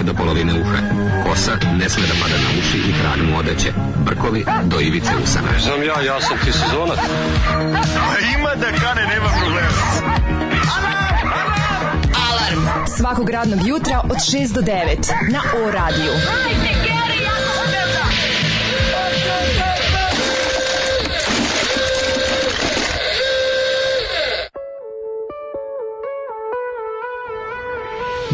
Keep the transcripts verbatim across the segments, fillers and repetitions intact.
do polovine uha. Kosa ne sme da pada na uši i krag mu odeće. Brkovi do ivice usana. Znam ja, ja sam ti sezonac. Ima da kane, nema problema. Alarm svakog radnog jutra od šest do devet na O radiju.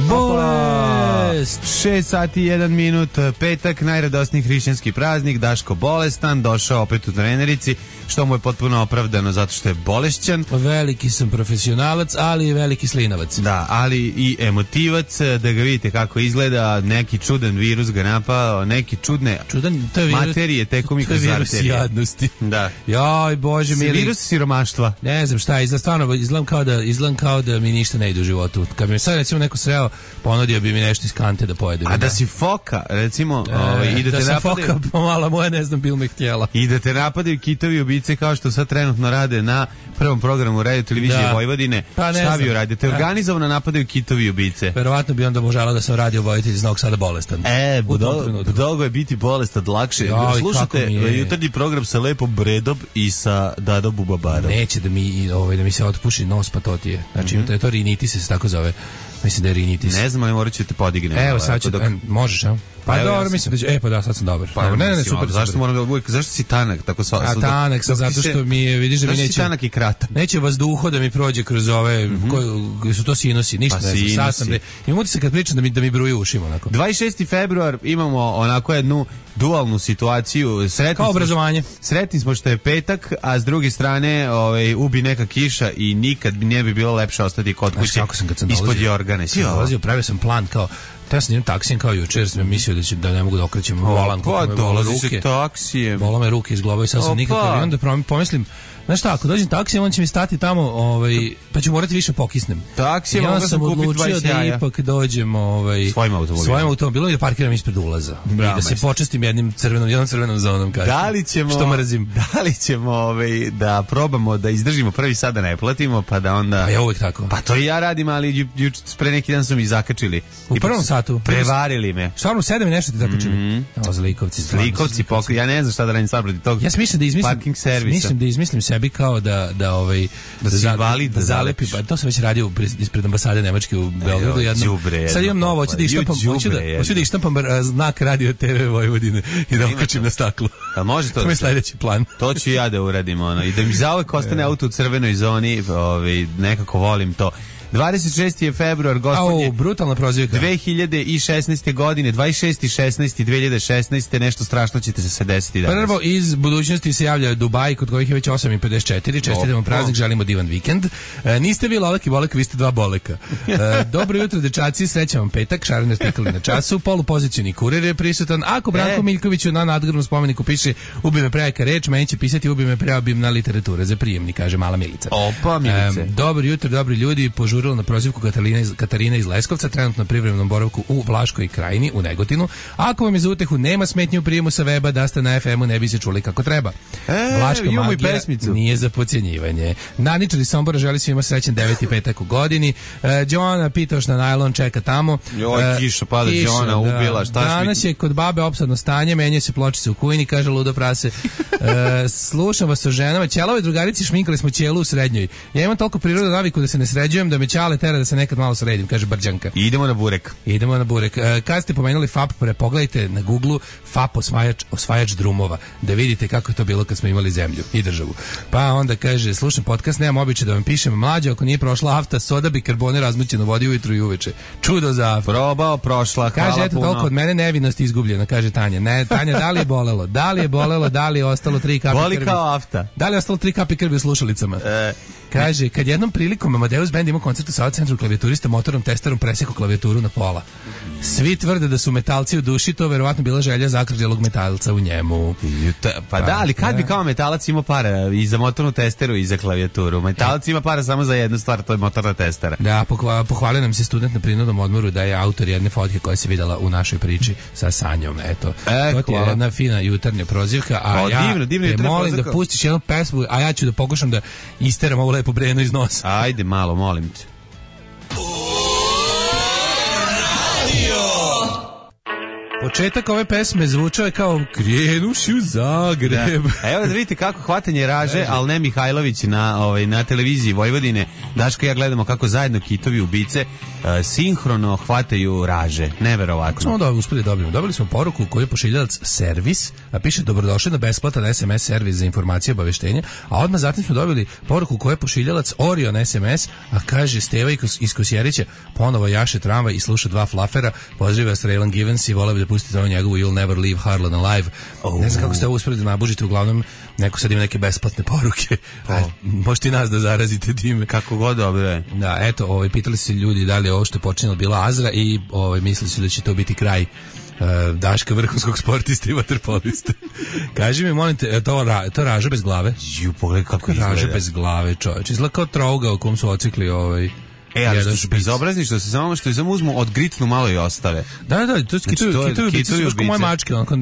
Bolest! šest sati i jedan minut, petak, najradosniji hrišćanski praznik, Daško bolestan, došao opet u trenerici, što mu je potpuno opravdano zato što je bolešćan. Veliki sam profesionalac, ali i veliki slinavac. Da, ali i emotivac, da ga vidite kako izgleda, neki čudan virus ga napao, neki čudne Čudan, to je virus, materije tekom i kroz arterije. To je virus jadnosti. Da. Joj, Bože mili. Virus siromaštva. Ne znam šta, izgleda stvarno, izgledam kao da, izgledam kao da mi ništa ne ide u životu. Kad bi mi sad recimo neko sreo, ponudio bi mi nešto iz kante da pojedem. A da, da si foka, recimo, e, ovaj, i da, da te sam napadaju, foka pomala moja, ne znam, bil me htjela. I da te napadaju kitovi ubice kao što sad trenutno rade na prvom programu radio televizije da. Vojvodine. Pa šta bi uradio? Te organizovano napadaju kitovi ubice. Verovatno bi onda možala da sam radio vojitelj iz Novog Sada bolestan. E, budolgo je biti bolestan lakše. Joj, slušate jutarnji program sa Lepom Bredom i sa Dadom Bubabarom. Neće da mi, ovaj, da mi se otpuši nos patotije. Znači, mm-hmm. to je rinitis, se tako zove. Mislim da je rinitis. Ne znam, ali morat ću te podignem. Evo, sad ću, dok... e, možeš, a? Pa, pa dobro, ja mislim da će, e pa da, sad sam dobar. Pa, ne, ne, ne, super. Zašto moram da uvijek, zašto si tanak tako sva? A tanak sam zato što mi je, vidiš da mi neće. Zašto si tanak i kratak? Neće vazduho da mi prođe kroz ove, mm-hmm. koji su to sinusi, ništa pa ne znam. Sad sam, imam utisak kad pričam da mi da mi bruju ušima onako. dvadeset šesti februar imamo onako jednu dualnu situaciju. Sretni kao obrazovanje. Smo, sretni smo što je petak, a s druge strane, ovaj ubi neka kiša i nikad ne bi bilo lepše ostati kod kuće. Ispod jorgane. Ti dolazio, pravio sam plan kao ja sam idem taksijem kao jučer, sam mislio da, će, da ne mogu da okrećem volan. Pa dolazi se taksijem. Bola me ruke iz glava i sad sam nikakav. I onda pomislim, znaš šta, ako dođem taksijem, on će mi stati tamo, ovaj, pa ću morati više pokisnem. Taksijem, onda sam odlučio da ipak dođem ovaj, svojim automobilom. Svojim automobilom i da parkiram ispred ulaza. Bravo, I da se počestim jednim crvenom, jednom crvenom zonom. Kažem, da li ćemo, što mrzim. Da li ćemo ovaj, da probamo da izdržimo prvi sad da ne platimo, pa da onda... A ja uvek tako. Pa to i ja radim, ali ju, ju, pre neki dan su mi zakačili. U I prvom satu? Prevarili me. Stvarno u sedam i nešto ti zakačili? Mm-hmm. O, zlikovci. Zlikovci, pokri, ja ne znam šta da radim sad protiv tog ja mislim da izmislim, parking servisa. Mislim da izmislim sebi kao da da ovaj da, da, za, valid, da zalepi, pa to sam već radio ispred ambasade Nemačke u Beogradu jednom. Sad imam novo, hoću da ištampam, hoću da hoću da ištampam znak Radio T V Vojvodine i da okačim na staklu. A može to? To je sledeći plan. To ću ja da uradim ono i da mi zauvek ostane auto u crvenoj zoni, ovaj nekako volim to. dvadeset šesti februar, gospodnje. Au, brutalna prozivka. dve hiljade šesnaeste godine, dvadeset šesti šesnaesti dve hiljade šesnaeste nešto strašno ćete se desiti danas. Prvo iz budućnosti se javlja Dubaj, kod kojih je već osam i pedeset četiri. Čestitamo praznik, želimo divan vikend. E, niste vi Lolek i Bolek, vi ste dva Boleka. E, dobro jutro, dečaci, srećan vam petak, šarene stekali na času, polupozicioni kurir je prisutan. Ako Branko e. Miljkoviću na nadgrobnom spomeniku piše ubi me prejaka reč, meni će pisati ubi me preobimna literatura za prijemni, kaže mala Milica. Opa, Milice. E, dobro jutro, dobri ljudi, požurili na prozivku Katarina iz, Katarina iz Leskovca, trenutno na privremenom boravku u Vlaškoj krajini, u Negotinu. Ako vam je za utehu nema smetnje u prijemu sa weba, da ste na ef emu, ne bi se čuli kako treba. E, Vlaška magija nije za podcjenjivanje. Naničari Sombora želi svima srećan deveti petak u godini. E, Đona pitaš na najlon, čeka tamo. Joj, kiša pada, Đona ubila. Šta danas je kod babe opsadno stanje, menja se pločice u kujini, kaže ludo prase. E, slušam vas o ženama. Ćelove drugarici šminkali smo ćelu u srednjoj. Ja imam toliko prirodnu naviku da se ne sređujem, da me ćale tera da se nekad malo sredim, kaže Brđanka. Idemo na burek. Idemo na burek. E, kad ste pomenuli F A P, pogledajte na Google F A P osvajač, osvajač drumova, da vidite kako je to bilo kad smo imali zemlju i državu. Pa onda kaže, slušam podcast, nemam običaj da vam pišem, mlađe, ako nije prošla afta, soda bikarbone razmućeno vodi ujutru i uveče. Čudo za afta. Probao, prošla, hvala kaže, eto, puno. toliko od mene nevinost izgubljena, kaže Tanja. Ne, Tanja, da li je bolelo? Da li je bolelo? Da li je ostalo tri kapi Boli krvi? Boli kao afta. Da li je ostalo tri kapi krvi u slušalicama? E. Kaže, kad jednom prilikom Amadeus Band imao koncert u Sava centru, klavijaturista motornom testerom presekao klavijaturu na pola. Svi tvrde da su metalci u duši, to verovatno bila želja zakrđelog metalca u njemu. Pa da, ali kad bi kao metalac imao para i za motornu testeru i za klavijaturu? Metalac ima para samo za jednu stvar, to je motorna testera. Da, pohvalio nam se student na prinudnom odmoru da je autor jedne fotke koja se videla u našoj priči sa Sanjom. Eto, e, to ti je jedna fina jutarnja prozivka, a o, ja divno, divno te molim prozivka. Da pustiš jednu pesmu, a ja ću da pokušam da isteram ovo lepo breno iz nosa. Ajde malo, molim te. Radio Početak ove pesme zvučao je kao krenuši u Zagreb. Da. Evo da vidite kako hvatanje raže, ali ne Mihajlović na, ovaj, na televiziji Vojvodine. Daško i ja gledamo kako zajedno kitovi ubice uh, sinhrono hvataju raže. Neverovatno. Smo da uspeli dobijemo. Dobili smo poruku koju je pošiljalac servis, a piše dobrodošli na besplatan es em es servis za informacije i obaveštenja, a odmah zatim smo dobili poruku koju je pošiljalac Orion es em es, a kaže Steva iz Kosjerića ponovo jaše tramvaj i sluša dva flafera, pozdrava s Raylan Givens i voleo bi da pustite ono njegovu You'll Never Leave Harlan Alive. Oh. Ne znam kako ste ovo uspeli da nabužite, uglavnom neko sad ima neke besplatne poruke. Oh. Možete i nas da zarazite time. Kako god dobro je. Da, eto, ovaj, pitali se ljudi da li je ovo što je počinjalo bila Azra i ovaj, mislili su da će to biti kraj uh, Daška vrhunskog sportista i vaterpolista. Kaži mi, molim te, to, ra, to raža bez glave? Ju, pogledaj kako izgleda. Raža bez glave, čovječ. Izgleda kao trouga u kom su ocikli ovaj... E, ali što su bezobrazni, što se samo što je samo uzmu, odgritnu malo i ostave. Da, da, to je kitovi ubice, su kao moje mačke, onako,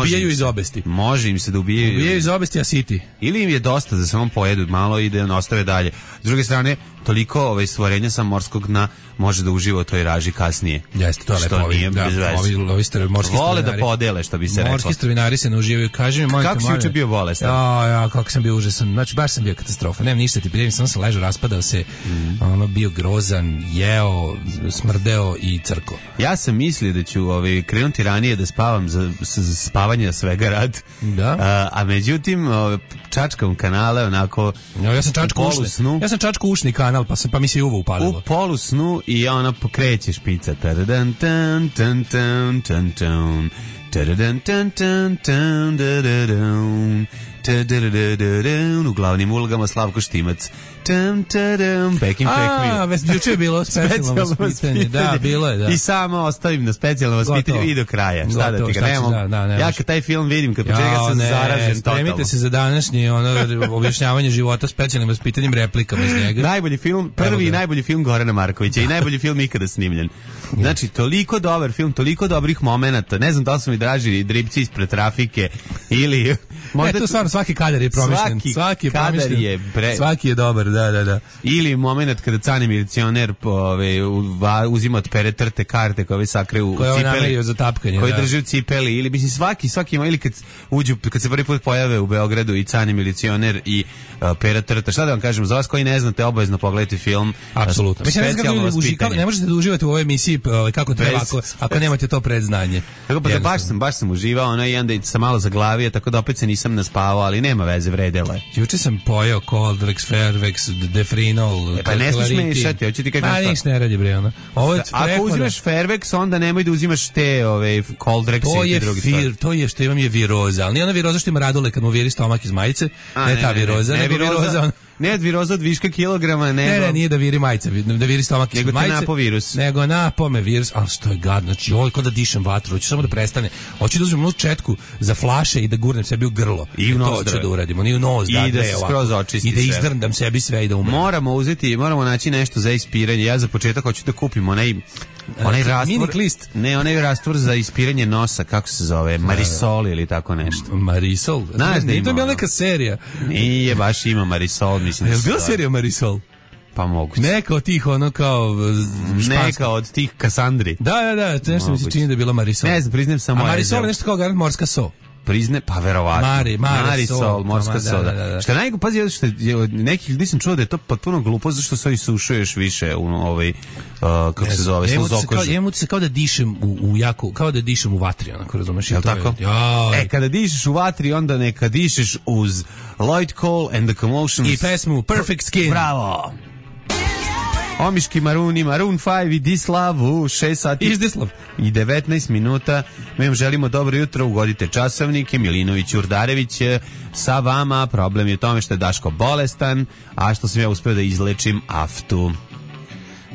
ubijaju iz obesti. Može im se da ubijaju. Ubijaju iz obesti, a siti. Ili im je dosta da samo pojedu malo i da ostave dalje. S druge strane, toliko ovaj, stvorenja sa morskog dna može da uživa u toj raži kasnije. Jeste, to je lepo. Što nije da, bez veze. Ovi, ovi str, morski vole da podele, što bi se reklo. Morski stravinari se ne uživaju. Kaži mi, mojte, kako si juče bio bolestan? Ja, ja, kako sam bio užasan. Znači, baš sam bio katastrofa. Nemam ništa ti prijevim, samo sam ležao, raspadao se, mm. ono, bio grozan, jeo, smrdeo i crko. Ja sam mislio da ću ovaj, krenuti ranije da spavam za, za spavanje svega rad. Da. A, a međutim, ovaj, čačkam kanale, onako, ja, ja sam čačku ušni. Snu. Ja sam čačku ušni kanal, pa, sam, pa mi se i uvo upalilo. U polu snu i ona pokreće špica. Taradan, tan, tan, tan, tan, tan. Taradan, tan, tan, tan, taradan. U glavnim ulogama Slavko Štimac. Tam, tadam, back in fact me. A, već juče je bilo specijalno vaspitanje. Da, bilo je, da. I samo ostavim na specijalno vaspitanje i do kraja. Šta da ti ga nemam? Da, da, ne, ja kad taj film vidim, kad početka sam zaražen totalno. Spremite se za današnji ono, objašnjavanje života specijalnim vaspitanjem replikama iz njega. Najbolji film, prvi i najbolji film Gorana Markovića i najbolji film ikada snimljen. Znači, toliko dobar film, toliko dobrih momenata. Ne znam da li su mi draži dripci ispred trafike ili... Možda... E, tu stvarno svaki kadar je promišljen. Svaki, svaki je kadar je bre... Svaki je dobar, da, da, da. Ili moment kada cani milicioner ove, uzima od pere trte karte koje sakre u koje cipeli. Za tapkanje, koji da. drži u cipeli. Ili, mislim, svaki, svaki ima, ili kad uđu, kad se prvi put pojave u Beogradu i cani milicioner i uh, pera trta. Šta da vam kažem, za vas koji ne znate, obavezno pogledajte film. Apsolutno. Mislim, ne, uži, kako, ne možete da uživati u ovoj emisiji kako treba, ako, ako nemate to predznanje. Tako pa da baš sam, baš sam uživao, ono i onda sam malo zaglavio, tako da opet se nisam naspavao, ali nema veze, vredelo je. Juče sam pojeo Coldrex, Fairvex, Defrinol, e, pa ne smiješ mešati, hoće ti kažem šta. A niš ne radi bre, ono. Ovo je ako uzimaš Fairvex, onda nemoj da uzimaš te ove Coldrex i drugi stvari. To je što imam je viroza, ali nije ona viroza što ima Radule kad mu viri stomak iz majice, A, ne, ne ta viroza, ne, ne, nego viroza, viroza. Ne od viroza od viška kilograma, nego... Ne, ne, nije da viri majice, da viri stomak iz majice. Nego te napo virus. Nego napo me virus, ali što je gadno, znači ovo je kao da dišem vatru, hoću samo da prestane. Hoću da uzmem onu četku za flaše i da gurnem sebi u grlo. I u nos. To ću da uradimo, ni u nos. I da, da se skroz očisti. I da izdrndam sebi sve i da umrem. Moramo uzeti, moramo naći nešto za ispiranje. Ja za početak hoću da kupim onaj... Onaj rastvor, list. Ne, onaj rastvor za ispiranje nosa, kako se zove, Marisol ili tako nešto. Marisol? Znaš, nije to bila neka serija. Nije, baš ima Marisol, mislim. Je li bila serija Marisol? Pa moguće. Neka od tih, ono kao... Španska. Neka od tih Kasandri. Da, da, da, nešto mi se čini da je bila Marisol. Ne znam, priznajem samo... A Marisol je nešto kao garant morska so. Prizne, pa verovatno. Mari, Mari, Marisol, sol, morska soda. Da, da, da. Šta najgo, pazi, što je, od nekih ljudi sam čuo da je to potpuno glupo, zašto se isušuješ više u ovaj, uh, kako ne, se zove, sluzokožu. Jemu se kao da dišem u, u jako, kao da dišem u vatri, onako, razumeš? Jel tako? Je, e, kada dišeš u vatri, onda neka dišeš uz Lloyd Cole and the Commotions. I pesmu Perfect Skin. Bravo! Omiški Maruni, Maroon pet i Dislav u šest sati Izdislav. I devetnaest minuta. Mi vam želimo dobro jutro, ugodite časovnike. Milinović Urdarević sa vama. Problem je u tome što je Daško bolestan, a što sam ja uspeo da izlečim aftu.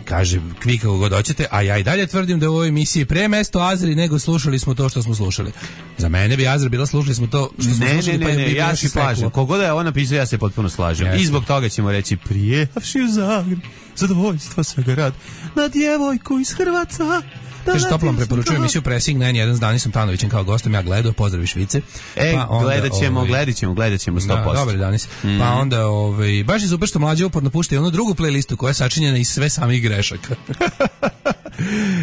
Kaže, vi kako god hoćete, a ja i dalje tvrdim da u ovoj emisiji pre mesto Azri nego slušali smo to što smo slušali. Za mene bi Azra bila slušali smo to što smo ne, slušali. Ne, pa ne, ne, ja se slažem. Kogoda je on napisao, ja se potpuno slažem. Jasne. I zbog toga ćemo reći prijevši u Zagreb, zadovoljstva svega rad, na djevojku iz Hrvatska. Kaže, toplom preporučujem emisiju Pressing na N jedan s Danisom Tanovićem kao gostom, ja gledao, pozdravi Švice. E, pa onda, gledat ćemo, ovaj, gledat ćemo, gledat ćemo sto posto. Da, dobar Danis. Mm. Pa onda, ovaj, baš je super što mlađe uporno pušta onu drugu playlistu koja je sačinjena iz sve samih grešaka.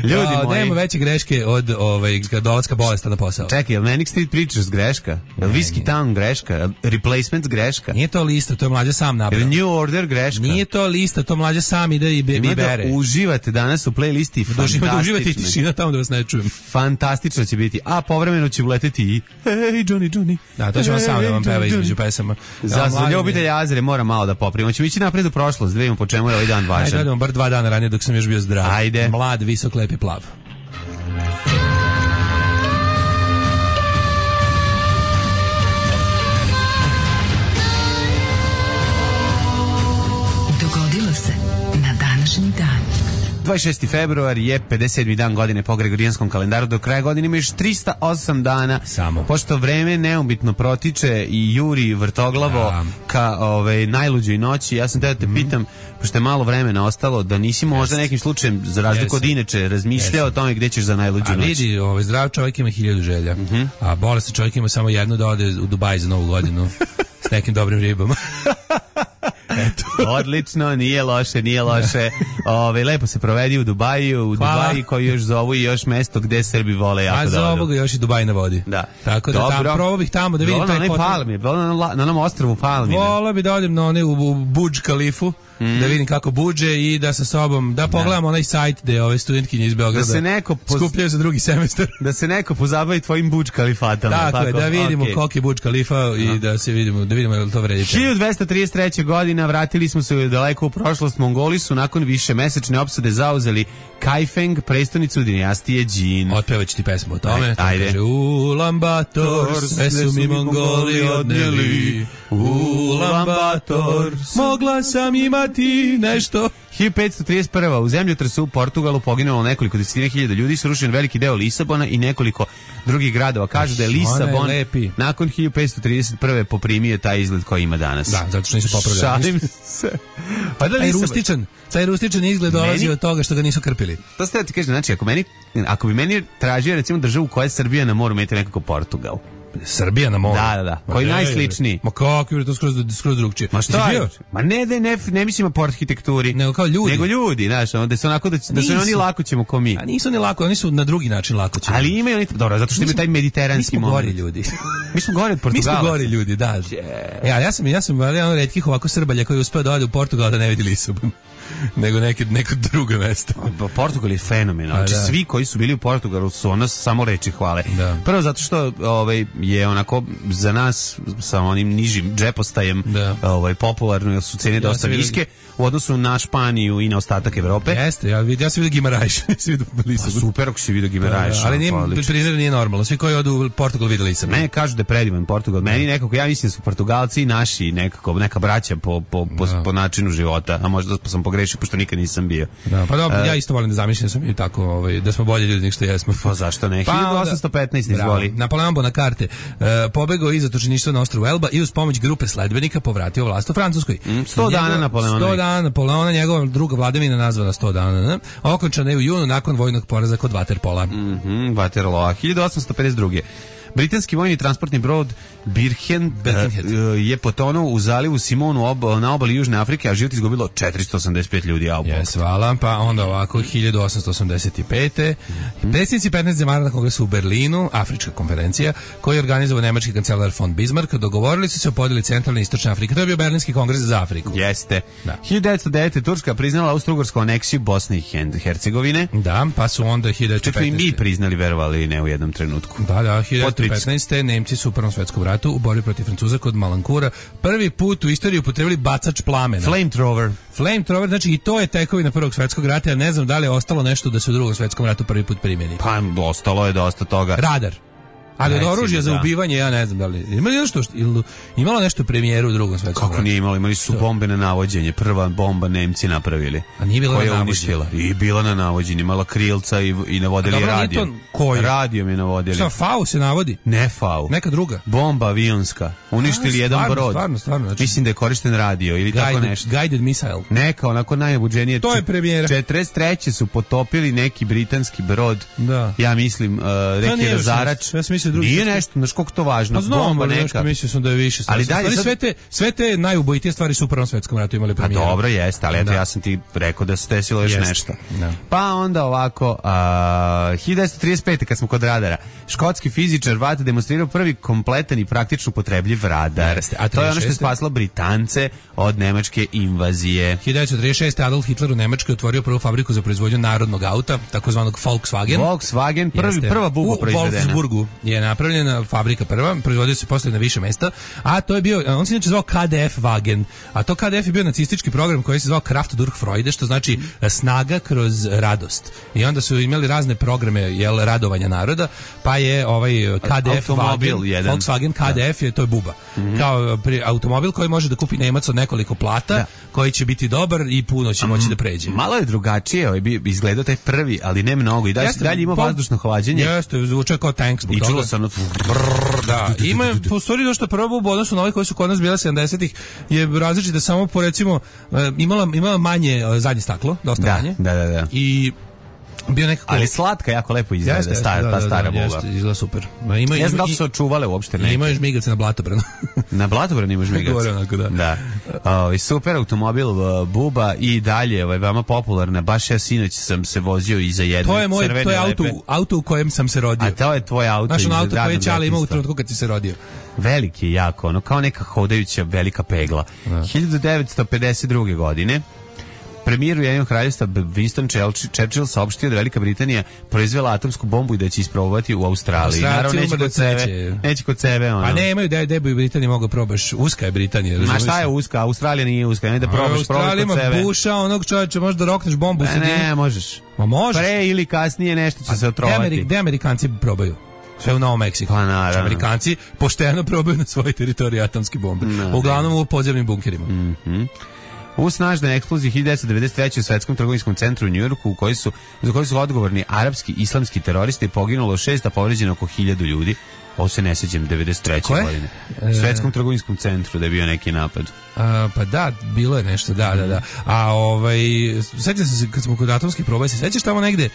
Ljudi ja, moji. Nema veće greške od ovaj, dolaska bolesta na posao. Čekaj, je li Manic Street Preachers greška? Je li Whiskey Town greška? Je li Replacements greška? Nije to lista, to je Mlađa sam Je nabrao. li New Order greška? Nije to lista, to Mlađa sam ide i be, Ima i bere. da uživate danas u playlisti, Doživite, uživate i fantastično. tišina tamo da vas ne čujem. Fantastično će biti. A povremeno će uleteti i Hey Johnny Johnny. Da, to ćemo sam da vam Hey, peva Johnny, između Johnny. pesama. Za, za ljubitelja Azere mora malo da poprimo. Ćemo ići napred u prošlost, da vidimo po čemu je ovaj dan Ajde, važan. odemo bar dva dana ranije dok sam još bio zdrav. Ajde. Mlad, visok, lep i plav. Dogodilo se na današnji dan. dvadeset šesti februar je pedeset sedmi dan godine po gregorijanskom kalendaru. Do kraja godine ima još trista osam dana. Samo. Pošto vreme neumitno protiče i juri vrtoglavo Ja. ka ovaj, najluđoj noći, ja sam te da te pitam, pošto je malo vremena ostalo, da nisi možda nekim slučajem, za razliku od Jesam. inače, razmišljao o tome gde ćeš za najluđu A noć. vidi, ovaj, zdrav čovjek ima hiljadu želja, a bolestan čovjek ima samo jednu da ode u Dubaj za novu godinu s nekim dobrim ribama. Odlično, nije loše, nije loše. Ove, lepo se provedi u Dubaju, u Hvala. Dubaji koji još zovu i još mesto gde Srbi vole jako A za dobro. ovoga još i Dubaj na vodi. Da. Tako da Dobro. tamo, probao bih tamo da vidim Volao na taj onaj potok. Palmi, volao na, la- na onom ostrvu Palmi. Volao bi da odem na one u, u Budž Kalifu, da vidim kako budže i da sa sobom, da pogledam onaj sajt gde ove studentkinje iz Beograda Da se neko poz- skupljaju za drugi semestar. Da se neko pozabavi tvojim Budž Kalifatama. Tako je, da vidimo okej. koliki je Budž Kalifa i da se vidimo, da vidimo je li to vredi. hiljadu dvesta trideset treće. godina vratili smo se daleko u prošlost. Mongoli su nakon više mesečne opsade zauzeli Kaifeng, prestonicu dinastije Jin. Otpevaću ti pesmu o tome. Aj- To ajde. Kaže, Ulan Bator, sve su mi Mongoli odneli. Ulan Bator, mogla sam imati nešto. hiljadu petsto trideset prva. u zemljotresu u Portugalu poginulo nekoliko desetina hiljada ljudi, srušen veliki deo Lisabona i nekoliko drugih gradova. Kažu da je Ona je Lisabon lepi. nakon hiljadu petsto trideset prve poprimio taj izgled koji ima danas. Da, zato što nisu popravljali. Šalim se. Pa da Taj Lisabon- rustičan, taj rustičan izgled dolazi Meni- od toga što ga nisu krpili. To ste da ti kažem, znači ako meni ako bi meni tražio recimo državu koja je Srbija na moru, meti nekako Portugal. Srbija na moru. Da, da, da. Ma Koji ne, najsličniji? Ma kako je to skroz, skroz drugčije. Ma šta Jesi je? bio? Ma ne da ne, ne mislimo po arhitekturi. Nego kao ljudi. Nego ljudi, znaš, ono, da su onako da, da su Nisu. oni lako ćemo ko mi. A nisu ni lako, oni su na drugi način lako će. Ali imaju oni, dobro, zato što imaju taj mi mediteranski smo gori moment. ljudi. Mi smo gori od Mi smo Portugalaca. gori ljudi, da. E, ali ja sam, ja sam jedan od retkih ovako Srbalja koji je uspeo da ode u Portugal da ne vidi Lisabon. Nego neke, neko drugo mesto. Pa Portugal je fenomenal. Znači A, da. svi koji su bili u Portugalu su ono samo reči hvale. Da. Prvo zato što ovaj je onako za nas sa onim nižim džepostajem Da. ovaj popularno jer su cene dosta sam vidio- niske u odnosu na Španiju i na ostatak Evrope. Jeste, ja, vid, ja sam vidio Gimarajš, nisam vidio Pa Lisabon. super ako si vidio Gimaraješ. ali nije, pa odlično. primjer nije normalno. Svi koji odu u Portugal vide Lisabon. Ne, kažu da je predivan Portugal. Meni nekako, ja mislim da su Portugalci i naši nekako, neka braća po, po, po, Da. po načinu života. A možda sam pogrešio, pošto nikad nisam bio. Da, pa dobro, ja isto volim da zamišljam da smo mi tako, ovaj, da smo bolji ljudi nego što jesmo. Pa zašto ne? hiljadu osamsto petnaest izvoli. Napoleon Bonaparte uh, pobegao iz zatočeništva na ostrvu Elba i uz pomoć grupe sledbenika povratio vlast u Francuskoj. sto dana Napoleonovih. sto dana Napoleona, njegova druga vladavina nazvana sto dana. Ne? Okončana je u junu nakon vojnog poraza kod Waterpola. Mhm, Waterloo. hiljadu osamsto pedeset druge. Britanski vojni transportni brod Birken Birkenhead. uh, je potonuo u zalivu Simonu ob, na obali Južne Afrike, a život izgubilo četiristo osamdeset pet ljudi. A, Jes, hvala. Pa onda ovako, hiljadu osamsto osamdeset pete. Predsjednici petnaest zemalja na kongresu u Berlinu, Afrička konferencija, koju je organizovao nemački kancelar von Bismarck, dogovorili su se o podjeli centralne i istočne Afrike. To je bio Berlinski kongres za Afriku. Jeste. Da. hiljadu devetsto devete. Turska priznala austrougarsku aneksiju Bosne i Hen- Hercegovine. Da, pa su onda hiljadu devetsto Čak i mi petnaeste. priznali, verovali ili ne u jednom trenutku. Da, da, hiljadu Pod devetsto petnaeste. Nemci su u Prvom svetskom ratu u borbi protiv Francuza kod Malankura prvi put u istoriji upotrebili bacač plamena. Flamethrower. Flamethrower, znači i to je tekovina Prvog svetskog rata, ja ne znam da li je ostalo nešto da se u Drugom svetskom ratu prvi put primjeni. Pa ostalo je dosta toga. Radar. Ali od Recimo, oružja za da. ubivanje, ja ne znam da li... Ima li nešto, ili- imalo nešto premijeru u Drugom svetskom Kako ratu? nije imalo, imali su bombe na navođenje. Prva bomba Nemci napravili. A nije bila na koja je navođenje? uništila. I bila na navođenje, imala krilca i, i navodili A dobro, nije radio. to koju? Radio mi navodili. Šta, FAU se navodi? Ne fau. Neka druga. Bomba avionska. Uništili A, jedan stvarno, brod. stvarno, stvarno, znači- Mislim da je korišten radio ili tako Guided, nešto. guided missile. Neka, onako najbuđenije. To je premijera. četrdeset treće su potopili neki britanski brod. Da. Ja mislim, uh, To reki nije još Razarač. nešto. Ja sam mislio se drugi. Nije nešto, znaš koliko to važno. Pa znam, bomba ali neka. nešto mislio sam da je više stvari. Ali dalje, stvari sad... sve, te, sve te najubojitije stvari su u Prvom svetskom ratu imali premijeru. Pa dobro jeste, ali eto Da. ja sam ti rekao da se desilo još Jeste. nešto. Da. Pa onda ovako, a, hiljadu devetsto trideset pete kad smo kod radara, škotski fizičar Watt demonstrirao prvi kompletan i praktično upotrebljiv radar. Jeste, a to je ono što je trideset šeste spaslo Britance od nemačke invazije. hiljadu devetsto trideset šeste Adolf Hitler u Nemačkoj otvorio prvu fabriku za proizvodnju narodnog auta, takozvanog Volkswagen. Volkswagen, prvi, Jeste. prva buba u proizvedena. U Wolfsburgu je napravljena fabrika prva, proizvodio se posle na više mesta, a to je bio, on se inače zvao K D F Wagen, a to K D F je bio nacistički program koji se zvao Kraft durch Freude, što znači snaga kroz radost. I onda su imali razne programe, jel, radovanja naroda, pa je ovaj K D F Automobil Wagen, jedan. Volkswagen K D F je, to je buba. Mm-hmm. Kao pri, automobil koji može da kupi Nemac od nekoliko plata, da. koji će biti dobar i puno će moći da pređe. Malo je drugačije, ovaj bi izgledao taj prvi, ali ne mnogo. I dalje, Jeste, dalje ima po- vazdušno hlađenje. Jeste, zvuče kao tank zbog I toga. čulo se ono... Da, ima po stvari dosta prva buba u odnosu na ove koji su kod nas bila sedamdesetih je različita samo po recimo e, imala imala manje e, zadnje staklo, dosta Da, manje. da, da, da. I bio nekako Ali slatka, jako lepo izgleda, Jeste, stara, da, ta da, stara da, buba. jeste, izgleda super. Ma ima Ne znam da li i- su se očuvale uopšte neke. Ima još žmigac na blatobranu. Na Blatobranu imaš migac. Gore onako, da. Da. O, super automobil uh, buba i dalje, ovaj veoma popularna. Baš ja sinoć sam se vozio iza jedne To je moj, crvene to je auto, lepe. auto u kojem sam se rodio. A to je tvoj auto. Znaš, iz ono auto koje je radnog Ćale imao u detinjstva. trenutku kad si se rodio. Veliki je jako, ono kao neka hodajuća velika pegla. hiljadu devetsto pedeset druge. godine premijer Ujedinjenog kraljevstva Winston Churchill- Churchill saopštio da Velika Britanija proizvela atomsku bombu i da će isprobovati u Australiji. Australci Naravno neće umrli kod sebe, neće. neće kod sebe ono. A ne, imaju da da bi u Britaniji mogao probaš. Uska je Britanija, Ma razumiješ? šta je uska? Australija nije uska, ne da probaš, probaj Australija kod ima sebe. buša, onog čovječa, možda rokneš bombu u E, sredini. ne, možeš. Ma možeš. Pre ili kasnije nešto će se Gde otrovati. Ameri- gde Amerikanci probaju? Sve u Novom Meksiku. Pa, naravno. Znači, Amerikanci pošteno probaju na svojoj teritoriji atomske bombe. No, Uglavnom u podzemnim bunkerima. Mm. U snažnoj eksploziji hiljadu devetsto devedeset treće. u Svetskom trgovinskom centru u Njujorku, u koji su, za koji su odgovorni arapski islamski teroristi, poginulo šest, a povređeno oko hiljadu ljudi. Ovo se ne sećam, devedeset treće. Koje? godine. U Svetskom trgovinskom centru da je bio neki napad. A, pa da, bilo je nešto, da, da, da. A ovaj, sećam se kad smo kod atomskih proba, se sećaš tamo negde,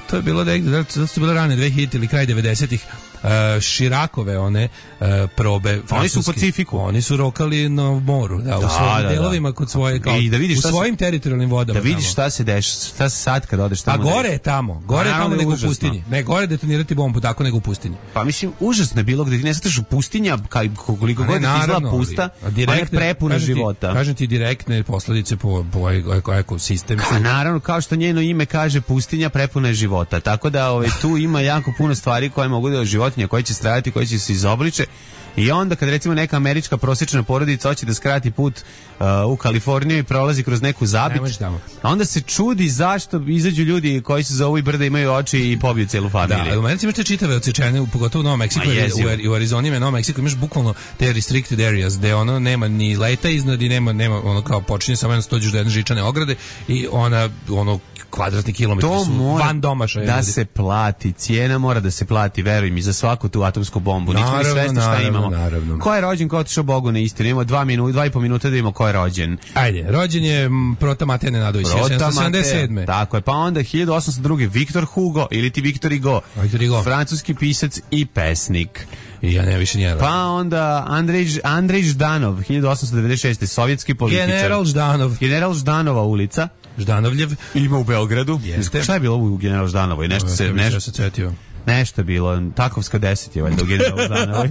to je bilo negde, da to su bile rane dve hiljadite ili kraj devedesetih. Uh, Širakove one uh, probe Oni su u francuske. Pacifiku. Oni su rokali na moru, da, u Da, svojim da, da. delovima kod svoje kao I da vidiš u šta se- svojim teritorijalnim vodama. Da vidiš tamo. šta se deš, šta se sad kad odeš A tamo. gore je tamo, gore je naravno tamo da je nego u užasno. pustinji. Ne, gore detonirati bombu, tako nego u pustinji. Pa mislim, užasno je bilo gde ti ne sataš u pustinja, kaj, koliko A ne, god da ti izgleda naravno, ali- pusta, a ona je direktne- prepuna kažem ti- života. Kažem ti direktne posledice po, po eko, ekosistem. A naravno, kao što njeno ime kaže, pustinja prepuna je života. Tako da ovaj, tu ima jako puno stvari koje mogu da životinje, koje će stradati, koje će se izobliče. I onda kad recimo neka američka prosječna porodica hoće da skrati put uh, u Kaliforniju i prolazi kroz neku Ne zabit, možeš tamo. a onda se čudi zašto izađu ljudi koji se zovu i brda imaju oči i pobiju celu familiju. Da, u Americi imaš te čitave odsečene, pogotovo u Novom Meksiku, Ma, jer jezivo. u, u Arizoni ima Novom Meksiku, imaš bukvalno te restricted areas, gde ono nema ni leta iznad i nema, nema ono kao počinje samo jedno stođeš do jedne žičane ograde i ona, ono, kvadratni kilometri To su mora van domašaja. da ljudi. se plati, cijena mora da se plati, veruj mi, za svaku tu atomsku bombu. Nismo ni Naravno, svesni šta naravno, imamo. naravno. Ko je rođen, ko je otišao Bogu na istinu. Imamo dva, minu, dva i po minuta da imamo ko je rođen. Ajde, rođen je m, Prota Matej Nenadović, sedamsto sedamdeset sedme. Tako je, pa onda hiljadu osamsto druge. Viktor Hugo ili ti Viktor Hugo, Viktor Hugo. francuski pisac i pesnik. I ja ne više nije rođen. Pa onda Andrej, Andrej Ždanov, hiljadu osamsto devedeset šeste. sovjetski političar. General Ždanov. General Ždanova ulica. Ždanovljev. Ima u Beogradu. Jeste. Šta je bilo u General Ždanovoj? Nešto se, Ja nešto, se cetio. nešto je bilo. Takovska deset je valjda u General Ždanovoj.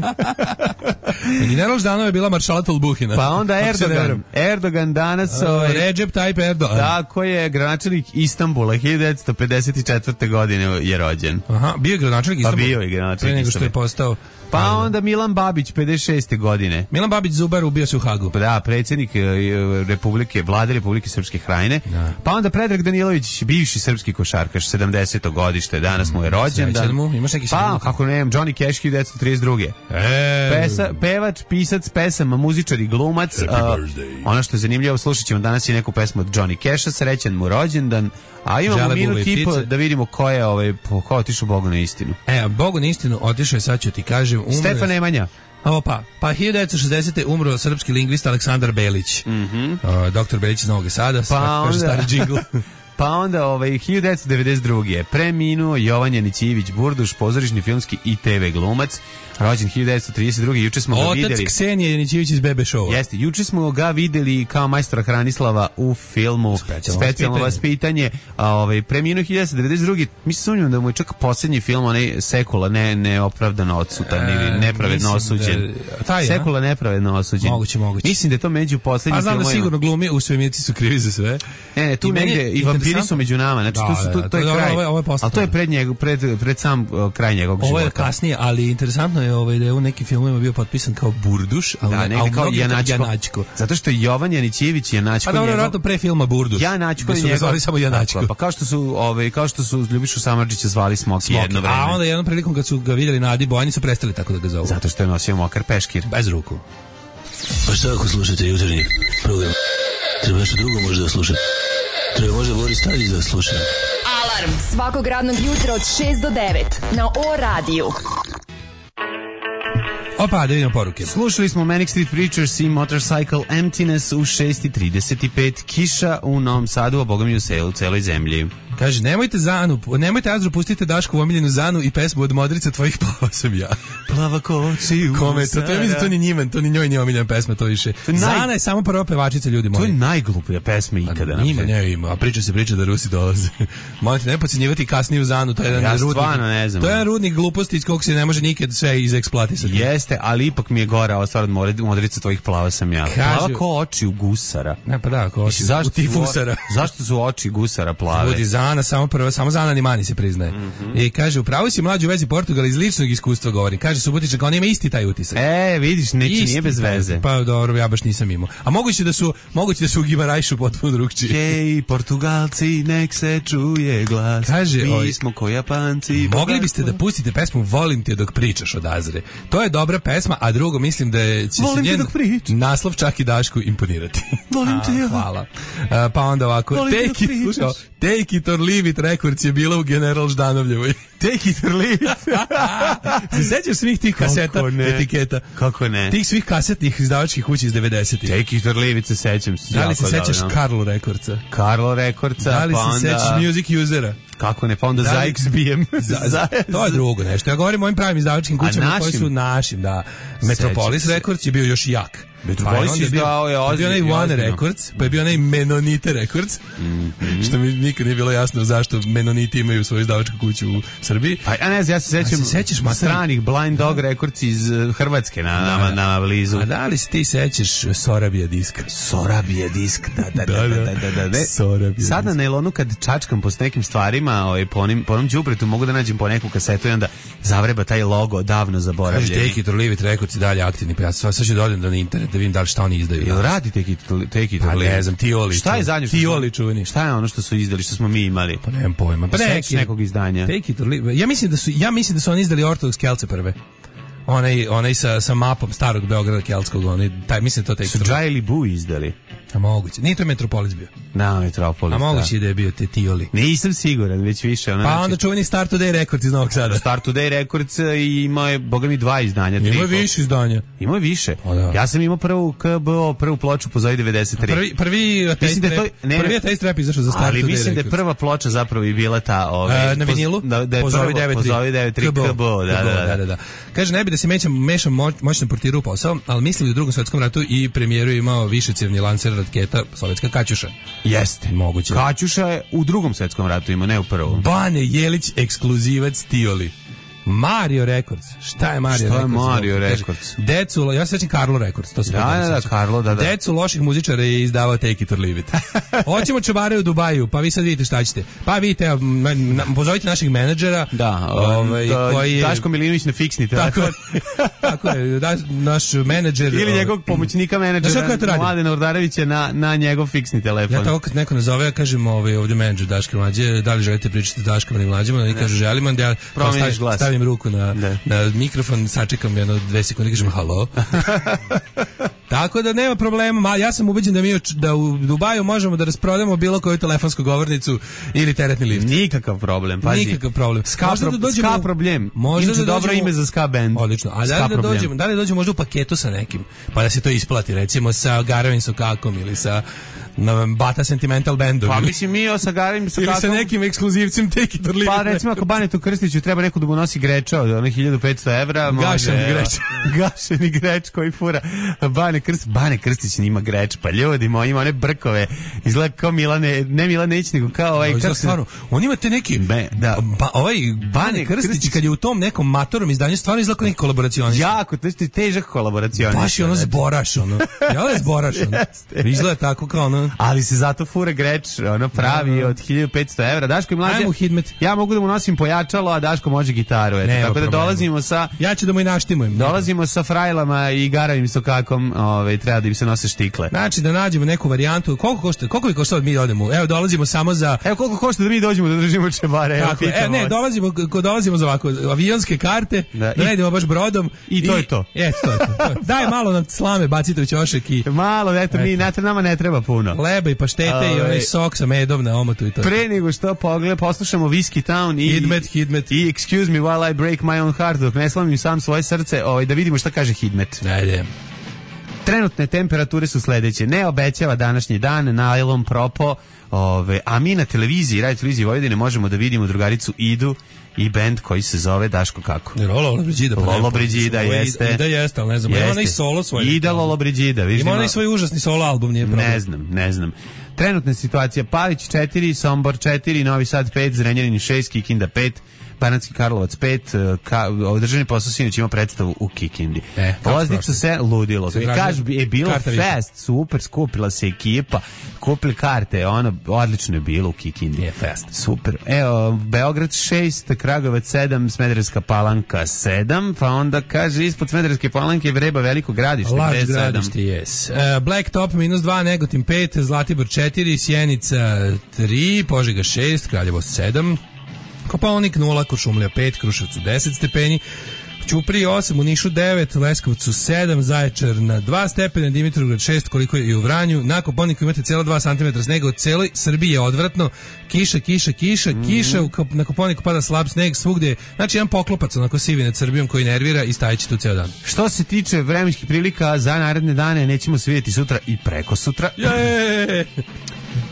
General Ždanov je bila maršala Tolbuhina. Pa onda Ako se ne Erdogan. varam. Erdogan danas... Uh, ovaj, Recep Tayyip Erdogan. tako je, gradonačelnik Istanbula, hiljadu devetsto pedeset četvrte. godine je rođen. Aha, bio je gradonačelnik Pa Istanbula. bio je gradonačelnik Pre nego što je Istanbula. postao... Pa Da, da. onda Milan Babić, pedeset šeste. godine. Milan Babić Zubar ubio se u Hagu. Da, predsjednik e, Republike, vlade Republike Srpske Krajine. Da. Pa onda Predrag Danilović, bivši srpski košarkaš, sedamdeseto. godište, danas mu je rođendan. Srećan mu, imaš neki Pa, srećan? kako nemam, Johnny Cash, hiljadu devetsto trideset druge. E, Pesa, pevač, pisac, pesama, muzičar i glumac. A, ono što je zanimljivo, slušat ćemo danas i neku pesmu od Johnny Casha, srećan mu rođendan. A imamo Žele, bube minut i i po ptice. da vidimo ko je, ovaj, po- ko je otišao Bogu na istinu. E, Bogu na istinu otišao je, sad ću ti kažem, umro je- Stefan Nemanja. Opa, pa hiljadu devetsto šezdesete. umro srpski lingvist Aleksandar Belić. Mm -hmm. uh, doktor Belić iz Novog Sada, pa onda- kaže stari džingl. Pa onda ovaj, hiljadu devetsto devedeset druge preminuo Jovan Janićević Burduš, pozorišni, filmski i te ve glumac, rođen hiljadu devetsto trideset druge. Juče smo ga videli. Otac Ksenije Janićević iz Bebe Showa. Jeste, juče smo ga videli kao majstora Hranislava u filmu Specijalno, Specijalno vaspitanje. A ovaj preminuo hiljadu devetsto devedeset druge. Mi se sumnjamo da mu je čak poslednji film onaj Sekula ne neopravdano odsutan ili e, nepravedno osuđen. Da, Sekula nepravedno osuđen. Moguće, moguće. Mislim da je to među poslednjim filmovima. A znam da sigurno glumi u svemirci su krivi za sve. Ne, ne, tu negde i vampiri su među nama. Znači, da, tu, tu, to, to je da, kraj. Ovo je, ovo je ali to je pred, njegov, pred, pred sam uh, kraj njegovog života. Ovo je kasnije, ali interesantno je ovaj, da je u nekim filmovima bio potpisan kao Burduš, ali da, ne, kao Janačko. Janačko. Zato što je Jovan Janićević Janačko. A dobro, vratno pre filma Burduš. Janačko je njegov. Zvali samo Janačko. Pa kao što su, ovaj, kao što su Ljubišu Samardžića zvali Smoki jedno vreme. A onda jednom prilikom kad su ga vidjeli na Adi Bojani su prestali tako da ga zovu. Zato što je nosio mokar peškir. Bez ruku. Pa šta ako slušate jutarnji program? Treba nešto drugo možda da slušate. Treba možda Boris Tadić da sluša. Alarm svakog radnog jutra od šest do devet na O radiju. Opa, da vidimo poruke. Slušali smo Manic Street Preachers i Motorcycle Emptiness u šest i trideset pet. Kiša u Novom Sadu, a boga mi u selu, u celoj zemlji. Kaže, nemojte Zanu, nemojte Azru, pustite Dašku u omiljenu Zanu i pesmu od Modrice tvojih plava sam ja. Plava koči u Kome, to, to, je, to ni njima, to ni njoj nije omiljena pesma, to više. To naj... Zana je samo prva pevačica, ljudi moji. To je najgluplja pesma ikada. A, ima, ne ima, a priča se priča da Rusi dolaze. Možete ne podcjenjivati kasniju Zanu, to je jedan ja rudnik. Ne znam. To je jedan rudnik gluposti iz kog se ne može nikad sve izeksploatisati. Jeste, ali ipak mi je gora ova stvar od Modrice tvojih plava sam ja. Kaže, plava ko oči u gusara. Ne, pa da, ko oči zašto u tifusara. Zašto su oči gusara plave? Ljudi, Zana samo prva, samo Zana ni mani se priznaje. Mm-hmm. I kaže, upravo si mlađi u vezi Portugala, iz ličnog iskustva govorim. Kaže Subotičan, on ima isti taj utisak. E, vidiš, neće, isti, nije bez veze. Pa dobro, ja baš nisam imao. A moguće da su, moguće da su u Gimarajšu potpuno drugčiji. Ej, Portugalci, nek se čuje glas. Kaže, mi oj, smo ko Japanci. Mogli biste da pustite pesmu Volim te dok pričaš od Azre. To je dobra pesma, a drugo mislim da je, će Volim se njen naslov čak i Dašku imponirati. Volim te ja. Hvala. A, pa onda ovako, take it, slušao, take it or leave it records je bila u General Ždanovljevoj. Take it or leave it. Se sećaš svih tih kaseta, etiketa? Kako ne? Tih svih kasetnih izdavačkih kuća iz devedesetih. Take it or leave it se sećam. Da li se sećaš Carlo Recordsa? Carlo Recordsa, da li pa se onda... sećaš Music Usera? Kako ne, pa onda da li... za X B M. za, za, to je drugo nešto. Ja govorim o ovim pravim izdavačkim kućama koji su našim, da. Metropolis Records je bio još jak. Metropolis je izdao je ozbiljno. Bio onaj One Records, pa je bio onaj Menonite Records, mm-hmm. što mi nikad nije bilo jasno zašto Menoniti imaju svoju izdavačku kuću u Srbiji. Pa ja ne znam, ja se sećam se sećaš stranih Blind Dog Records iz Hrvatske na, na, na blizu. A da li se ti sećaš Sorabija diska? Sorabija disk, da, da, da, da, da, da, da. Sorabija sad na nailonu kad čačkam po nekim stvarima, ovaj, po onim, po onom đubretu mogu da nađem po neku kasetu i onda zavreba taj logo davno zaboravljeni. Kaže Take it or leave it Records i dalje aktivni, pa ja sad ću da odem na internet da vidim da li šta oni izdaju. Jel radi Take it, take it pa ne znam, Tioli. Šta je zadnje što Tioli čuveni? Šta je ono što su izdali, što smo mi imali? Pa nemam pojma. Pa neki, nekog izdanja. Take it or leave. Ja mislim da su, ja mislim da su oni izdali Ortodoks Kelce prve. Onaj, onaj sa, sa mapom starog Beograda keltskog, onaj, taj, mislim to Take su Džajli Bu izdali. A moguće. Nije to Metropolis bio. Da, Metropolis. A moguće da, da je bio te Tioli. Nisam siguran, već više. Ona, pa znači, onda čuveni Start Today Records iz Novog Sada. Start Today Records i imao je, boga mi, dva izdanja. Imao je više izdanja. Imao je više. O, da. Ja sam imao prvu K B O, prvu ploču Pozovi devedeset tri. Prvi, prvi Taste da Rap, ne, prvi Taste Rap izašao za Start ali Today mislim Records. da je prva ploča zapravo i bila ta... Ove, uh, na vinilu? Da, da je Pozovi devedeset tri K B O. Da, da, da, da, da. Kaže, ne bi da se mešam, mešam moćno portiru u posao, ali mislim da u Drugom svetskom ratu i premijeru imao višecjevni lancer raketa sovjetska Kaćuša. Jeste. Moguće. Kaćuša je u Drugom svetskom ratu ima, ne u prvom. Bane Jelić, ekskluzivac Tioli. Mario Records. Šta je Mario Šta Records? Šta je Mario Records? Decu, ja se sećam Carlo Records, to se da, da, da, Carlo, da, da. Decu loših muzičara je izdavao Take it or leave it. Hoćemo čobare u Dubaju, pa vi sad vidite šta ćete. Pa vidite, pozovite naših menadžera. Da, ovaj da, koji je Daško Milinović na fiksni tako, tako je, da, naš menadžer ili njegovog pomoćnika menadžera Mladen Ordarevića na na njegov fiksni telefon. Ja tako kad neko nazove, ja kažem ovaj ovdje menadžer Daške Mlađe, da li želite pričati s Daškom ili Mlađima, oni kažu želimo, da ja stavim ruku na ne. na mikrofon, sačekam jedno dve sekunde i kažem halo. Tako da nema problema, ja sam ubeđen da mi da u Dubaju možemo da rasprodamo bilo koju telefonsku govornicu ili teretni lift. Nikakav problem, pazi. Nikakav problem. Ska, pro, da dođemo, ska problem. Možda da dobro ime za ska band. Odlično. A da li da dođemo, da li dođemo možda u paketu sa nekim, pa da se to isplati, recimo sa Garavin Sokakom ili sa na Bata Sentimental Bandu. Pa mislim mi o Sagarim sa ili sa nekim ekskluzivcim Take It or Leave It. Pa recimo ako Banetu Krstiću treba neko da mu nosi greča od onih hiljadu petsto evra, može. Gašeni greč. Gašeni greč koji fura. Bane Krstić, Bane Krstić nima greč, pa ljudi moji ima one brkove. Izgleda kao Milane, ne Milanić, nego kao ovaj kako se... stvarno, on ima te neki Be, da. Ba, ovaj Bane Krstić, Krstić kad je u tom nekom matorom izdanju stvarno izgleda kao neki kolaboracionist. Jako, to je težak kolaboracionist. Baš je ono zboraš, ono. Ja je zboraš, ono. Izgleda tako kao ono. Ali se zato fura greč, ono pravi od hiljadu petsto evra. Daško i mlađe. Ja mogu da mu nosim pojačalo, a Daško može gitaru. Eto, tako da problema. Dolazimo sa... Ja ću da mu i naštimujem. Dolazimo sa frajlama i garavim sokakom, ovaj, treba da im se nose štikle. Znači da nađemo neku varijantu. Koliko košta? Koliko bi koštalo da mi odemo? Evo, dolazimo samo za... Evo, koliko košta da mi dođemo da držimo čebare? Tako, e, ne, dolazimo, dolazimo za ovako, avionske karte, da, da ne idemo baš brodom. I to i, je to. E, to je to. to. Daj malo nam slame, bacite u ćošak i... Malo, eto, mi, eto, nama ne treba puno. Leba i paštete Ove, i onaj sok sa medom na omotu i to. Pre nego što pogled, poslušamo Whiskey Town i... Hidmet, Hidmet. I Excuse me while I break my own heart, dok ne slomim sam svoje srce, ovaj, da vidimo šta kaže Hidmet. Ajde. Trenutne temperature su sledeće. Ne obećava današnji dan, najlon propo, ove, a mi na televiziji, radio televiziji Vojvodine možemo da vidimo drugaricu Idu i bend koji se zove Daško kako? Lolo Brigida. Pa Lolo Brigida jeste. Ida jeste, ali ne znam. Ima onaj solo svoj. Ida Lolo Brigida. Ima onaj svoj užasni solo album, nije problem. Ne znam, ne znam. Trenutna situacija: Palić četiri, Sombor četiri, Novi Sad pet, Zrenjanin šest, Kikinda pet, Banatski Karlovac pet, ka, održani posao sinoć ima predstavu u Kikindi. E, Loznica se ludilo. Kaže, je bilo fest, super, skupila se ekipa, kupili karte, ono, odlično je bilo u Kikindi. Je fest. Super. Evo, Beograd šest, Kragovac sedam, Smederevska Palanka sedam, pa onda kaže, ispod Smederevske Palanke je Vreba Veliko Gradište. Laž Gradište, yes. Uh, Blacktop minus dva, Negotin pet, Zlatibor četiri, Sjenica tri, Požega šest, Kraljevo sedam, Kopaonik nula, Kuršumlija pet, Kruševcu deset stepeni, Ćuprije osam, u Nišu devet, Leskovcu sedam, Zaječar na dva stepena, Dimitrovgrad šest, koliko je i u Vranju. Na Kopaoniku imate cijela dva centimetra snega, u celoj Srbiji je odvratno. Kiša, kiša, kiša, mm-hmm. kiša, na Kopaoniku pada slab sneg, svugdje. Znači jedan poklopac onako sivi nad Srbijom koji nervira i stajeći tu ceo dan. Što se tiče vremenskih prilika za naredne dane, nećemo se vidjeti sutra i preko sutra. Je!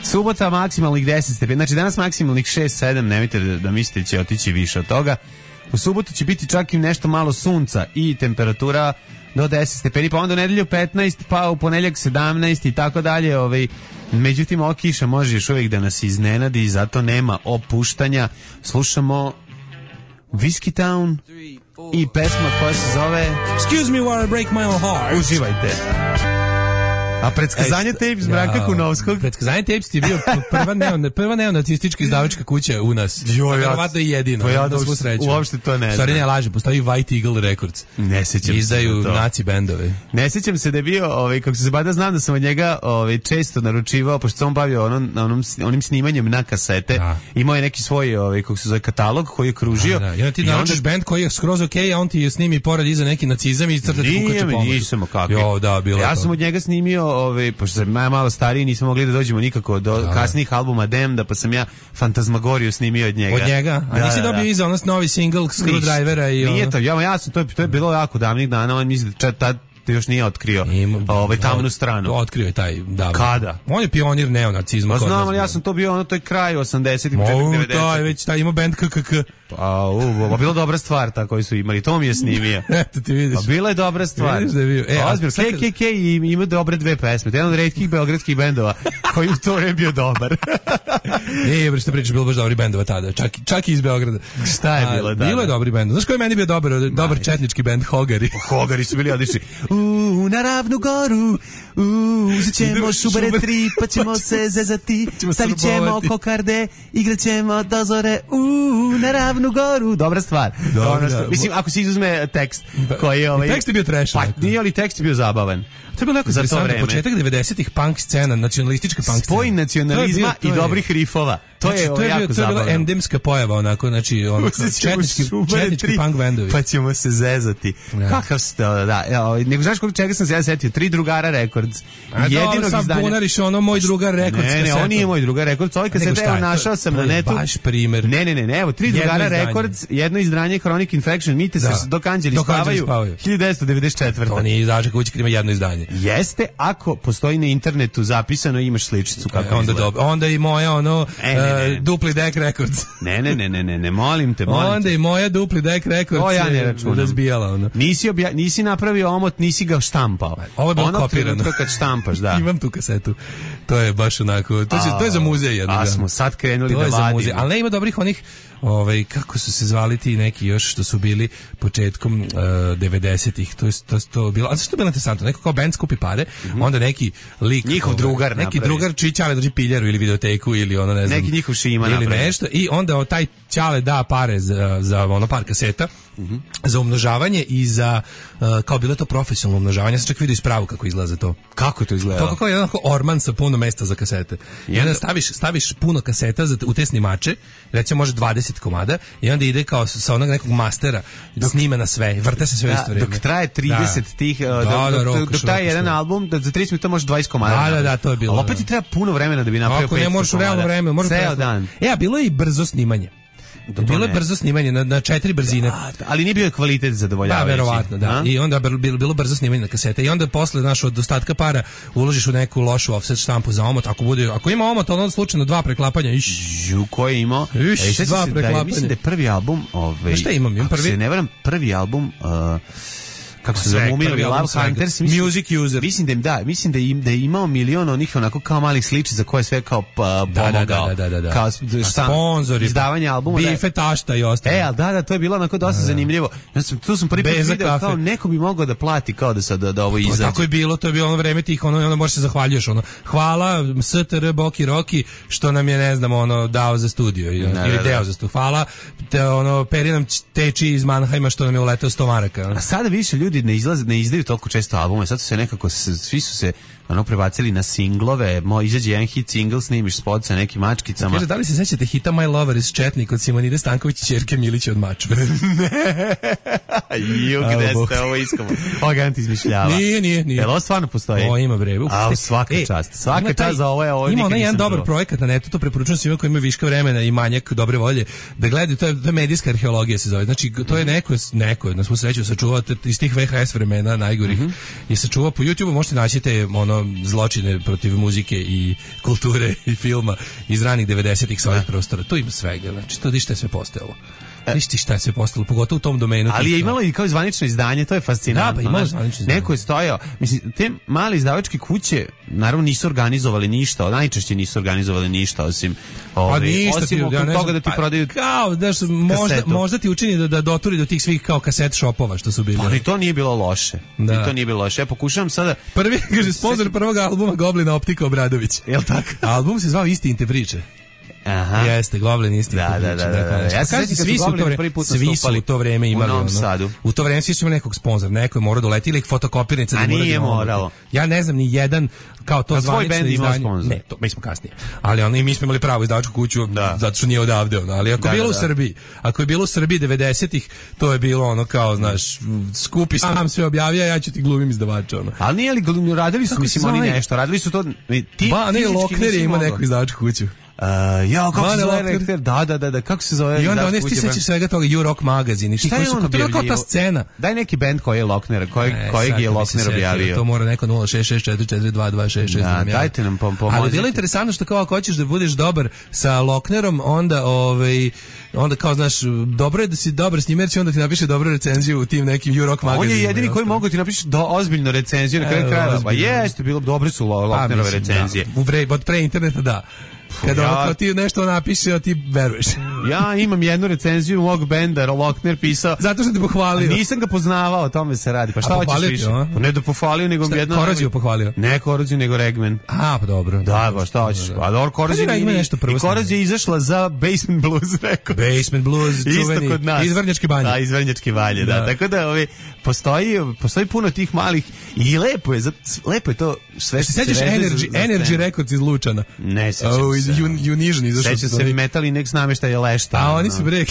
Subota maksimalnih deset stepeni, znači danas maksimalnih šest sedam, nemojte da, da mislite će otići više od toga. U subotu će biti čak i nešto malo sunca i temperatura do deset stepeni, pa onda u nedelju petnaest, pa u ponedjeljak sedamnaest i tako dalje. Ovaj, međutim, ova kiša može još uvijek da nas iznenadi i zato nema opuštanja. Slušamo Whiskey Town i pesma koja se zove Excuse me while I break my own heart. Uživajte. A predskazanje tapes Branka ja, Kunovskog. Predskazanje tapes ti je bio prva, neon, prva neonacistička izdavačka kuća u nas. Verovatno i jedina. Pa ja da uopšte to ne znam. Stvari ne laže, postoji White Eagle Records. Ne sećam se. Izdaju naci bendove. Ne sećam se da je bio, ovaj, kako se bada, znam da sam od njega ovaj, često naručivao, pošto sam bavio onom, onom, onim snimanjem na kasete. Da. Imao je neki svoj, ovaj, kako se zove, katalog koji je kružio. Da, da. I onda ti naručiš bend koji je skroz okej, okay, a on ti snimi pored iza neki nacizam i crta ti kukače pomoć. Nisam, kako. Jo, da, bilo ja to. sam od njega snimio, ovaj, pošto sam malo stariji, nismo mogli da dođemo nikako do da, kasnijih albuma Damned, pa sam ja Fantasmagoriju snimio od njega. Od njega? A da, nisi da, dobio da. iza onos novi single Screwdrivera i ono? Nije to, ja, ja sam, to je, to je bilo jako davnih dana, on misli da tad još nije otkrio ovaj tamnu stranu. Otkrio je taj davno. Kada? On je pionir neonacizma. Pa znam, ali ja sam to bio, ono, to je kraj osamdesetih, devedesetih. To je već, taj ima band K K K. Pa, u, pa bila dobra stvar ta koju su imali, to mi je snimio. Eto ti vidiš. Pa bila je dobra stvar. Vidiš da je bio. E, ozbiljno, K K K ima dobre dve pesme. Jedan od retkih beogradskih bendova koji u to je bio dobar. Ne, bre, što pričaš, bilo baš dobri bendova tada. Čak, čak i iz Beograda. Šta je bilo tada? Bilo je dobri bend. Znaš koji je meni bio dobar, dobar četnički bend? Hogari. Hogari su bili odlični. U, na Ravnu goru, u, uzet ćemo šubare tri, pa ćemo se zezati, stavit ćemo kokarde, igrat ćemo dozore, u, na Ravnu goru. Dobra stvar. Dobro, ono što, mislim, ako se izuzme tekst koji je ovaj... Tekst je bio trash. Pa nije, ali tekst je bio zabavan. To je bilo jako interesantno, početak devedesetih punk scena, nacionalistička punk scena. Spoj nacionalizma i dobrih rifova. To je, znači, to je, jako bio, to je bila endemska pojava, onako, znači, ono, četnički, četnički punk bendovi. Pa ćemo se zezati. Ja. Kakav ste, da, ja, nego znaš koliko čega sam se ja setio, tri drugara rekords. Records. A dobro, sad bunariš ono moj drugar Records. Ne, ne, on nije moj drugar Records, ovaj kaseta, evo našao sam na netu. Baš primer. Ne, ne, ne, ne, evo, tri drugara Records, jedno izdanje Chronic Infection, Mite se dok anđeli spavaju, hiljadu devetsto devedeset četvrte. To nije izdažak kući kad ima jedno izdanje. Jeste, ako postoji na internetu zapisano imaš sličicu kako e, onda dobro. Onda i moja ono e, ne, ne, ne. Uh, Dupli Deck Records. Ne, ne, ne, ne, ne, ne, molim te, molim onda te. i moja Dupli Deck Records. O, ja ne računam. Razbijala ono. Nisi, obja, nisi napravio omot, nisi ga štampao. Ovo je bilo ono kopirano. Ono kad štampaš, da. Imam tu kasetu. To je baš onako, to, će, to je za muzej jednog. A smo sad krenuli to da vadimo. Ali ne ima dobrih onih, ovaj, kako su se zvali ti neki još što su bili početkom uh, devedesetih, to je to, to bilo, a zašto je bilo interesantno, neko kao band skupi pare, mm-hmm. onda neki lik, njihov ovaj, drugar neki napravi. drugar čiji ćale drži piljaru ili videoteku ili ono ne znam, neki njihov šima ili napravi. nešto i onda taj ćale da pare za, za ono par kaseta, mm-hmm. za umnožavanje i za uh, kao bilo to profesionalno umnožavanje. Ja sam čak vidio ispravu kako izgleda to. Kako to izgleda? To kako je onako orman sa puno mesta za kasete. I onda staviš, staviš puno kaseta za, u te snimače, recimo može dvadeset komada i onda ide kao sa onog nekog mastera dok snima na sve, vrte se sve da, isto vrijeme. Dok traje trideset da. tih, da, dok, da, dok, dok traje jedan album, da za trideset minuta može dvadeset komada. Da, da, da, to je bilo. Ali opet ti treba puno vremena da bi napravio petsto komada. Ako ne možeš u realno vreme, možeš ceo dan. E, a bilo je i brzo snimanje. Da, bilo je brzo snimanje na, na četiri brzine. Da, ali nije bio kvalitet zadovoljavajući. Da, verovatno, da. A? I onda bilo, bilo brzo snimanje na kasete. I onda posle, znaš, od ostatka para uložiš u neku lošu offset štampu za omot. Ako bude, ako ima omot, onda slučajno dva preklapanja. Iš. Ju, ko je imao? Iš, e, dva se, preklapanja. Da, mislim da je prvi album... Ove, šta imam? Imam prvi? Se ne varam, prvi album... Uh, kako se zove, Muminovi Love Hunters, mislim, Music User. Mislim da im da, mislim da im da je imao milion onih onako kao malih sliči za koje sve kao pa, da, pomogao. Da, da, da, da. Kao sponzori, izdavanje albuma. Bife, tašta i ostalo. E, al da, da, to je bilo onako dosta da, zanimljivo. Ja sam tu sam prvi put video kao neko bi mogao da plati kao da sad da, da ovo izađe. Tako je bilo, to je bilo ono vreme tih, ono, ono možeš se zahvaljuješ, ono. Hvala S T R Boki Roki što nam je, ne znam, ono dao za studio ili da, ili da, deo da. za studio. Hvala te ono Peri nam teči iz Mannheima što nam je uleteo sto maraka. A sada više ljudi ne izlaze, ne izdaju toliko često albume, sad su se nekako, svi su se ono prebacili na singlove, mo izađe jedan hit single, snimiš spot sa nekim mačkicama. Kaže, da li se sećate hita My Lover iz Četnik od Simonide Stanković i ćerke Milića od Mačve? Ne. Ju, gde ste ovo iskomo? Ovo ga ti izmišljava. Nije, nije, nije. Jel ovo stvarno postoji? O, ima bre. A, svaka e, čast. Svaka čast za ovo je ovo. Ima onaj jedan dobar projekat na netu, to preporučujem svima koji imaju viška vremena i manjak dobre volje, da gledaju, to je, to je medijska arheologija se zove. Znači, to je neko, neko, na svu sreću sačuvao iz tih V H S vremena najgorih. Mm-hmm. I sačuvao po YouTubeu, možete naći te ono zločine protiv muzike i kulture i filma iz ranih devedesetih sa ovih prostora. To ima svega, znači to dište sve postojalo. Viš ti šta je sve postalo, pogotovo u tom domenu. Ali je imalo i kao zvanično izdanje, to je fascinantno. Da, pa imalo zvanično izdanje. Neko je stojao, mislim, te male izdavačke kuće naravno nisu organizovali ništa, najčešće nisu organizovali ništa, osim ove, ništa osim ti, oko ja toga da ti pa, prodaju kao, daš, možda, možda ti učini da, da doturi do tih svih kao kaset shopova što su bili. Ali to nije bilo loše. Da. I to nije bilo loše. Ja pokušavam sada... Prvi, kaže, sponsor prvog albuma Goblina Optika Obradović. Jel tako? Album se zvao Istinite priče. Aha. Jeste, Goblin isti. Da, da, da, da, da. Ja se sjećam svi su to vreme, svi su u to vreme imali u, ono, u to vreme svi su imali nekog sponzora, neko je morao doleti ili fotokopirnica da mora. A nije moralo. Ja ne znam ni jedan kao to zvanično izdanje. Sponsor. Ne, to mi smo kasnije. Ali ono i mi smo imali pravo izdavačku kuću da. Zato što nije odavde ono. Ali ako da, bilo da, u Srbiji, ako je bilo u Srbiji devedesetih, to je bilo ono kao, znaš, skupi sam sve objavio, ja ću ti glumim izdavača ono. Ali nije li radili su mislim oni nešto, radili su to ti. Ba, ne, Lokner je imao neku izdavačku kuću. Uh, ja, kako se zove rektor? Da, da, da, da, kako se zove? I onda oni ti sećaš svega toga U-Rock magazin i što su bilo kao ta scena. Daj neki bend koji je Lokner, koji e, kojeg je Lokner objavio. To mora neko nula šest šest četiri četiri dva dva šest šest. Da, dajte nam pomozite. Ali bilo je interesantno što kao ako hoćeš da budeš dobar sa Loknerom, onda ovaj onda kao znaš, dobro je da si dobar s njim, jer će onda ti napiše dobru recenziju u tim nekim U-Rock magazinima. On je jedini koji mogu ti napiše do ozbiljnu recenziju na kraju krajeva. Pa jeste, bilo dobre su Loknerove recenzije. U pre od pre interneta da. Kada ja, ako ti nešto napiše, a ti veruješ. Ja imam jednu recenziju mog benda, Lokner pisao. Zato što te pohvalio. Nisam ga poznavao, o tome se radi. Pa šta hoćeš više? Pa ne da pohvalio, nego šta, jedno... Koroziju pohvalio? Ne Koroziju, nego Regman. A, pa dobro. Da, pa šta hoćeš? Pa dobro, Koroziju nije... Nešto prvo I Korozija je izašla za Basement Blues Records. Basement Blues, čuveni. Isto kod nas. Iz Vrnjačke banje. Da, iz Vrnjačke banje, da. da. Tako da ovi, postoji, postoji puno tih malih i lepo je, lepo je to sve što se sećaš Energy, Energy Records iz Lučana. Ne, sećam se. Sećam se Metal Index nameštaj je lešta. A oni su brek.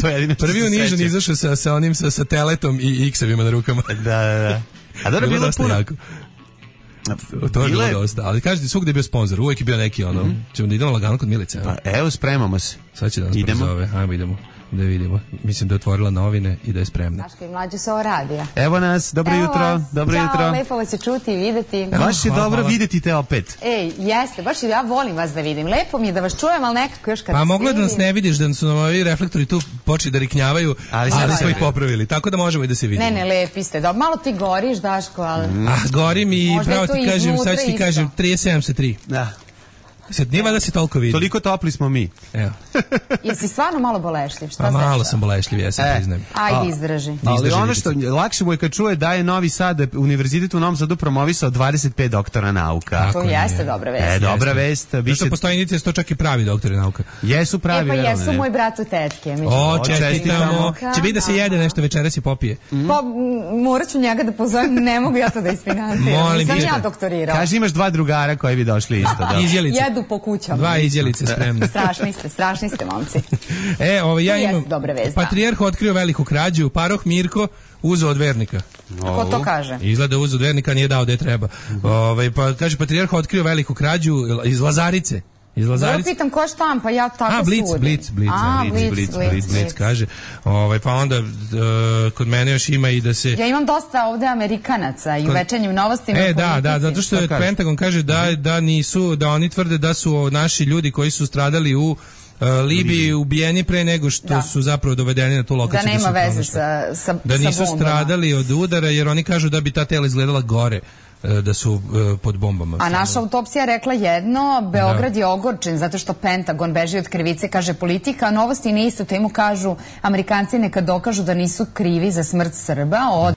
To je jedino što prvi unižan izašao sa, sa onim sa, sa teletom i X-evima na rukama. Da, da, da. A dobro bilo puno. Jako. To je bilo Bile- dosta, ali kažete svugde je bio sponsor, uvijek je bio neki ono, mm-hmm. ćemo da idemo lagano kod Milice. Pa evo, spremamo se. Sad će da nas Idemo. prozove, ajmo idemo da vidimo. Mislim da je otvorila novine i da je spremna. Daško i mlađu sa ovo radija. Evo nas, dobro Evo jutro, vas. dobro Ćao, jutro. lepo vas je čuti i videti. Baš je Hvala, dobro hvala. videti te opet. Ej, jeste, baš ja volim vas da vidim. Lepo mi je da vas čujem, ali nekako još kad Pa vas moglo je da nas vidim- ne vidiš, da su nam ovi reflektori tu počeli da riknjavaju, Ali ali, sad smo ih se- popravili, tako da možemo i da se vidimo. Ne, ne, lepi ste. Da, malo ti goriš, Daško, ali... Ah, gorim i Možda je pravo to ti kažem, iznutra sad ću ti isto. kažem, trideset sedam sa tri. Da. Sad nije valjda se toliko vidi. Toliko topli smo mi. Evo. Jesi stvarno malo bolešljiv? Šta Pa malo znaš? sam bolešljiv, ja sam E. priznajem. Ajde, izdrži. Ali Izdrži ono vidite. što lakše mu je kad čuje da je Novi Sad, univerzitet u Novom Sadu promovisao dvadeset pet doktora nauka. To Tako jeste je. dobra vest. E, dobra vest. Zato Biće, što postoji indicija, to čak i pravi doktori nauka. jesu pravi. E pa verovno, jesu ne? moj brat u tetke. među- O, čestitamo. čestitamo. Će biti da se jede nešto večeras i popije. Pa m, morat ću njega da pozovem, ne mogu ja to da isfinanciram. Molim, Nisam pišite. ja doktorirao. Kaži, imaš dva drugara koji bi došli isto. Da. Izjelice. Jedu po kućama. Dva izjelice spremne. Strašni ste, strašni ste, momci. E, ovo ja To jeste imam. dobra vest, da. Patrijarh otkrio veliku krađu, paroh Mirko uzeo od vernika. Ko to kaže? Izgleda uzeo od vernika, nije dao gde treba. Ovaj pa kaže patrijarh otkrio veliku krađu iz Lazarice. Iz Ja Lazarice. pitam ko je štampa, ja tako A, Blic, sudim. Blic, Blic, A, Blic, Blic, Blic, Blic, Blic, Blic, kaže. Ovaj pa onda e, kod mene još ima i da se Ja imam dosta ovde Amerikanaca i u večernjim novostima. E, i da, da, politici. zato što Šta kaže? Pentagon kaže da, da nisu, da oni tvrde da su naši ljudi koji su stradali u uh, Libiji ubijeni pre nego što Da. su zapravo dovedeni na tu Da lokaciju. nema su veze pronašli. sa, sa, Da sa nisu bombama. stradali od udara jer oni kažu da bi ta tela izgledala gore uh, da su uh, pod bombama. A naša autopsija je rekla jedno, Beograd je ogorčen zato što Pentagon beži od krivice, kaže politika, a novosti na istu temu kažu Amerikanci neka dokažu da nisu krivi za smrt Srba, od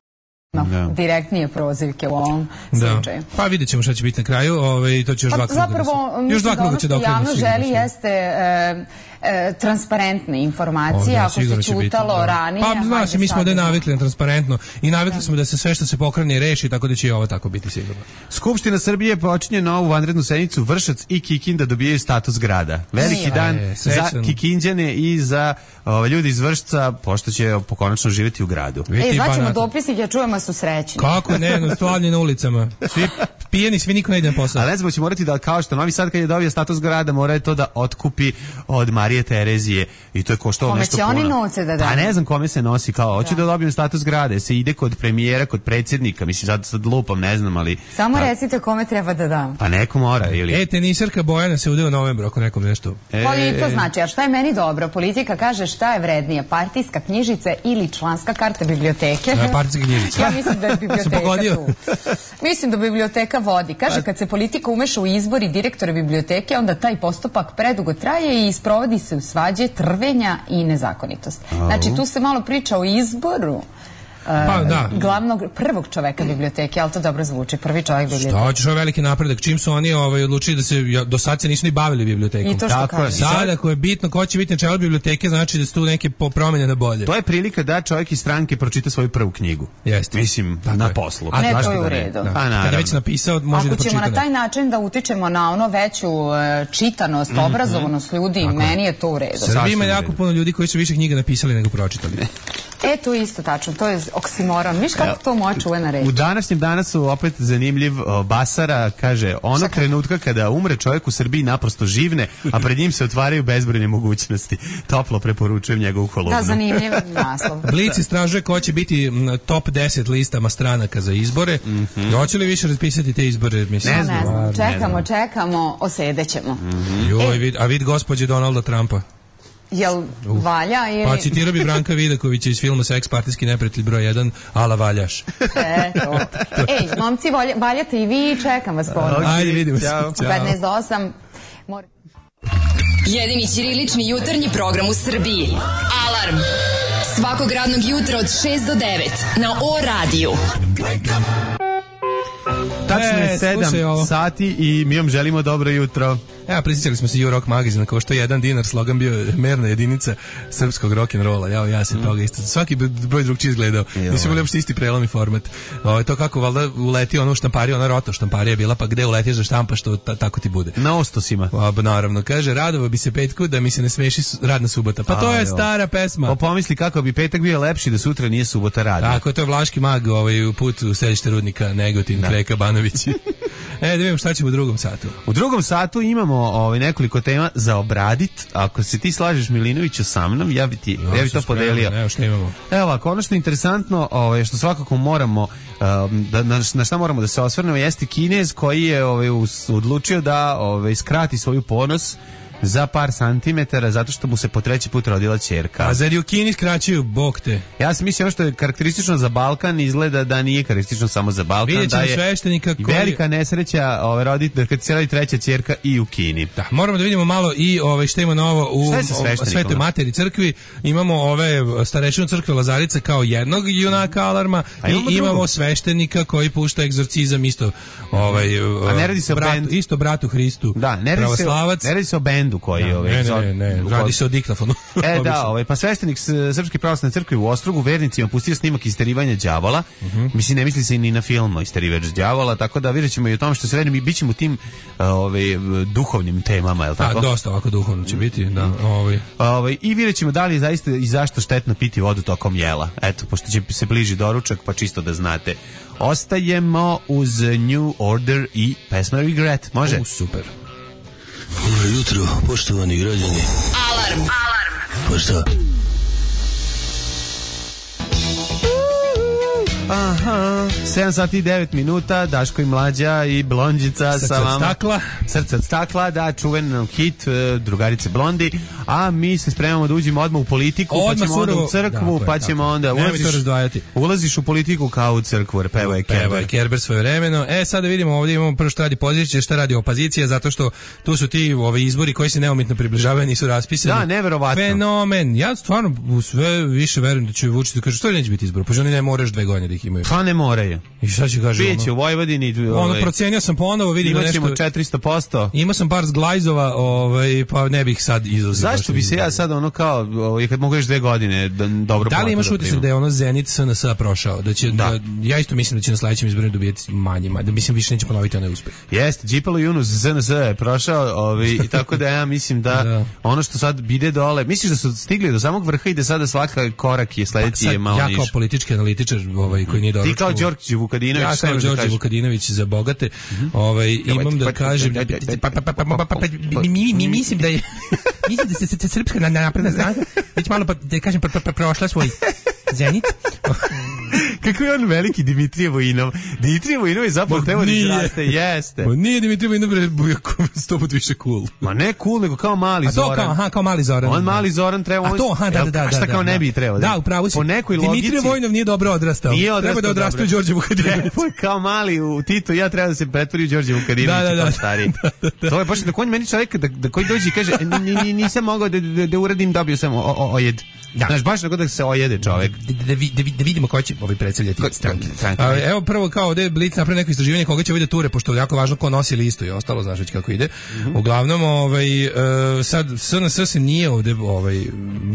Da. direktnije prozivke u ovom Da. slučaju. Pa vidjet ćemo šta će biti na kraju, ovaj, to će još Pa dva kruga. da zapravo, se- još dva mislim da kruga ono će što da okrenu javno sigurno želi sve. jeste e, e, transparentne informacije, O, da, ako sigurno se će biti, čutalo da. ranije. Pa zna hajde se, mi smo sad da je da- navikli na transparentno i navikli smo da se sve što se pokrene reši, tako da će i ovo tako biti sigurno. Skupština Srbije počinje novu vanrednu sednicu, Vršac i Kikinda dobijaju status grada. Veliki Nije. dan E, za srećan. Kikinđane i za ove, ljudi iz Vršca, pošto će pokonačno živjeti u gradu. Vidite E, i zvaćemo Banata. dopisnike, ja čujemo su srećni. Kako ne, no, slavlje na ulicama. Svi pijeni, svi niko ne ide na posao. Ali ne znam, će morati da, kao što Novi Sad kad je dobio status grada, mora je to da otkupi od Marije Terezije i to je koštalo Kome nešto će puno. oni novce da daju? Pa ne znam kome se nosi, kao, hoću da, dobijem status grada, se ide kod premijera, kod predsjednika, mislim, sad, sad lupam, ne znam, ali... Samo pa, recite kome treba da dam. Pa neko mora, ili... E, tenisarka Bojana se ude u novembru, ako nekom nešto. E, Pa i to znači, a šta je meni dobro? Politika kaže šta je vrednije, partijska knjižica ili članska karta biblioteke? E, partijska knjižica. Ja mislim da je Se biblioteka pogodio. tu. Mislim da biblioteka vodi. Kaže, kad se politika umeša u izbor i direktora biblioteke, onda taj postupak predugo traje i sprovodi se u svađe, trvenja i nezakonitost. Znači, tu se malo priča o izboru Pa da. glavnog, prvog čoveka biblioteke, ali to dobro zvuči, prvi čovek biblioteke. Šta ćeš, ovo je veliki napredak. Čim su oni ovaj, odlučili da se, ja, do sad se nisu ni bavili bibliotekom. I to što Tako je. kaže. Sad, ako je bitno ko će biti na čelu biblioteke, znači da su tu neke po- promjene na bolje. To je prilika da čovjek iz stranke pročita svoju prvu knjigu. Jeste. Mislim, Tako na je. poslu. A ne, to zašto je u da ne? redu. Da. Pa Kad je naravno. već napisao, može da Ako ćemo pročita. na taj način da utičemo na ono veću e, čitanost, obrazovanost ljudi, meni je to u redu. Srbija ima Sasvim jako u redu. puno ljudi koji su više knjiga napisali nego pročitali. E, to je isto tačno, to je oksimoron. Viš kako to moja čuvena reč? U današnjem dana su opet zanimljiv o, Basara, kaže, onog trenutka kada umre čovjek u Srbiji naprosto živne, a pred njim se otvaraju bezbrojne mogućnosti. Toplo preporučujem njegovu kolumnu. Da, zanimljiv naslov. Blic istražuje ko će biti m, top deset listama stranaka za izbore. Mm-hmm. Hoće li više raspisati te izbore? Mislim, Ne znam. Ne znam, Ne čekamo, čekamo, osedećemo. Joj, vid, a vid gospođe Donalda Trumpa. Jel valja ili... Pa citirao bi Branka Vidakovića iz filma Seks partijski neprijatelj broj jedan, ala valjaš. Eto. Ej, momci, volja- valjate i vi, čekam vas ponovno. Ajde, vidimo se. Ćao. U petnaest do osam. Mor- Jedini ćirilični jutarnji program u Srbiji. Alarm. Svakog radnog jutra od šest do devet na O radiju. Tačno je E, slušaj ovo. sedam sati i mi vam želimo dobro jutro. Ja, prisjećali smo se U-Rock magazina, kao što je jedan dinar, slogan bio merna jedinica srpskog rock'n'rolla. Ja, ja se toga isto. Svaki broj drugčiji izgledao. Nisu bili uopšte isti prelom i format. O, to kako valjda uleti ono u štampariju, ona roto štamparija bila, pa gde uletiš da štampaš, to ta, tako ti bude. Na ostosima. A, naravno, kaže, radova bi se petku da mi se ne smeši su- radna subota. Pa to A, je jo. stara pesma. O, pomisli kako bi petak bio lepši da sutra nije subota radi. Tako, to je Vlaški mag ovaj, u put u središte Rudnika, Negotin, Kreka, Banović. E, da vidimo šta ćemo u drugom satu. U drugom satu imamo ovaj, nekoliko tema za obradit. Ako se ti slažeš, Milinoviću, sa mnom, ja bi, ti, ja, ja bi to podelio. Evo šta imamo. Evo ovako, ono što je interesantno, ovaj, što svakako moramo, um, da, na, na šta moramo da se osvrnemo, jeste Kinez koji je ovaj, us, odlučio da ovaj, skrati svoju ponos za par santimetara, zato što mu se po treći put rodila ćerka. A zar i u Kini skraćuju, bog te? Ja sam mislio ono što je karakteristično za Balkan, izgleda da nije karakteristično samo za Balkan. Vidjet ćemo da je sveštenika koji... velika nesreća ovaj, roditi, da kad se rodi treća ćerka i u Kini. Da, moramo da vidimo malo i ovaj, šta ima novo u Svetoj Materi crkvi. Imamo ove starešinu crkve Lazarice kao jednog junaka alarma i imamo, imamo sveštenika koji pušta egzorcizam isto ovaj, a ne radi se bratu, o bendu. Isto bratu Hristu. Da, ne radi, se, ne radi se o bendu koji ja, ovaj, ne, ne, ne, ne, radi se o diktafonu. E da, ovaj, pa sveštenik Srpske pravoslavne crkve u Ostrogu vernicima pustio snimak isterivanja đavola. Uh-huh. Mislim, ne misli se ni na film Isterivač đavola, tako da vidjet ćemo i o tome što se vedi, mi bit ćemo tim ovaj, duhovnim temama, je li tako? A, dosta ovako duhovno će biti, da. Ovaj. Ovaj, I vidjet ćemo da li je zaista i zašto štetno piti vodu tokom jela. Eto, pošto će se bliži doručak, pa čisto da znate. Ostajemo uz New Order i pesma Regret. Može? U, super. Dobro jutro, poštovani građani. Alarm! Alarm! Pa šta? Aha, sedam sati i devet minuta, Daško i Mlađa i Blondžica Srce sa vama. od stakla. Srce od stakla, da, čuven hit Drugarice Blondi, a mi se spremamo da uđemo odmah u politiku, odmah pa ćemo surovo, onda u crkvu, da, pa ćemo tako. Onda ulaziš, ulaziš u politiku kao u crkvu, peva je Kerber. Peva je Kerber svoje vremeno. E, sada vidimo ovdje imamo prvo što radi pozicija, što radi opozicija, zato što tu su ti ovi izbori koji se neumitno približavaju, nisu raspisani. Da, neverovatno. Fenomen. Ja stvarno u sve više verujem da će Vučić da kaže što neće biti izbor, pa ženi ne moraš dve godine da ih imaju. Pa ne moraju. I šta će kaže ono? Biće u Vojvodini. Ono, ovaj, procenio sam ponovo, vidim nešto. Imaćemo četiristo posto. Imao sam par zglajzova, ovaj, pa ne bih sad izuzeo. Zašto bi se ja sad ono kao, ovaj, kad mogu još dve godine da, dobro da li imaš utisak da je ono Zenit S N S prošao? Da će, da. Da, ja isto mislim da će na sledećem izborima dobijeti manje, da mislim više neće ponoviti onaj uspeh. Jeste, Đipalo Yunus S N S je prošao, ovaj, i tako da ja mislim da, da ono što sad bide dole, misliš da su stigli do samog vrha i da sada svaka korak je sledeći pa je malo niže. niž. Ja kao politički analitičar ovaj, koji nije dobro. Ti kao Đorđe Vukadinović. Ja kao Đorđe Vukadinović za bogate, ovaj, imam da kažem, mi mislim da je, mislim da se Srpska napredna stranka, već malo da kažem prošla svoj Zenit. Kako je on veliki Dimitrije Vojinov? Dimitrije Vojinov je zapravo treba da izraste, jeste. Ma nije Dimitrije Vojinov sto put više cool. Ma ne cool, nego kao mali a to Zoran. Kao, aha, kao mali Zoran. On mali Zoran treba... A to, aha, da, da, da. A šta kao ne bi trebao? Da, upravo si. Po nekoj logici... Dimitrije Vojinov nije dobro odrastao. Nije odrastao treba da odrastao Đorđe Vukadinović. Kao mali u Tito, ja treba da se pretvori u Đorđe Vukadinović da, da, kao stariji. Da, da, da. To je baš da konj meni čovjek da, da koji dođe i kaže nisam mogao da, da, da uradim, dobio sam o, o, ojed. Da. Znaš, baš tako da se ojede čovjek. Da, da, da, da vidimo ko će ovaj predstavljati stranke. Evo prvo kao ovdje Blic napravi neko istraživanje koga će ovdje ture, pošto je jako važno ko nosi listu i ostalo, znaš već kako ide. Mm-hmm. Uglavnom, ovaj, uh, sad S N S se nije ovdje ovaj,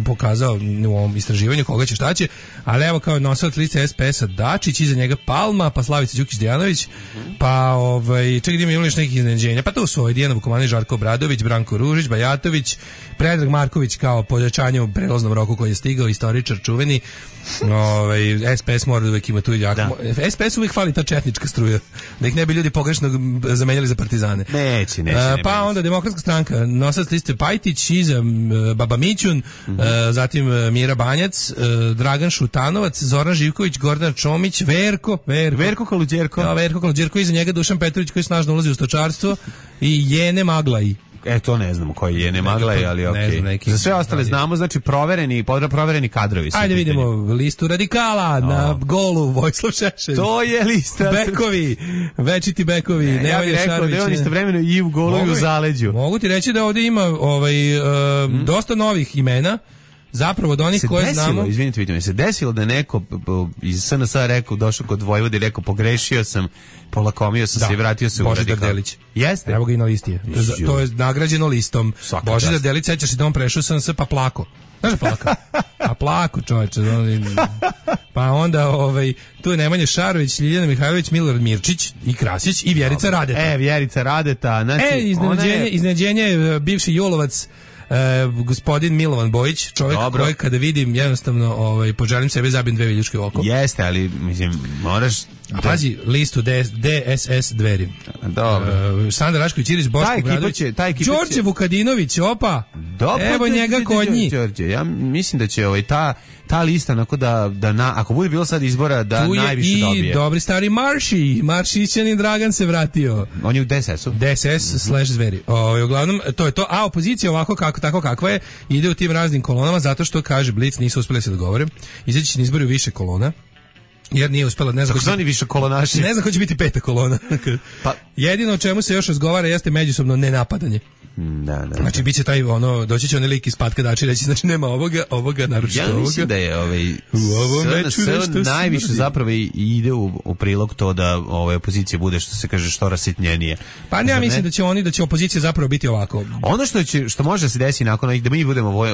pokazao u ovom istraživanju koga će šta će, ali evo kao nosilac liste S P S-a Dačić, iza njega Palma, pa Slavica Đukić-Dejanović, mm-hmm. pa ovaj, čekaj, ima još nekih iznenađenja, pa to su ovaj, Dijana Vukomanović, Žarko Obradović, Branko Ružić, Bajatović, Predrag Marković kao pojačanje u prelaznom roku koji je stigao, istoričar čuveni. Ovaj S P S mora da uvijek ima tu jako. S P S uvijek fali ta četnička struja, da ih ne bi ljudi pogrešno zamenjali za partizane. Neće, neće. Uh, pa onda Demokratska stranka, nosilac liste Pajtić, iza uh, Baba Mićun, mm-hmm. uh, zatim uh, Mira Banjac, uh, Dragan Šutanovac, Zoran Živković, Gordana Čomić, Verko, Verko, Verko Kaluđerko. Ja, Verko Kaluđerko, iza njega Dušan Petrović koji snažno ulazi u stočarstvo i Jene Maglaj. E, to ne znamo koji je, ne Maglaj, ali okej. Okay. Za sve ostale znamo, znači provereni, provereni kadrovi. Ajde vidimo listu radikala oh. na golu Vojislav Šešelj. To je lista. Bekovi, večiti bekovi. Ne, ja bih rekao da je on istovremeno i u golu i u zaleđu. Mogu ti reći da ovdje ima ovaj, uh, mm. dosta novih imena. Zapravo od onih koje desilo, znamo... Izvinite, vidite mi, se desilo da neko iz S N S-a rekao, došao kod Vojvode i rekao, pogrešio sam, polakomio sam da, se i vratio se u radikal. Božidar Delić. Jeste? Evo ga i na listi je. To je nagrađeno listom. Svaka Božidar čast. Delić, sećaš se da on prešao S N S pa plako. Znaš da plaka? A plako, čovječe. Pa onda ovaj, tu je Nemanja Šarović, Ljiljana Mihajlović, Milorad Mirčić i Krasić i Vjerica Radeta. E, Vjerica Radeta. Znači, e, iznenađenje, je... iznenađenje bivši Julovac, E, gospodin Milovan Bojić, čovjek Dobro. Koji kada vidim jednostavno ovaj, poželim sebe zabijem dve viljuške oko. Jeste, ali mislim, moraš A pazi listu D S S Dveri. Dobro. Uh, Sandra Rašković Iris, Boško Obradović, Đorđe Vukadinović, opa. Dobro, evo njega kod njih. Đorđe, ja mislim da će ovaj ta ta lista onako da da na, ako bude bilo sad izbora da tu najviše dobije. I dobri stari Marši, Maršićanin Dragan se vratio. On je u D S S-u. D S S mm-hmm. slash Zveri. Ovaj uglavnom to je to. A opozicija ovako kako tako kakva je ide u tim raznim kolonama zato što kaže Blic nisu uspeli se dogovore. Izaći će na izbori u više kolona. Jer nije uspela, ne znam ko će, više kolonaši. Ne znam ko će biti peta kolona. Pa jedino o čemu se još razgovara jeste međusobno nenapadanje. Da, da, da. Znači biće taj ono doći će onaj lik iz Patka dači reći znači nema ovoga, ovoga naročito ovoga. Ja mislim da je ovaj najviše zapravo ide u, u prilog to da ovaj opozicija bude što se kaže što rasitnjenije. Pa ne, ja mislim da će oni da će opozicija zapravo biti ovako. Ono što će što može da se desi nakon ovih da mi budemo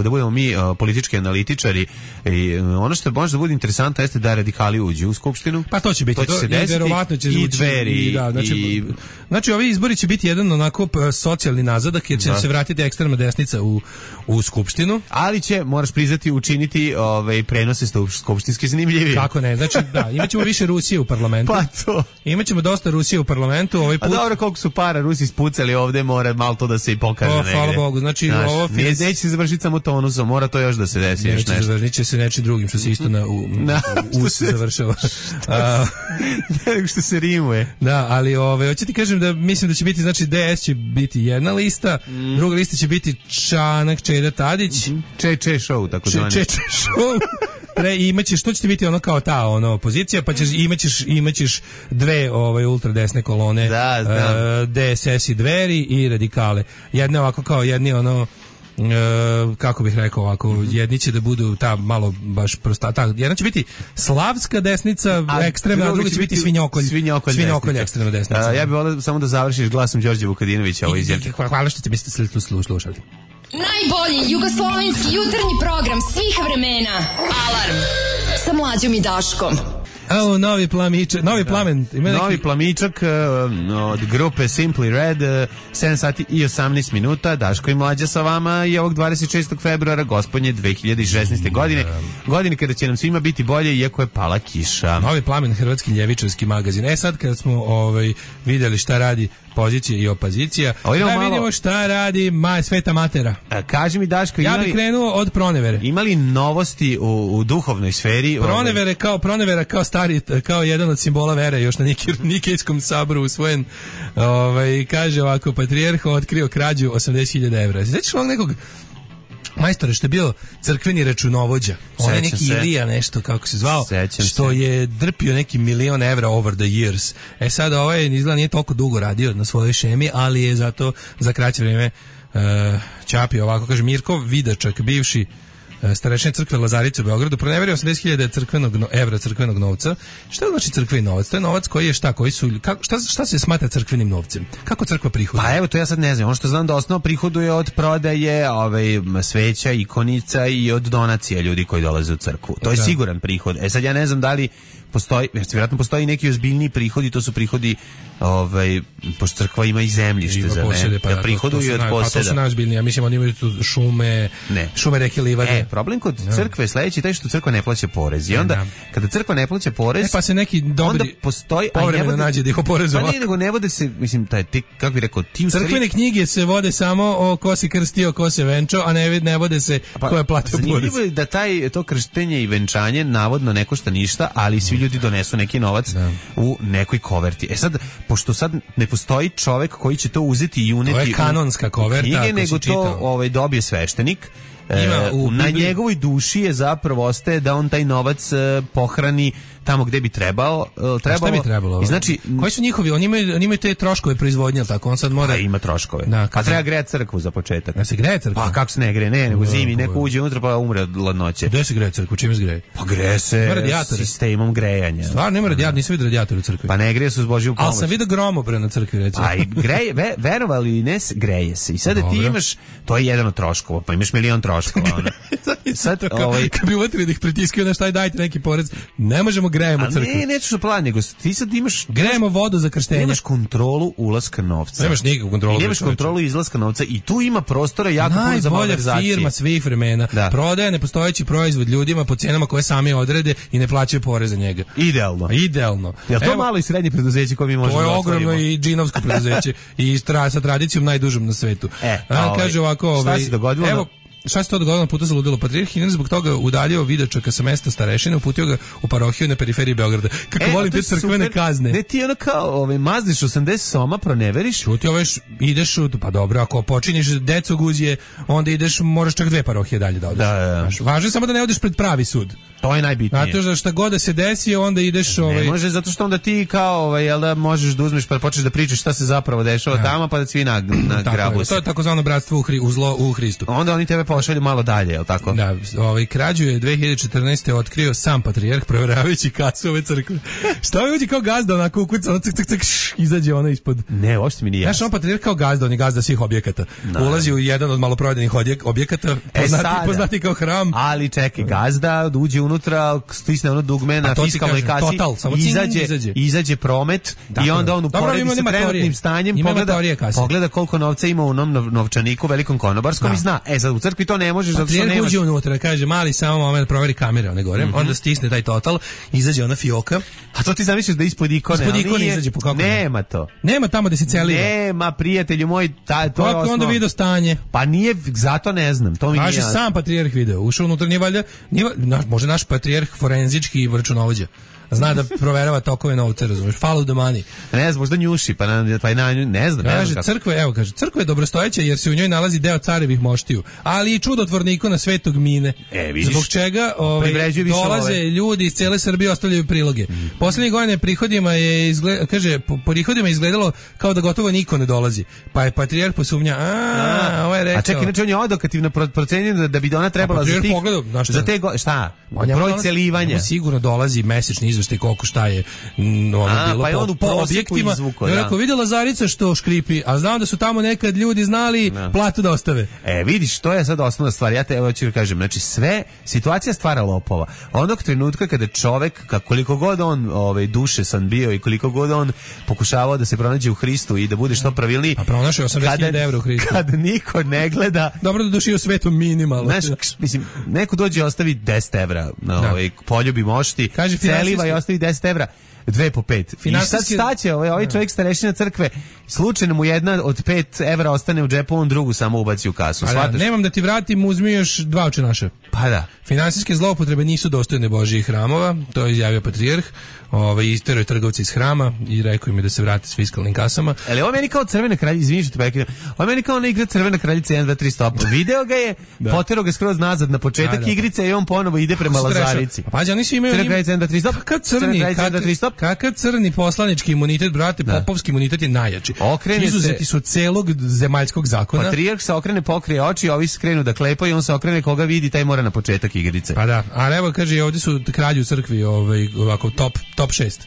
da budemo mi politički analitičari i ono što može da bude interesantno jeste da radikali uđu u skupštinu. Pa to će biti to, to će to, i verovatno će i Dveri i, da, znači, i znači ovi izbori će biti jedan onako socijalni nazadak jer će da. se vratiti ekstremna desnica u, u skupštinu. Ali će, moraš priznati, učiniti ovaj, prenose skupštinski zanimljivi. Kako ne, znači da, imaćemo više Rusije u parlamentu. Pa to. Imaćemo dosta Rusije u parlamentu. Ovaj put... A dobro, koliko su para Rusi ispucali ovde, mora malo to da se i pokaže o, negde. Hvala Bogu, znači Znaš, ovo... Nije, neće se završiti samo tonusom, mora to još da se desi. Neće još nešto. završiti će se nečim drugim, što se isto na u, na, u, u se završava. A, nego što se rimuje. Da, ali ove, hoću ti kažem da mislim da će biti, znači D S će biti jedna lista, mm. druga lista će biti Čanak, Čeda Tadić. Mm-hmm. Če, če show, tako zvani. Če, če show. Pre, imaćeš, što će ti biti ono kao ta ono, opozicija, pa ćeš, imaćeš, imaćeš dve ovaj, ultradesne kolone, da, znam. Uh, D S S i Dveri i radikale. Jedne ovako kao, jedni ono, Uh, kako bih rekao ovako, mm-hmm. jedni će da budu ta malo baš prosta, ta, jedna će biti slavska desnica a, ekstremna, a druga će biti svinjokolj, svinjokolj, svinjokolj ekstremna desnica. Uh, ja bih volio samo da završiš glasom Đorđe Vukadinovića ovo izjavlje. Hvala što ste mi ste slušali. Najbolji jugoslovenski jutarnji program svih vremena. Alarm sa Mlađom i Daškom. Evo, novi plamičak, novi plamen. Ima neki... Novi plamičak uh, od grupe Simply Red, uh, sedam sati i osamnaest minuta, Daško i Mlađa sa vama i ovog dvadeset šestog februara, gospodnje dve hiljade šesnaeste. godine, godine kada će nam svima biti bolje, iako je pala kiša. Novi plamen, hrvatski ljevičarski magazin. E sad, kada smo ovaj, vidjeli šta radi pozicija i opozicija, da malo... vidimo šta radi ma, Sveta Matera. A, kaži mi, Daško, ja imali... bih krenuo od pronevere. Imali novosti u, u duhovnoj sferi? Pronevere ovaj... kao pronevera, kao stari, kao jedan od simbola vere, još na Nikejskom saboru usvojen, ovaj, kaže ovako, patrijarh otkrio krađu osamdeset hiljada evra. Svećaš ovog nekog majstora što je bio crkveni računovođa, on je neki se. Ilija nešto kako se zvao, Sećam što se. je drpio neki milion evra over the years. E sad ovaj izgleda nije toliko dugo radio na svojoj šemi, ali je zato za kraće vrijeme uh, čapio ovako, kaže Mirko Vidačak, bivši starešine crkve Lazarice u Beogradu, proneverio osamdeset hiljada crkvenog no, evra crkvenog novca. Šta znači crkveni novac? To je novac koji je šta, koji su kako, šta, šta se smatra crkvenim novcem? Kako crkva prihoduje? Pa evo, to ja sad ne znam. Ono što znam da osnovno prihoduje od prodaje ovaj, sveća, ikonica i od donacija ljudi koji dolaze u crkvu. To je da. Siguran prihod. E sad ja ne znam da li postoji, vjerojatno postoji neki ozbiljniji prihodi, to su prihodi, ovaj, pošto crkva ima i zemljište za ne, pa, da prihoduju od poseda. Pa to su najozbiljniji, ja mislim oni imaju tu šume, ne. šume, reke, livade. E, problem kod crkve je sledeći taj što crkva ne plaća porez. I onda, kada crkva ne plaća porez, e, pa se neki dobri onda postoji, povremeno nađe da ih oporezuje. Pa ne, nego ne vode se, mislim, taj, ti, kako bi rekao, ti u crkvene stvari... knjige se vode samo o ko se krstio, ko se venčao, a ne, ne vode se pa, ko je platio porez. Zanimljivo je da taj, to krštenje i venčanje navodno ne košta ništa, ali svi ljudi donesu neki novac da. U nekoj koverti. E sad, pošto sad ne postoji čovek koji će to uzeti i uneti... To je kanonska koverta, knjige, nego to ovaj, dobije sveštenik. Ima u na njegovoj duši je zapravo ostaje da on taj novac uh, pohrani tamo gde bi trebao, uh, trebalo. Šta bi trebalo? I znači, koji su njihovi? Oni imaju, oni imaju te troškove proizvodnje, al tako on sad mora. A ima troškove. Da, a treba grejati crkvu za početak. Da se greje crkva. Pa kako se ne greje? Ne, nego zimi neko uđe unutra pa umre od ladnoće. Gde se greje crkva? Čime se greje? Pa greje se sistemom grejanja. Stvarno nema radijator, nisam vidio radijator u crkvi. Pa ne greje se uz Božju pomoć. Al sam vidio gromobran na crkvi, recimo. A i greje, ve, verovali ili ne, greje se. I sada ti imaš, to je jedan od troškova, pa imaš milion troškova. Sad, ovaj, kad bi uvatili da ih pritiskaju na šta, dajte neki porez, ne možemo grejemo crkvu. A ne, nećeš na plan, nego ti sad imaš... Grejemo vodu za krštenje. Nemaš kontrolu ulaska novca. Nemaš nikakvu kontrolu. I nemaš kontrolu izlaska novca i tu ima prostora jako puno za malverzacije. Najbolja firma svih vremena. Da. Prodaje nepostojeći proizvod ljudima po cijenama koje sami odrede i ne plaćaju porez za njega. Idealno. Idealno. Jel to Evo, malo i srednje preduzeće koje mi možemo da otvorimo? To je ogromno i džinovsko preduzeće i tra, sa tradicijom najdužom na svetu. E, a, ovaj, kaže ovako, ovaj, šta se dogodilo? Evo, šta se to dogodilo na putu za ludilo? Patrijarh Inoš zbog toga udaljio Vidačaka sa mesta starešine, uputio ga u parohiju na periferiji Beograda. Kako e, volim te crkvene super. Kazne. Ne, ti ono kao ovaj, mazniš osamdeset soma, proneveriš. Čuti, ovaj, ideš, u, pa dobro, ako počiniš deco guzije, onda ideš, moraš čak dve parohije dalje da odeš. Da, da, da. Važno je samo da ne odeš pred pravi sud. To je najbitnije. Zato što šta god da se desi, onda ideš... Ne ovaj... može, zato što onda ti kao, ovaj, jel da možeš da uzmeš pa počneš da pričaš šta se zapravo dešava ja. tamo, pa da svi na, na grabu. To je takozvano bratstvo u, hri, u, zlo, u Hristu. Onda oni tebe pošalju malo dalje, jel tako? Da, ovaj, krađu je dve hiljade četrnaeste. otkrio sam patrijarh proveravajući kasu ove crkve. Šta mi uđe kao gazda, onako ukuca, ono cik, cik, cik, š, izađe ono ispod... Ne, uopšte mi nije jasno. Znaš, on patrijarh kao gazda, on je gazda svih objekata. No. Ulazi u jedan od maloprodajnih objekata, poznati, e poznati kao hram. Ali čekaj, gazda uđe unutra, stisne ono dugme na fiskalnoj kasi, total, izađe, izađe. izađe promet dakle. I onda on uporedi sa trenutnim stanjem, pogleda, pogleda koliko novca ima u onom novčaniku velikom konobarskom da. I zna, e sad u crkvi to ne možeš, zato što nemaš. Uđe unutra, kaže, mali samo moment, proveri kamere, one gore, mm-hmm. onda stisne taj total, izađe ona fioka. A to ti zamisliš da ispod ikone, ispod ikone izađe po kako nema to. Nema tamo da se celiva. Nema, prijatelju moj, ta, to je osnov. Onda video stanje. Pa nije, zato ne znam, to mi nije. Kaže sam patrijarh video, ušao unutra, nije valjda, nije, naš, može naš patrijarh forenzički i računovođa. Zna da proverava tokove novca, razumeš? Follow the money. Ne znam, možda njuši, pa na, pa na ne znam. Kaže, crkva, evo, kaže, crkva je dobrostojeća jer se u njoj nalazi deo carevih moštiju, ali i čudotvorna ikona Svetog Mine. E, vidiš. Zbog čega ovaj, dolaze ove. ljudi iz cele Srbije, ostavljaju priloge. Mm. Poslednje godine prihodima je izgled, kaže, po, po prihodima je izgledalo kao da gotovo niko ne dolazi. Pa je patrijarh posumnja, a, a ovo je rekao. A čekaj, inače on je odokativno procenio da, da bi ona trebala za tih, pogledao, za te, go, šta? Broj celivanja. Sigurno dolazi mesečni izveštaj koliko šta je m, ono a, bilo pa po, po objektima. Izvuko, ja rekao, vidjela Zarica što škripi, a znam da su tamo nekad ljudi znali no. platu da ostave. E, vidiš, to je sad osnovna stvar. Ja te evo ću kažem, znači sve, situacija stvara lopova. Onog trenutka kada čovek, koliko god on ovaj, duše san bio i koliko god on pokušavao da se pronađe u Hristu i da bude što pravilniji. A pronašao osamdeset hiljada evra u Hristu. Kad niko ne gleda... Dobro da duši u svetu minimalno. Znaš, mislim, neko dođe i ostavi deset evra na da. ovaj, poljubi mošti, kaže, celiva i ostavi deset evra. Dve po pet. Finansijski... I sad staće, ovaj, ovaj čovjek starešina crkve, slučajno mu jedna od pet evra ostane u džepu, on drugu samo ubaci u kasu. Da, nemam da ti vratim, uzmi još dva oče naše. Pa da. Finansijske zloupotrebe nisu dostojne Božjih hramova, to je izjavio patrijarh. Ovaj isterao je trgovci iz hrama i rekao im da se vrate s fiskalnim kasama. Ali ovo meni kao Crvena kraljica, izvinite te prekidam. Ovo meni kao ona igra Crvena kraljica jedan dva tri stop. Video ga je, da. Poterao ga skroz nazad na početak da, da. igrice i on ponovo ide prema Lazarici. Pa oni su imaju Crvena kraljica jedan dva tri stop. Kakav crni, kakav crni poslanički imunitet, brate, da. Popovski imunitet je najjači. Okrene Izuzeti su celog zemaljskog zakona. Patrijarh se okrene, pokrije oči, ovi skrenu da klepaju, on se okrene, koga vidi, taj mora na početak igrice. Pa da, a evo kaže, ovdje su kralji u crkvi, ovaj, ovako top, top šest.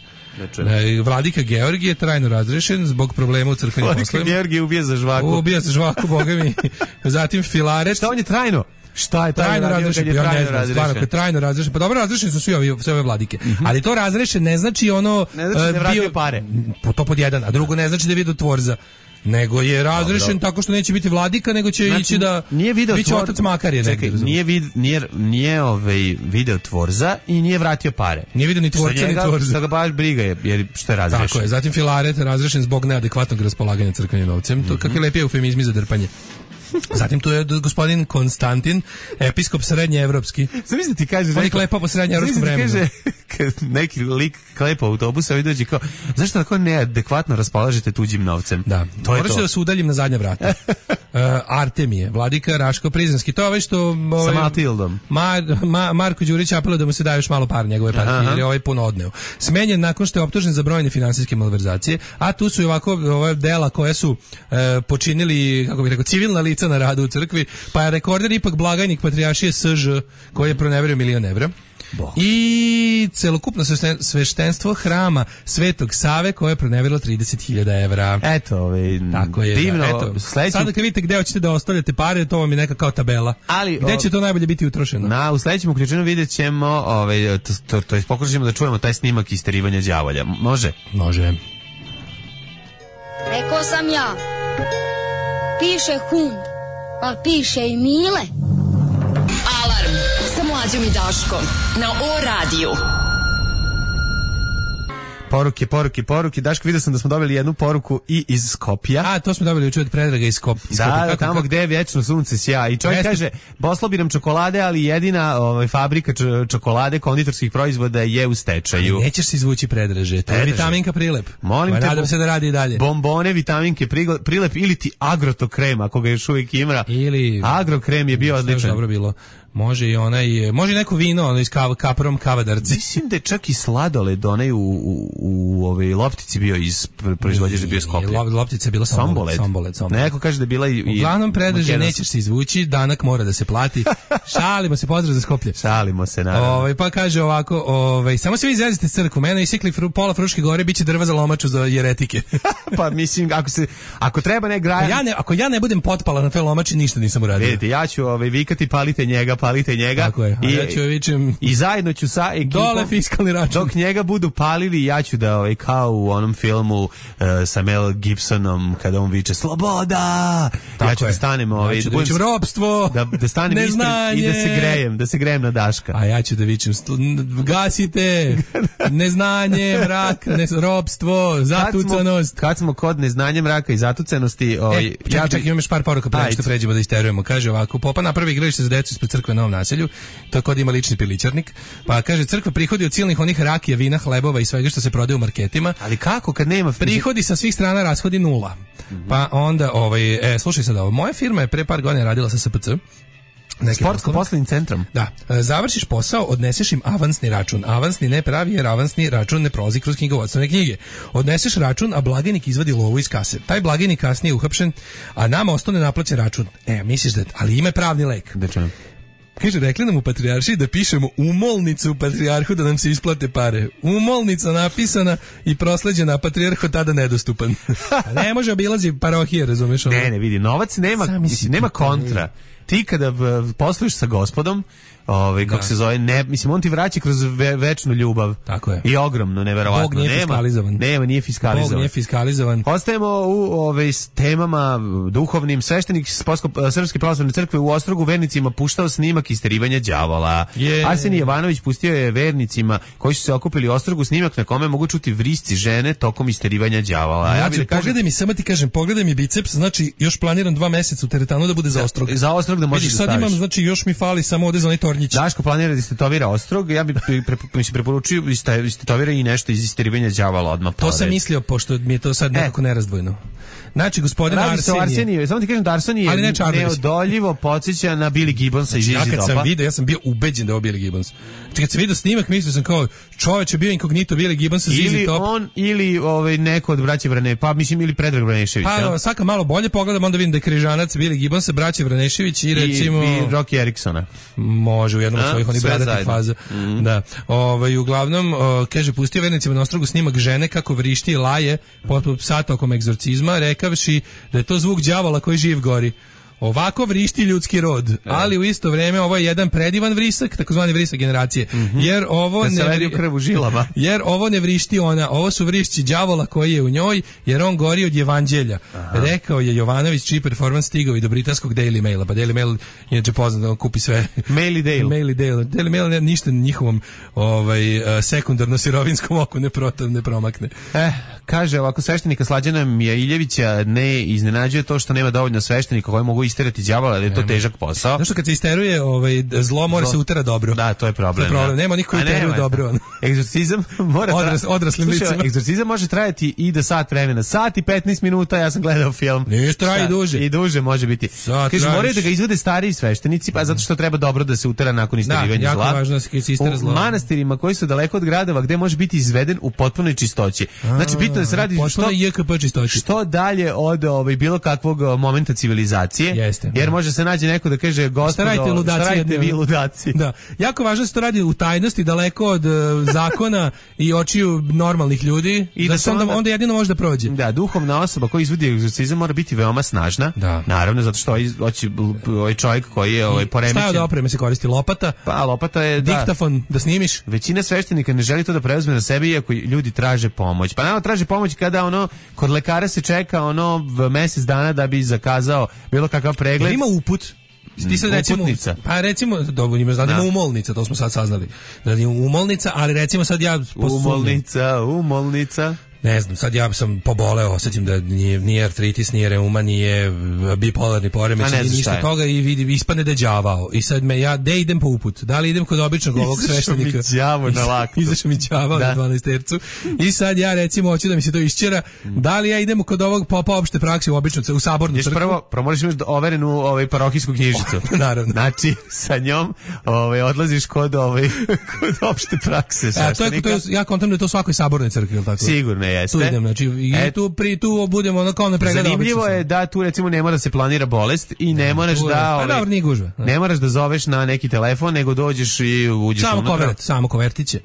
E, Vladika Georgije je trajno razrešen zbog problema u crkvenim poslovima. Vladika Georgije ubija za žvaku. Ubija za žvaku, boga mi. Zatim Filaret. Šta on je trajno? Šta je trajno razrešen? Ja ne znam, stvarno, kad trajno razrešen. Pa dobro, razrešeni su svi ovi, sve ove vladike. Mm-hmm. Ali to razrešen ne znači ono... Ne znači da vratio pare. To pod jedan, a drugo ne znači da je vidio tvorza. Nego je razrešen dobro. Tako što neće biti vladika, nego će znači, ići da nije video biće tvor... otac Makarije. Čekaj, nije, vid, nije, nije ovaj video tvorza i nije vratio pare. Nije video ni tvorca, ni tvorza. Što ga baš briga je, jer što je razrešen. Tako je, zatim Filaret razrešen zbog neadekvatnog raspolaganja crkvenim novcem. Mm-hmm. To kakve lepi eufemizmi za drpanje. Zatim tu je gospodin Konstantin, episkop srednjeevropski. Zamisli ti kaže, on je klepao po srednjeevropskom vremenu. Kaže, kad neki lik klepa autobusa i dođe kao, zašto tako neadekvatno raspolažete tuđim novcem? Da, to je to. Da se udaljim na zadnja vrata. uh, Artemije, vladika Raško-Prizrenski. To je ovaj što... Ovaj, sa Matildom. Mar, Ma, Marko Đurić apeluje da mu se daje još malo par njegove partije, jer je ovaj puno odneo. Smenjen nakon što je optužen za brojne finansijske malverzacije, a tu su i ovako ove dela koje su uh, počinili, kako bih rekao, civilna lica na radu u crkvi, pa je rekorder ipak blagajnik patrijaršije S Ž koji je proneverio milion evra. Bo. I i celokupno svešten- sveštenstvo hrama Svetog Save koje je proneverilo trideset hiljada evra. Eto, ovaj, Tako je, divno. da, eto. Sledeću... Sada kad vidite gde hoćete da ostavljate pare, to vam je neka kao tabela. Ali, gde o... će to najbolje biti utrošeno? Na, u sledećem uključenju vidjet ćemo, ovaj, to, to, to je pokušamo da čujemo taj snimak isterivanja đavolja. Može? Može. Rekao sam ja, piše hum, a piše i Mile. Alarm sa Mlađom i Daškom na O radiju. Poruke, poruke, poruke. Daško, vidio sam da smo dobili jednu poruku i iz Skopja. A, to smo dobili juče od Predraga iz Skop, Skopja. Da, kako, tamo kako? gde je vječno sunce sja. I čovjek Jeste. kaže, poslao bi nam čokolade, ali jedina ovaj, fabrika č- čokolade, konditorskih proizvoda je u stečaju. Nećeš se izvući Predraže, to je Predraže. vitaminka Prilep. Molim Pa te, nadam bo- se da radi i dalje. Bombone, vitaminke, prigl- prilep ili ti agrotokrem, ako ga još uvijek ima. Ili Agrokrem je bio što je odličan. dobro bilo. Može i onaj, može i neko vino, ono iz kav, kaprom kavadarci. Mislim da je čak i sladoled onaj u, u, u ovoj loptici bio iz proizvođač bio Skoplje. Lop, loptica je bila Somboled. Somboled, Somboled. Neko kaže da je bila i... i Uglavnom Predraže, makedonska. nećeš se izvući, danak mora da se plati. Šalimo se, pozdrav za Skoplje. Šalimo se, naravno. Ovaj pa kaže ovako, ovaj samo se vi izrazite crkvu, mene isikli fru, pola Fruške gore, biće drva za lomaču za jeretike. Pa mislim, ako se ako treba ne graja... Ako ja ne, ako ja ne budem potpala na toj lomači, ništa nisam uradio. Vidite, ja ću ovaj, vikati palite njega, palite njega. Tako je, a I, ja ću vičem I zajedno ću sa ekipom... dole fiskalni račun. Dok njega budu palili, ja ću da, ovaj, kao u onom filmu uh, sa Mel Gibsonom, kada on viče sloboda, Tako ja ću je. da stanem, ovaj, Ja ću da budem- vičem ropstvo, da, da stanem ispred neznanje. i da se grejem, da se grejem na Daška. A ja ću da vičem, stu- n- gasite, neznanje, mrak, ne, ropstvo, zatucanost. Kad smo, kad smo kod neznanja, mraka i zatucanosti, ovaj, E, čekaj, ja čekaj, bi- imam još par poruka pre nego što Ajde. pređemo da isterujemo. Kaže ovako, popa napravi igralište za decu ispred crkve na Novom naselju, to je kod ima lični pilićarnik, pa kaže crkva prihodi od silnih onih rakija, vina, hlebova i svega što se prodaje u marketima. Ali kako kad nema... Prihodi sa svih strana, rashodi nula. Pa onda, ovaj, e, slušaj sad ovo, moja firma je pre par godina radila sa S P C, neke Sportsko poslove. poslovnim centrom. Da, e, završiš posao, odneseš im avansni račun. Avansni ne pravi jer avansni račun ne prolazi kroz knjigovodstvene knjige. Odneseš račun, a blagajnik izvadi lovu iz kase. Taj blagajnik kasnije uhapšen, a nama ostane naplaćen račun. E, misliš da, ali ima pravni lek. Da čujem. Kaže, rekli nam u Patrijaršiji da pišemo umolnicu u Patrijarhu da nam se isplate pare. Umolnica napisana i prosleđena, a Patrijarh od tada nedostupan. A ne može obilazi parohije, razumeš? ono? Ne, ne, vidi, novac nema, Zamisli mislim, nema ti to, kontra. Ti kada v- posluješ sa gospodom, ovaj, kako Da. se zove, ne, mislim, on ti vraća kroz ve, večnu ljubav. Tako je. I ogromno, neverovatno. Bog nije nema, fiskalizovan. Nema, nije fiskalizovan. Bog nije fiskalizovan. Ostajemo u ove s temama duhovnim. Sveštenik Sposko- Srpske pravoslavne crkve u Ostrogu vernicima puštao snimak isterivanja đavola. Je. Arsenij Jovanović pustio je vernicima koji su se okupili u Ostrogu snimak na kome mogu čuti vrisci žene tokom isterivanja đavola. A ja bih Znači, da kažem, pogledaj mi, samo ti kažem, pogledaj mi biceps, znači još planiram dva meseca u teretanu da bude za Ostrog. za Ostrog da možeš Vidiš, da sad staviš. imam, znači još mi fali samo ovde za onaj tornjić. Daško planira da istetovira Ostrog, ja bih pre, pre, mi se preporučio iste- istetovira i nešto iz isterivanja đavola odmah To sam pored. mislio, pošto mi je to sad nekako nerazdvojno. Znači, gospodin Radi se o Arsenije. Arseniju, samo ti kažem da Arsenije Ali ne Čarberis. neodoljivo podsjeća na Billy Gibbonsa iz Ja Easy kad sam Topa. video, ja sam bio ubeđen da je ovo Billy Gibbons. Znači, kad sam vidio snimak, mislio sam kao, čoveč je bio inkognito Billy Gibbons iz Easy Ili Top. on, ili ovaj, neko od braće Vrane, pa mislim, ili Predrag Vranešević. Pa, jel? svaka malo bolje pogledam, onda vidim da je križanac Billy Gibbons, braće Vranešević i recimo... I, i Rocky Eriksona. Može u jednom od A, svojih onih sve bradatih zajedno. faza. Da. Ovaj uglavnom o, kaže pustio vernicima na Ostrogu snimak žene kako vrišti i laje poput psa tokom egzorcizma, rekavši da je to zvuk đavola koji živ gori. Ovako vrišti ljudski rod, ali u isto vrijeme ovo je jedan predivan vrisak, takozvani vrisak generacije. Jer ovo Da se ne ledi u vri- krv u žilama. jer ovo ne vrišti ona, ovo su vrišći đavola koji je u njoj, jer on gori od evanđelja. Rekao je Jovanović, čiji performans stigao i do britanskog Daily Maila, pa Daily Mail je inače poznat da on kupi sve. Mail i Dale. Mail i Dale. Daily Mail ne- ništa njihovom ovaj, eh, sekundarno sirovinskom oku ne, proto, ne promakne. Eh, kaže ovako, sveštenika Slađana Miljevića ne iznenađuje to što nema dovoljno sveštenika koji mogu isterati đavola, jer je to težak posao. Znaš što kad se isteruje ovaj, zlo, mora Zlo. se utera dobro. Da, to je problem. To je problem. da. Nema onih koji A uteruju nema, dobro. ono. Egzorcizam mora tra- Odras- odraslim Slušaj, licima. egzorcizam može trajati i do sat vremena. Sat i petnaest minuta, ja sam gledao film. Ništa, traje i Sat- duže. I duže može biti. Sat Kaže, traje moraju da više. ga izvede stariji sveštenici, pa zato što treba dobro da se utera nakon Da, isterivanja jako zla. važno da se istera U zlo. manastirima koji su daleko od gradova gde može biti izveden u potpunoj čistoći. Znači, bitno bitno da se radi što, J K P čistoći. što dalje od ovaj, bilo kakvog momenta civilizacije. Jeste, jer da. može se naći neko da kaže gospodo, šta radite, ludaci, šta radite vi ludaci? Da. Jako važno da se to radi u tajnosti, daleko od uh, zakona i očiju normalnih ljudi. I da, da se onda, onda jedino može da prođe. Da, duhovna osoba koja izvodi egzorcizam mora biti veoma snažna. Da. Naravno, zato što hoće ovaj čovjek koji je ovaj poremećen. Šta je od opreme se koristi? Lopata? Pa, lopata je da. Diktafon da snimiš? Većina sveštenika ne želi to da preuzme na sebe iako ljudi traže pomoć. Pa naravno traže pomoć kada ono kod lekara se čeka ono mjesec dana da bi zakazao bilo kakav pregled. Ima uput. Ti sad recimo, uputnica. Pa recimo, dobro, ima znači ima umolnica, to smo sad saznali. Da je umolnica, ali recimo sad ja posumnjam. Umolnica, umolnica. Ne znam, sad ja sam poboleo, osjećam da nije, nije artritis, nije reuma, nije bipolarni poremeć, nije ništa toga i vidi, ispane da je đavao. I sad me ja, de idem po uput? Da li idem kod običnog ovog sveštenika? Izašao mi đavo na laktu. Izašao mi đavao na dvanaestercu. I sad ja recimo hoću da mi se to išćera. Da li ja idem kod ovog popa opšte prakse u običnu, u sabornu crkvu? Prvo, prvo moraš imati overenu ovaj, parohijsku knjižicu. Naravno. Znači, sa njom ovaj, odlaziš kod, ovaj, kod opšte prakse. A, to je, to je, ja kontam da je to u svakoj sabornoj crkvi, ili tako? Sigurno jeste. Tu idem, znači, i e, tu, pri, tu budemo ono kao ne pregleda. Zanimljivo je da tu recimo ne mora da se planira bolest i ne, ne moraš da... Pa ovaj, dobro, nije gužva. Ne moraš da zoveš na neki telefon, nego dođeš i uđeš samo unutra. Kovert, samo kovertiće.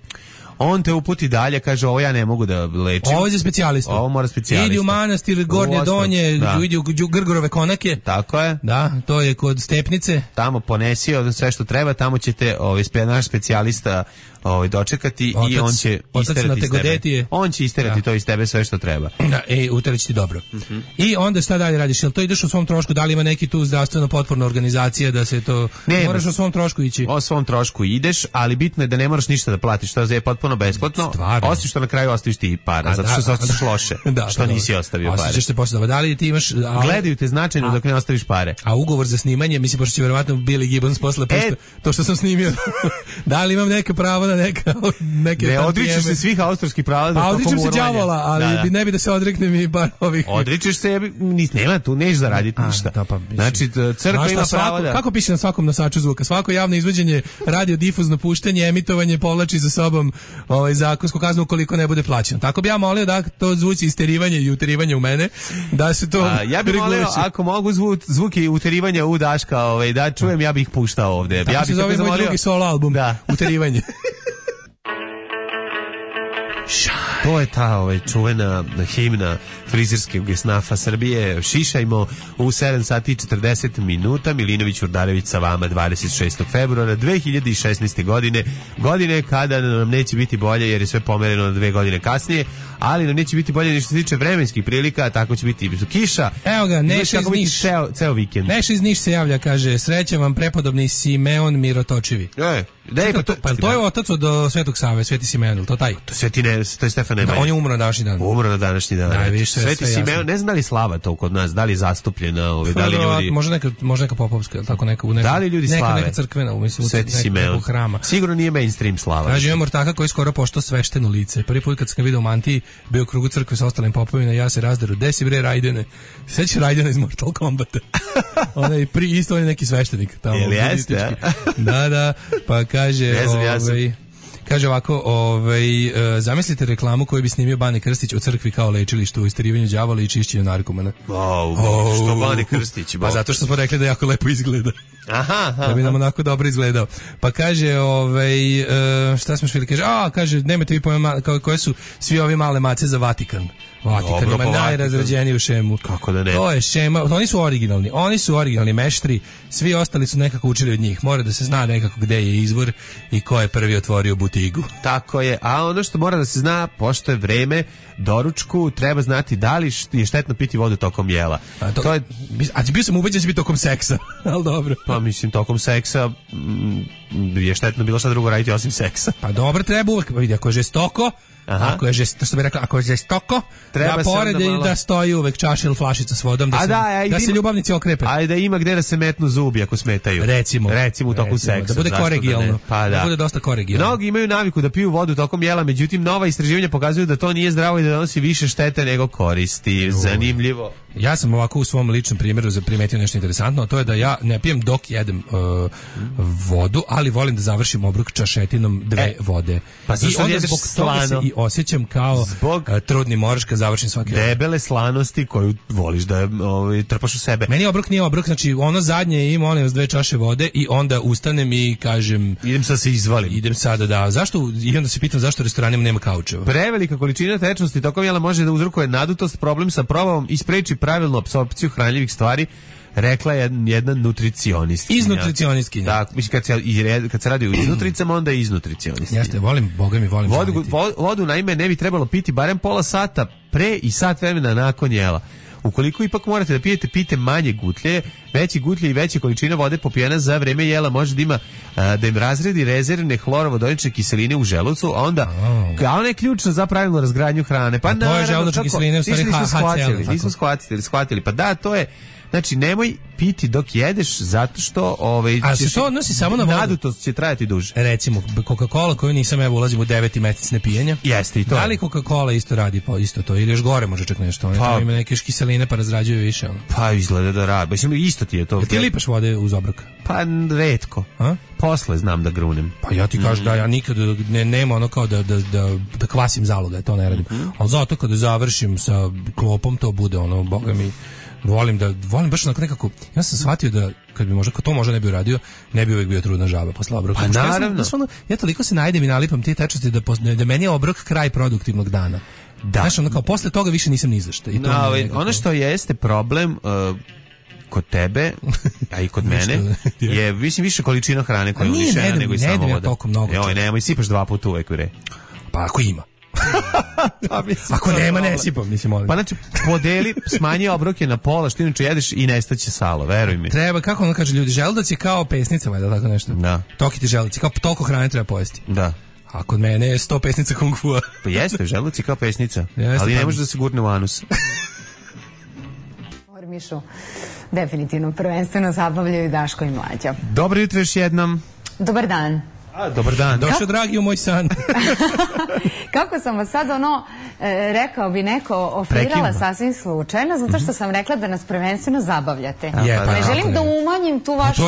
On te uputi dalje, kaže ovo ja ne mogu da lečim. Ovo je za specijalista. Ovo mora specijalista. Idi u manastir Gornje Donje, da. Idi u Grgorove konake. Tako je. Da, to je kod Stepnice. Tamo ponesi sve što treba, tamo ćete ovaj, naš specijalista ovaj, dočekati otac, i on će isterati iz tebe. On će isterati da. To iz tebe sve što treba. Da, e, uterać ti dobro. Uh-huh. I onda šta dalje radiš? Jel to ideš u svom trošku? Da li ima neki tu zdravstveno potporna organizacija da se to... Ne, moraš o svom trošku ići? O svom trošku ideš, ali bitno je da ne moraš ništa da platiš. To je potpuno besplatno. Stvarno. Osim što na kraju ostaviš ti i para, a, zato što se ostaviš loše. Da, što da, nisi ostavio pare. Osjećaš se posle da, da li ti imaš... A, gledaju te značajno a, dok ne ostaviš pare. A ugovor za snimanje, mislim, pošto će verovatno Billy Gibbons posle e, to što sam snimio. Da li imam neke pravo na neka... Neke ne odričeš se svih autorskih prava. Pa odričem se đavola, ali da, da. ne bi da se odreknem i bar ovih. Odričeš se, nema tu, neš zaraditi ništa. Da, pa, znači, crkva ima pravo da... Kako piše na svakom nosaču zvuka? Svako javno izvođenje, radiodifuzno puštanje, emitovanje povlači za sobom ovaj, zakonsku kaznu ukoliko ne bude plaćeno. Tako bi ja molio da to zvuci isterivanje i uterivanje u mene, da se to a, ja bih molio, ako mogu zvuk, zvuki uterivanja u Daška, ovaj, da čujem, ja bih ih puštao ovde. Tako ja se zove moj drugi solo album, da. Uterivanje. To je ta ovaj, čuvena himna frizerskog esnafa Srbije. Šišajmo u sedam sati i četrdeset minuta. Milinović Urdarević sa vama dvadeset šestog februara dve hiljade šesnaeste. godine. Godine kada nam neće biti bolje jer je sve pomereno na dve godine kasnije, ali nam neće biti bolje ni što se tiče vremenskih prilika, tako će biti kiša. Evo ga, Neša iz Niš. Ceo, ceo vikend. Neša iz Niš se javlja, kaže, srećam vam prepodobni Simeon Mirotočivi. E, dej, pa, to, pa to je otac od Svetog Save, Sveti Simeon, to taj? To, Sveti ne, to je Stefan Nemanja. Da, on je umro na današnji dan. Umro na današnji dan. Da, viš, Sveti Simeon, ne znam da li slava to kod nas, da li je zastupljena, ovaj, da li ljudi... Može neka, može neka popovska, tako neka, u neka, da li ljudi neka, slave? Neka crkvena, mislim, Sveti Simeon. Hrama. Sigurno nije mainstream slava. Kaže, imam ortaka koji skoro pošto svešteno lice. Prvi put kad sam ga vidio u mantiji, bio u krugu crkve sa ostalim popovima, ja se razderu. Desi bre Rajdene. Sećaš Rajdena iz Mortal Kombata? Onaj pri isto on je neki sveštenik tamo. Jel jeste? Da, da. Pa kaže, ovaj kaže ovako, ovaj, uh, zamislite reklamu koju bi snimio Bane Krstić o crkvi kao lečilištu u isterivanju đavola i čišćenju narkomana. Wow, oh, što Bane Krstić? Pa zato što smo rekli da jako lepo izgleda. Aha, aha. Da bi nam onako dobro izgledao. Pa kaže, ovaj, uh, šta smo švili, kaže, a, kaže, nemate vi pojma koje su svi ovi male mace za Vatikan. Vatikan ima najrazrađeniju šemu. Kako da ne? To je šema, oni su originalni, oni su originalni meštri, svi ostali su nekako učili od njih. Mora da se zna nekako gde je izvor i ko je prvi otvorio butigu. Tako je, a ono što mora da se zna, pošto je vreme, doručku treba znati da li je štetno piti vodu tokom jela. A, to, to je... a bio sam ubeđen da će biti tokom seksa, ali dobro. Pa mislim, tokom seksa mm, je štetno bilo šta drugo raditi osim seksa. Pa dobro, treba uvek, vidi, ako je žestoko, aha. Ako je žestoko, što bi rekla, ako je žestoko, treba da pored malo... da stoji uvek čaša ili flašica s vodom, da, a se, da, a da ima, se ljubavnici okrepe. A da ima gde da se metnu zubi ako smetaju. Recimo. Recimo u toku recimo, seksa. Da bude kolegijalno. Da, pa da. da bude dosta kolegijalno. Mnogi imaju naviku da piju vodu tokom jela, međutim nova istraživanja pokazuju da to nije zdravo i da donosi više štete nego koristi. Zanimljivo. Ja sam ovako u svom ličnom primjeru primetio nešto interesantno, a to je da ja ne pijem dok jedem uh, vodu, ali volim da završim obrok čašetinom dve e, vode. Pa i onda zbog toga se i osjećam kao zbog uh, trudni moraš kad završim svaki obrok. Debele slanosti koju voliš da ovaj, trpaš u sebe. Meni obrok nije obrok, znači ono zadnje ima one dve čaše vode i onda ustanem i kažem idem sad se izvalim. Idem sada da, zašto, i onda se pitam zašto u restoranima nema kaučeva. Prevelika količina tečnosti tokom jela može da uzrokuje nadutost, problem sa probavom i spreči pravilnu apsorpciju hranljivih stvari, rekla je jedna nutricionistkinja. Iz nutricionistkinja. Da, mislim kad se kad se radi o iznutricama, onda je iz nutricionistkinja. Jeste, volim, boga mi volim. Vodu, vodu naime ne bi trebalo piti barem pola sata pre i sat vremena nakon jela. Ukoliko ipak morate da pijete, pijte manje gutlje, veći gutlje i veća količina vode popijena za vreme jela može da ima a, da im razredi rezervne hlorovodonične kiseline u želucu, a onda oh. a ona je ključna za pravilnu razgradnju hrane. Pa to je želučne kiseline u stvari H C L. Nismo shvatili, shvatili. Pa da, to je, znači nemoj piti dok jedeš zato što ovaj a se to odnosi samo na vodu. Nadutost će trajati duže. Recimo Coca-Cola koju nisam evo ulazim u deveti mesec nepijenja. Jeste i to. Da li Coca-Cola isto radi pa isto to ili još gore može čak nešto. One pa, ima neke kiseline pa razrađuju više ono. Pa izgleda da radi. Mislim isto ti je to. Jel ti lipaš vode uz obrok? Pa retko. A? Posle znam da grunem. Pa ja ti kažem mm. da ja nikad ne nema ono kao da da da, da kvasim zaloga, to ne radim. Mm-hmm. Al zato kada završim sa klopom to bude ono boga mi volim da volim baš onako nekako. Ja sam shvatio da kad bi možda to možda ne bi uradio, ne bi uvek bio trudna žaba posle obroka. Pa naravno. Ja, sam, ja toliko se najdem i nalipam te tečnosti da da meni je obrok kraj produktivnog dana. Da. Znaš, ono kao posle toga više nisam ni za šta. I to no, je ono što jeste problem uh, kod tebe, a i kod mene, je mislim više količina hrane koja je unišena nego i samo voda. Joj, nemoj, sipaš dva puta uvek u re. Pa ako ima. Pa, mislim, ako nema, ne sipam, mislim, molim. Pa znači, podeli, smanji obroke na pola, što inače jedeš i nestaće salo, veruj mi. Treba, kako ono kaže ljudi, želudac je kao pesnica, valjda tako nešto. Da. Toki ti želudac, kao toliko hrane treba pojesti. Da. A kod mene je sto pesnica kung fu. Pa jeste, želudac je kao pesnica, jeste, ali ne može da se gurne u anus. Mišu, definitivno, prvenstveno zabavljaju Daško i Mlađa. Dobro jutro još jednom. Dobar dan. A, dobar dan. Došao dragi u moj san. Kako sam vas sad ono, e, rekao bi neko, ofrirala Prekinimo. Sasvim slučajno, zato što sam rekla da nas prvenstveno zabavljate. Je, pa, ne želim da umanjim tu vašu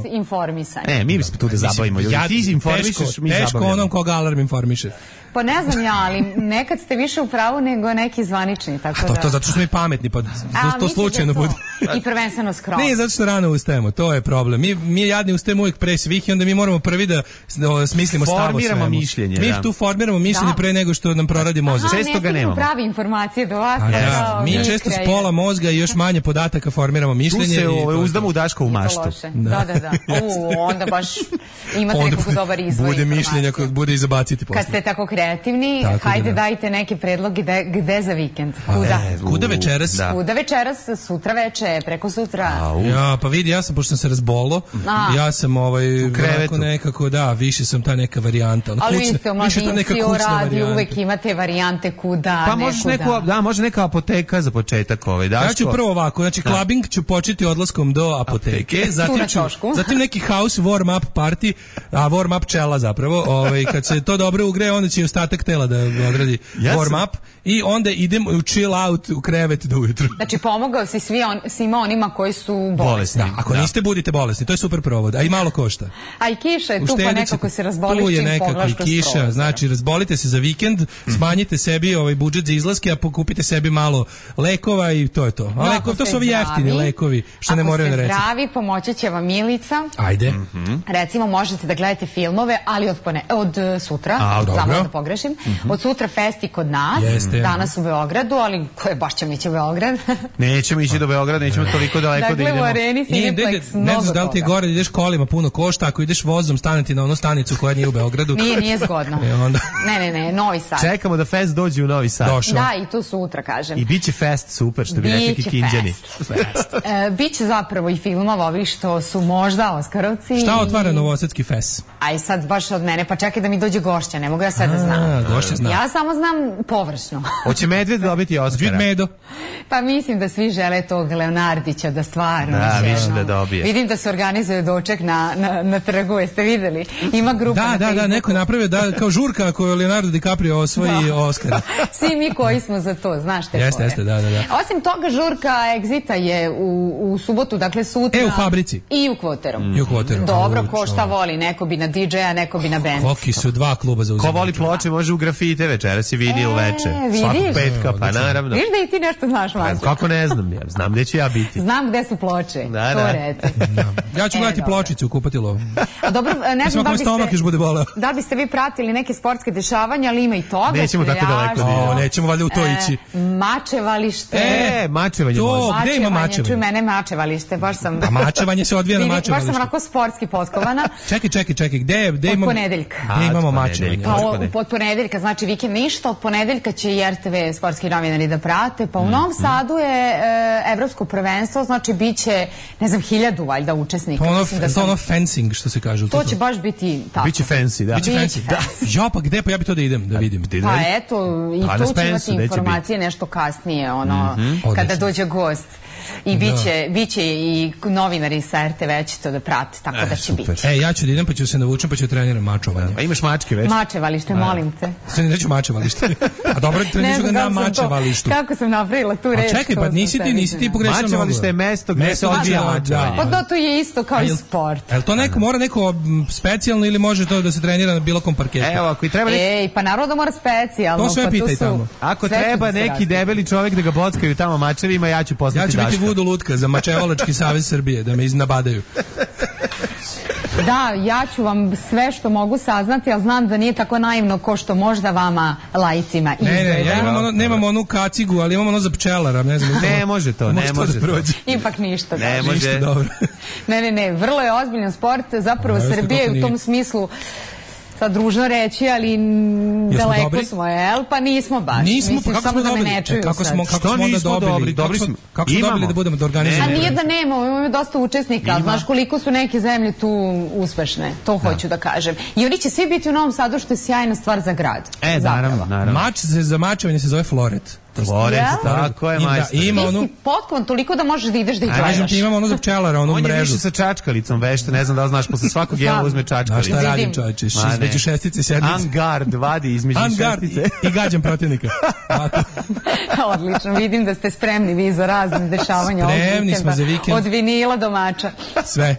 informisanje. Ne, mi bismo tu da zabavimo. Ja, ti informišeš, teško, mi teško zabavljamo. Onom koga alarm informiše. Pa ne znam ja, ali nekad ste više u pravu nego neki zvanični, tako da... To, to zato što smo mi pametni, pa to, to slučajno bude. I prvenstveno skromno. Ne, zato što rano ustajemo, to je problem. Mi, mi jadni ustajemo uvijek pre svih i onda mi moramo prvi da smislimo stav o svemu. Formiramo mišljenje. Mi da. tu formiramo mišljenje da. Pre nego što nam proradi mozak. Aha, često ga nemamo. Pravi informacije do vas. Da, da. Mi često s pola mozga i još manje podataka formiramo mišljenje. Tu se o, uzdamo u Daškovu maštu. Da, da, da. da. U, onda baš imate nekako dobar izvoj bude mišljenja kod bude i zabaciti posle. Kad ste tako kreativni, tako hajde da. Dajte neke predloge gde, gde za vikend. Kuda? E, kuda večeras? Da. Kuda večeras, sutra veče, preko sutra. Ja, pa vidi, ja sam, pošto sam se razbolo, A. ja sam ovaj, u krevetu. Nekako, da, više sam ta neka varijanta. Ono, ali kućna, vi ste omladinci u radiju, uvek imate varijante kuda, pa možeš neku, da, može neka apoteka za početak. Ovaj, Daško. Ja ću prvo ovako, znači da. Clubbing ću početi odlaskom do apoteke, apoteke. Zatim, ću, zatim neki house warm-up party, a warm-up čela zapravo, ovaj, kad se to dobro ugreje, onda će i ostatak tela da odradi ja warm up i onda idem u chill out u krevet do ujutru. Znači pomogao si svi on, svima onima koji su bolesni. Da, ako da. Niste budite bolesni, to je super provod, a i malo košta. A i kiša je tu pa nekako se razboliš čim poglaš kroz prozor. Tu je nekako kiša, znači razbolite se za vikend, smanjite sebi ovaj budžet za izlaske, a pokupite sebi malo lekova i to je to. A lekov, to su ovi jeftini lekovi, što ne moraju na recept. Ako ste zdravi, pomoći će vam Milica. Ajde. Mm-hmm. Recimo možete da gledate filmove, ali od, pone, od sutra, samo da pogrešim, mm-hmm. od sutra festi kod nas, Jeste. Danas u Beogradu, ali ko je baš ćemo ići u Beograd? Nećemo ići do Beograda, nećemo toliko daleko dakle, da idemo. Dakle, u areni Cineplex mnogo Ne znaš da li ti je gore, ideš kolima, puno košta, ako ideš vozom, staneti na onu stanicu koja nije u Beogradu. Nije, nije zgodno. E, onda... Ne, ne, ne, Novi Sad. Čekamo da fest dođe u Novi Sad. Došao. Da, i tu sutra, kažem. I bit će fest super, što bi rekli Kikinđani. e, Biće zapravo i filmova ovih što su možda Oskarovci. Šta otvara Novosadski fest? Aj sad baš od mene, pa čekaj da mi dođe gošća, ne mogu ja sve da znam. Gošća zna. Ja samo znam površno. Hoće Medved dobiti Oskara? Medo. Pa mislim da svi žele tog Leonardića, da stvarno. Da, više da dobije. Vidim da se organizuje doček na, na, na trgu, jeste videli? Ima grupa da, na da, Facebooku. Da, neko napravio da, kao žurka ako Leonardo DiCaprio osvoji da. Oscar. Svi mi koji smo za to, znaš te Jeste, jeste, da, da, da. Osim toga, žurka Egzita je u, u subotu, dakle sutra. E, u Fabrici. I u Kvoteru. I u Kvoteru. Dobro, ko šta voli, neko bi na di džeja, neko bi na bend. Koki su dva kluba za uzimanje. Ko voli ploče, može u grafite večeras i vidi E, u veče. vidiš? Svakog petka, pa naravno. Viš da i ti nešto znaš, Mađo? Kako ne znam, ja znam gde ću ja biti. Znam gde su ploče, Da, to da. reci. Ja ću E, gledati dobro. pločicu u kupatilu. A dobro, ne znam da Mislim, stomak još biste, bude boleo. da biste vi pratili neke sportske dešavanja, ali ima i toga. Nećemo tako daleko da strašno. O, nećemo valjda u to ići. E, mačevalište. E, mačevanje to- može. gde ima Mačevanje, mačevanje? čuj mene mačevalište, baš sam... A mačevanje se odvija na Vidi, baš sam mačevalištu. onako sportski potkovana. Čekaj, čekaj, čekaj, gde, gde Od imamo... ponedeljka. Gde A, imamo od mačevanje? ponedeljka. Pa Možda o, od ponedeljka, znači vikend ništa, od ponedeljka će i er te ve sportski novinari da prate, pa u Novom Sadu je e, evropsko prvenstvo, znači bit će, ne znam, hiljadu valjda učesnika. To ono, Mislim da to sam- ono fencing što se kaže. to će baš biti tako. Biće fancy, da. Biće Biće fancy. fancy. Ja, pa gde, pa ja bi to da idem, da vidim. Ti Pa da- eto, i Pa na tu će Spensu, imati gde će informacije nešto kasnije, ono, kada Odlično. dođe gost. I biće, biće i novinari sa er te ve će to da prate, tako da će super. biti. E, ja ću da idem, pa ću se navučem, pa ću treniram mačovanje. A imaš mačke već? Mačevalište, molim te. Sve neću mačevalište. A dobro, treniram ga na kako sam to- mačevalištu. Kako sam napravila tu A reč. čekaj, to pa sam nisi ti, sebi nisi ti znala. pogrešila mnogo. Mačevalište je mesto gde se odvija mačevanje. Pa da, to je isto kao A i jel- sport. Jel to neko, mora neko m, specijalno ili može to da se trenira na bilo kom parketu? Evo, ako i treba neki, Ej, pa naravno da mora specijalno. To sve pa pitaj su- tamo. ako sve će treba da se neki razvije. debeli čovjek da ga bockaju tamo mačevima, ja ću Ja poslati ću biti Daška. vudu lutka za Mačevalački savez Srbije, da me iznabadaju. Da, ja ću vam sve što mogu saznati, ali znam da nije tako naivno ko što možda vama laicima Ne, izgleda. ne, ja imam ono, nemam onu kacigu, ali imam ono za pčelara, ne znam. Ne može to, ne može da to. prođe. Ipak ništa. Ne da. može. Ništa dobro. Ne, ne, ne, vrlo je ozbiljan sport, zapravo A, jeste, Srbija je kako u tom nije? smislu, sad družno reći, ali m, daleko dobri? smo, jel? Pa nismo baš. Nismo, Mislim, pa kako samo smo da me dobili? ne čuju E, kako sad. smo, kako Što smo onda nismo dobili? dobri? Kako Dobri smo, smo. kako smo Imamo. dobili da budemo da A organizujemo? nije da nemamo, imamo dosta učesnika, znaš koliko su neke zemlje tu uspešne, to hoću da kažem. I oni će svi biti u Novom Sadu, što je sjajna stvar za grad. E, Zapravo. naravno, naravno. Mač se za mačevanje se zove floret. Florec, Ja? tako je, I da, majstor. ima Ti onu, si potkovan toliko da možeš da ideš da ih kažem gledaš. ti, imamo ono za pčelara, onu On je mrežu. više sa čačkalicom vešta, ne znam da li znaš, posle svakog Znam. jela uzme A čačkalicu. šta radim, Vidim. čovječe? Ma, ne. Između šestice i sedmice. Angard vadi između Angard i, šestice. i gađam protivnika. Ovako. Odlično, vidim da ste spremni vi za razne dešavanja ovog Spremni vikenda. smo za vikend. Od vinila do mača. Sve.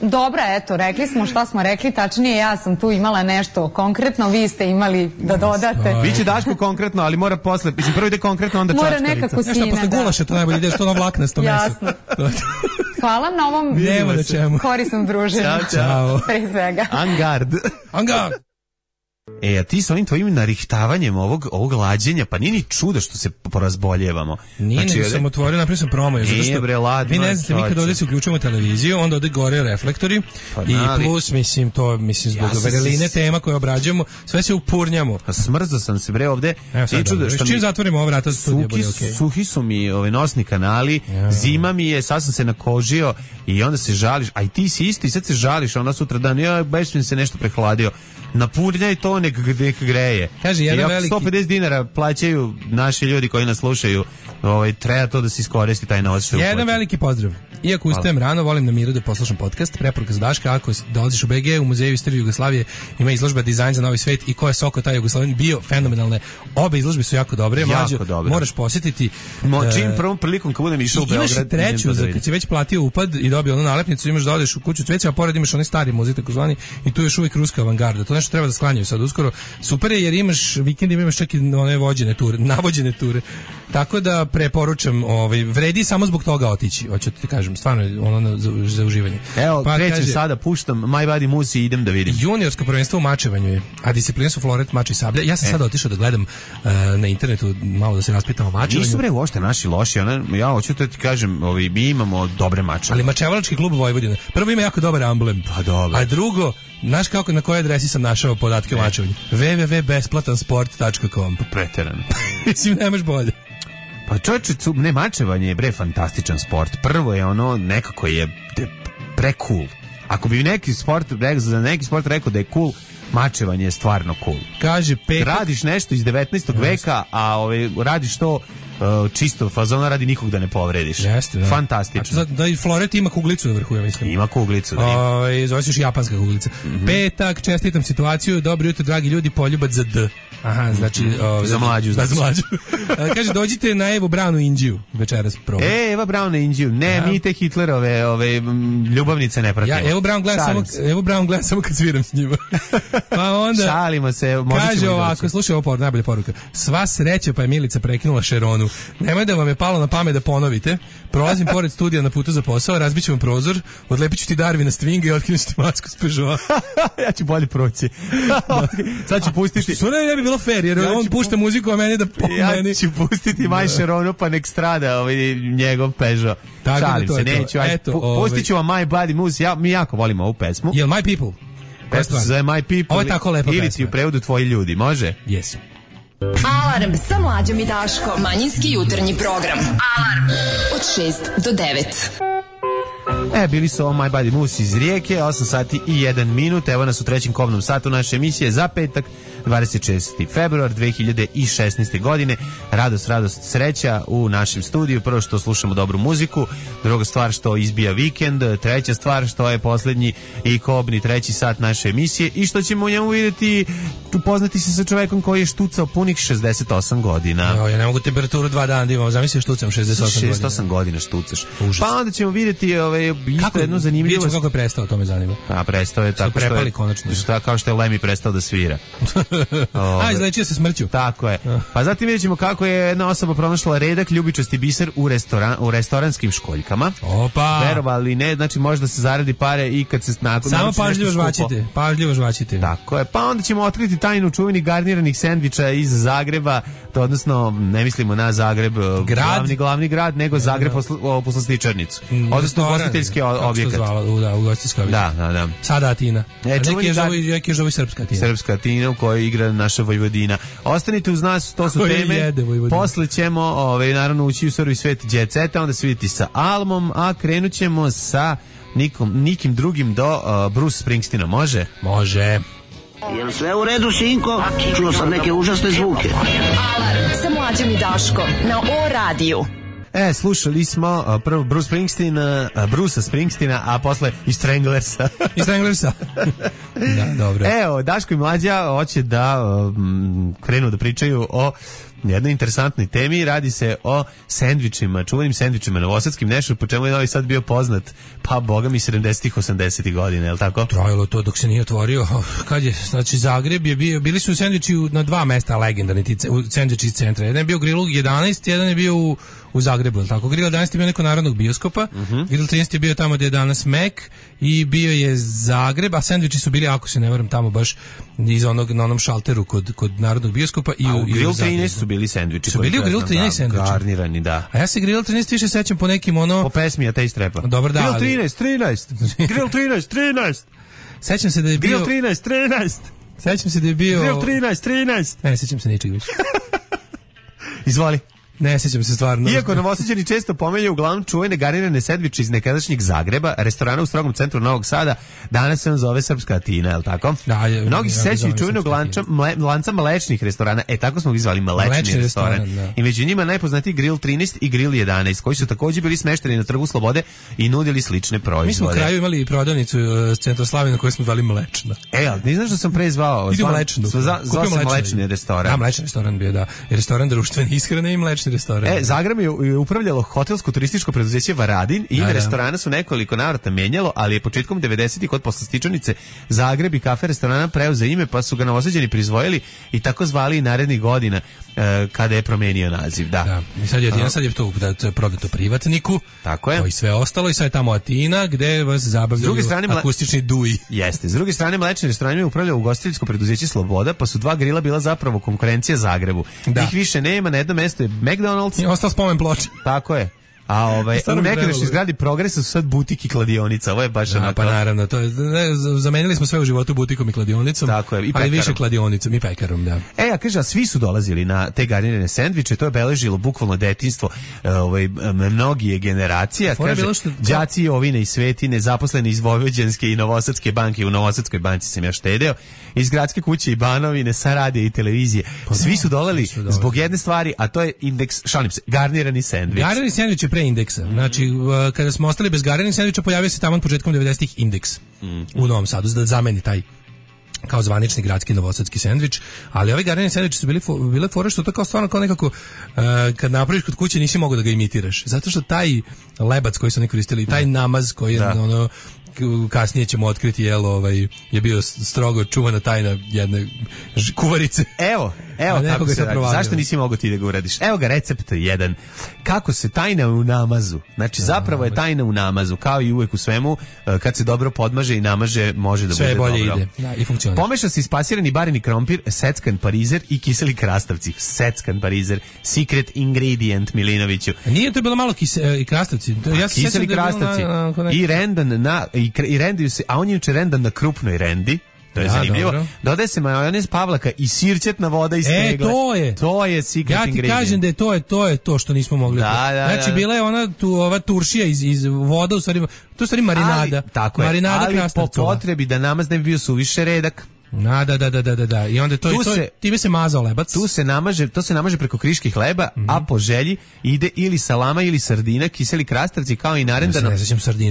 Dobro, eto, rekli smo šta smo rekli, tačnije ja sam tu imala nešto konkretno, vi ste imali da dodate. Biće Daško konkretno, ali mora posle, mislim prvo ide konkretno, onda Mora čačkalica. nekako Znaš šta, sine, posle da. gulaša to najbolje ide, što ono vlaknasto meso. Jasno. Hvala na ovom Nema na čemu. korisnom druženju. Ćao, Ćao. Pre svega. Angard. Anga! E, a ti sa ovim tvojim narihtavanjem ovog, ovog lađenja, pa nije ni čudo što se porazboljevamo. Nije, nego ovde- sam otvorio, napravio sam promo. Zato Nije, što bre, ladno vi ne je, znate, mi kad čoveče. ovdje se uključujemo televiziju, onda ovdje gore reflektori Pa i da, ali- plus, mislim, to, mislim, zbog Ja sam vereline se- tema koje obrađujemo, sve se upurnjamo. Pa smrzao sam se bre ovde. Evo sad, I čudo dobro. što Čim mi- zatvorimo ova vrata, studija Suhi, bude okej. suhi su mi ove nosni kanali, zima mi je, sad sam se nakožio i onda se žališ, a i ti si isto i sad se žališ, a onda sutra dan, ja, baš mi se nešto prehladio. Napurnjaj to, nek, nek greje. Kaže, jedan Jer ako veliki- sto pedeset dinara plaćaju naši ljudi koji nas slušaju, ovaj, treba to da se iskoristi taj novac. što je Jedan uplaćen. veliki pozdrav. Iako ustajem rano, volim na miru da poslušam podcast. Preporuka za Daška, ako dolaziš u be ge, u Muzeju istorije Jugoslavije ima izložba Dizajn za novi svet i ko je soko taj Jugoslavin bio fenomenalne. Obe izložbe su jako dobre. Jako Mlađo, dobre. moraš posjetiti. Mo, e, čim prvom prilikom kad budem išao u I imaš Beograd, i treću, idem to da za vidim. kad si već platio upad i dobio onu nalepnicu, imaš da odeš u kuću cveća, a pored imaš onaj stari muzej takozvani i tu je još uvijek ruska avangarda. To nešto treba da sklanjaju sad uskoro. Super je jer imaš vikendima imaš čak i one vođene ture, navođene ture. Tako da preporučam, ovaj vredi samo zbog toga otići. Hoću ti kažem, stvarno je ono za, za uživanje. Evo, Pa krećem kaže, sada, puštam My Body Musi i idem da vidim. Juniorsko prvenstvo u mačevanju je, a discipline su floret, mač i sablja. Ja sam sada otišao da gledam uh, na internetu, malo da se raspitam o mačevanju. Nisu bre uopšte naši loši, ona, ja hoću to ti kažem, ovi, mi imamo dobre mače. Ali Mačevalački klub Vojvodine. Prvo ima jako dobar amblem. Pa dobro. A drugo, znaš kako, na kojoj adresi sam našao podatke o mačevanju? w w w tačka besplatan sport tačka com. Preterano. Mislim, nemaš bolje. Pa čovječe, cu- ne, mačevanje je bre fantastičan sport. Prvo je ono, nekako je de- pre-cool. Ako bi neki sport, rekao, za neki sport rekao da je cool, mačevanje je stvarno cool. Kaže petak. Radiš nešto iz devetnaestog veka, a ovaj, radiš to uh, čisto fazona radi nikog da ne povrediš. Jeste, da. Fantastično. A Da, da i floret ima kuglicu na vrhu, ja mislim. Ima kuglicu. Da ima. Ovaj, zove se još japanska kuglica. Mhm. Petak, čestitam situaciju. Dobro jutro, dragi ljudi, poljubac za D. Aha, znači... O, za mlađu. Da, za mlađu. Kaže, dođite na Evu Brownu Indiju večeras probat. E, Eva Braun na Indiju. Ne, ja. mi te Hitlerove ove, ljubavnice ne pratimo. Ja Evo Braun gledam samo, Evo Braun gledam samo kad sviram s njima. Pa onda... Šalimo se. Kaže ovako, slušaj ovo por, najbolja poruka. Sva sreća pa je Milica prekinula Šeronu. Nemoj da vam je palo na pamet da ponovite. Prolazim pored studija na putu za posao, razbiću vam prozor, odlepit ću ti Darvina Swinga i otkinu ti masku s Peugeota. Ja ću bolje proći. Sad ću pustiti... Što ne, ne bi bilo fair, jer ja on pušta pu... muziku, a meni da pomeni. Ja ću pustiti Maj Šeronu, pa nek strada ovaj, njegov Peugeot. Tako Šalim da se, neću. Aj, Eto, pu, ovaj... pustit ću vam My Bloody Moose, ja, mi jako volimo ovu pesmu. Jel My People? Pesma se zove My People. Ovo je tako lepa ili pesma. Ili ti u prevodu Tvoji ljudi, može? Yes. Alarm sa Mlađom i Daškom. Manjinski jutarnji program. Alarm od šest do devet. E, bili su ovo My Bloody Moose iz Rijeke, osam sati i jedan minut. Evo nas u trećem kobnom satu naše emisije za petak, dvadeset šesti februar dve hiljade šesnaeste. godine. Radost, radost, sreća u našem studiju. Prvo što slušamo dobru muziku, druga stvar što izbija vikend, treća stvar što je poslednji i kobni treći sat naše emisije i što ćemo u njemu vidjeti, upoznati se sa čovekom koji je štucao punih šezdeset osam godina. Jo, ja ne mogu temperaturu dva dana da imam, zamisli štucam šezdeset osam godina. šezdeset osam godina štucaš. Užas. Pa onda ćemo vidjeti ovaj, isto jednu zanimljivost. Kako je prestao, to me zanima. A prestao je tako što je, konačno. Što, kao što je Lemmy prestao da svira. A, izlečio se smrću. Tako je. Pa zatim vidjet ćemo kako je jedna osoba pronašla redak ljubičasti biser u, restoran, u restoranskim školjkama. Opa! Verovali ne, znači možda se zaradi pare i kad se nakon... Samo pažljivo žvačite, pažljivo žvačite. Tako je. Pa onda ćemo otkriti tajnu čuvenih garniranih sendviča iz Zagreba, to odnosno ne mislimo na Zagreb, grad? glavni, glavni grad, nego Zagreb posl, poslastičarnicu. Odnosno ugostiteljski objekat. Da, ugostiteljski objekat. Da, da, da. Sada Atina. E, neki je žovi, neki je žovi srpska Atina. Srpska Atina u kojoj igra naša Vojvodina. Ostanite uz nas, to su teme. Posle ćemo, ovaj, naravno, ući u surovi svet Jet Seta, onda se vidjeti sa Almom, a krenut ćemo sa nikom, nikim drugim do uh, Bruce Springsteena. Može? Može. Jel sve u redu, sinko? Čuo sam neke užasne zvuke. Alarm sa Mlađom i Daškom na O radiju. E, slušali smo uh, prvo Bruce Springsteen, uh, Brucea Springsteena, a posle i Stranglersa. I Stranglersa. Da, dobro. Evo, Daško i Mlađa hoće da um, krenu da pričaju o jednoj interesantnoj temi. Radi se o sendvičima, čuvenim sendvičima novosadskim, nešto po čemu je Novi Sad bio poznat, pa boga mi sedamdesetih osamdesetih godina, je li tako? Trajalo to dok se nije otvorio. Kad je, znači Zagreb je bio, bili su sendviči na dva mesta legendarni, ti sendviči iz centra. Jedan je bio Grill jedanaest, jedan je bio u, u Zagrebu, je li tako? Grill jedanaest je bio neko narodnog bioskopa, uh-huh. Grill trinaest je bio tamo gde je danas Mac i bio je Zagreb, a sendviči su bili, ako se ne varam, tamo baš iz onog, na onom šalteru kod, kod narodnog bioskopa i a u, u Grill trinaest su bili sendviči. Su bili u Grill trinaest sendviči? Garnirani, da. A ja se Grill trinaest više sećam po nekim ono... Po pesmi, a te istrepa. Dobar da, Grill trinaest, trinaest. Grill trinaest, trinaest. Sećam se da je bio... Grill trinaest, trinaest. Sećam se da je bio... Grill trinaest, trinaest. Ne, sećam se ničeg više. Izvoli. Ne sjećam se stvarno. Iako Novosađani često pomelju uglavnom čuvene garirane sendviče iz nekadašnjeg Zagreba, restorana u strogom centru Novog Sada, danas se on zove Srpska Atina, je li tako? Da, je, mnogi se sećaju čuvenog lanca, mle, lanca mlečnih restorana, e tako smo ih zvali mlečni, mlečni restoran. restoran I među njima najpoznatiji Grill trinaest i Grill jedanaest, koji su također bili smešteni na Trgu Slobode i nudili slične proizvode. Mi smo u kraju imali prodavnicu s Centroslavije na kojoj smo zvali mlečna. E, ali ne znaš da sam pre zvao? Idemo mlečnu. Zvao sam mlečni restoran. Da, mlečni restoran bio, da. Restoran društvene ishrane i mlečni restoran. E, Zagreb je upravljalo hotelsko turističko preduzeće Varadin i ime restorana su nekoliko navrata menjalo, ali je početkom devedesetih kod poslastičarnice Zagreb i kafe restorana preuzeo ime, pa su ga Novosađani prizvojili i tako zvali i narednih godina e, kada je promenio naziv. Da. Da. I sad je Atina, sad je to, da, to je prodato privatniku. Tako je. I sve ostalo i sad je tamo Atina gde vas zabavljaju akustični duji. Jeste. S druge strane, mlečni restoran je upravljao ugostiteljsko preduzeće Sloboda, pa su dva grila bila zapravo konkurencija Zagrebu. Da. Njih više nema, na jednom mestu je McDonald's. I ostao spomen ploča. Tako je. A ovaj u nekadašnjoj zgradi Progresa su sad butik i kladionica. Ovo je baš da, onako. Pa naravno, to je, ne, zamenili smo sve u životu butikom i kladionicom. Tako je, i ali više kladionicom i pekarom, da. E, ja kaže, a svi su dolazili na te garirane sendviče, to je beležilo bukvalno detinjstvo ovaj mnogije generacija, kaže. Što... Đaci Ovine i Svetine, zaposleni iz Vojvođanske i Novosadske banke, u Novosadskoj banci sam ja štedeo, iz gradske kuće i Banovine, sa radija i televizije. Pa svi su dolali zbog jedne stvari, a to je indeks, šalim se, garnirani sendvič. Garnirani sendvič je pre indeksa. Znači, kada smo ostali bez garniranih sendviča, pojavio se tamo početkom devedesetih indeks mm. u Novom Sadu, da zameni taj kao zvanični gradski novosadski sendvič, ali ovi garnirani sendviči su bili fo, bile fore što to kao stvarno kao nekako uh, kad napraviš kod kuće nisi mogao da ga imitiraš, zato što taj lebac koji su oni koristili, taj namaz koji je da. ono kasnije ćemo otkriti jel ovaj je bio strogo čuvana tajna jedne kuvarice. Evo, evo kako se radi. Zašto nisi mogao ti da ga uradiš? Evo ga recept jedan. Kako se tajna u namazu. Znači zapravo je tajna u namazu, kao i uvek u svemu, kad se dobro podmaže i namaže, može da sve bude bolje dobro. Ide. Da, i funkcionira. Pomeša se ispasirani bareni krompir, seckan parizer i kiseli krastavci. Seckan parizer, secret ingredient Milinoviću. A nije to bilo malo kise, i krastavci? To, ja se kiseli krastavci na, na, i rendan na i, i rendiju se, a on je juče rendan na krupnoj rendi. To je ja, zanimljivo. Dobro. Dodaje se majonez Pavlaka i sirćetna voda iz tegle. E, to je. To je secret ingredient. Ja ti ingredient. kažem da je to je to je to što nismo mogli. Da, da, znači da. bila je ona tu ova turšija iz iz voda u stvari, to je stvari marinada. Ali, tako je. Marinada ali po potrebi da namaz ne bi bio suviše redak. Da, da, da, da, da, da. I onda to, tu to se, time se mazao lebac. Tu se namaže, to se namaže preko kriških hleba, mm-hmm. a po želji ide ili salama ili sardina, kiseli krastavci kao i narendano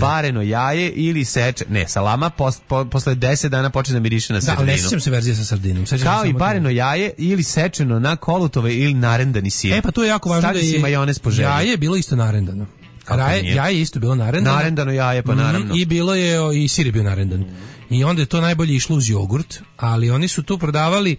pareno jaje ili seče. Ne, salama pos, po, posle deset dana počne da miriše na sardinu. Da, ne sećam se verzije sa sardinom. Sećam kao i pareno jaje ili sečeno na kolutove ili narendani sir. E pa to je jako važno da je majonez po želji. Jaje je bilo isto narendano. Raje, jaje isto bilo narendano. Narendano jaje, pa naravno. Mm, I bilo je, i sir je bio narendan. Mm. I onda je to najbolje išlo uz jogurt, ali oni su tu prodavali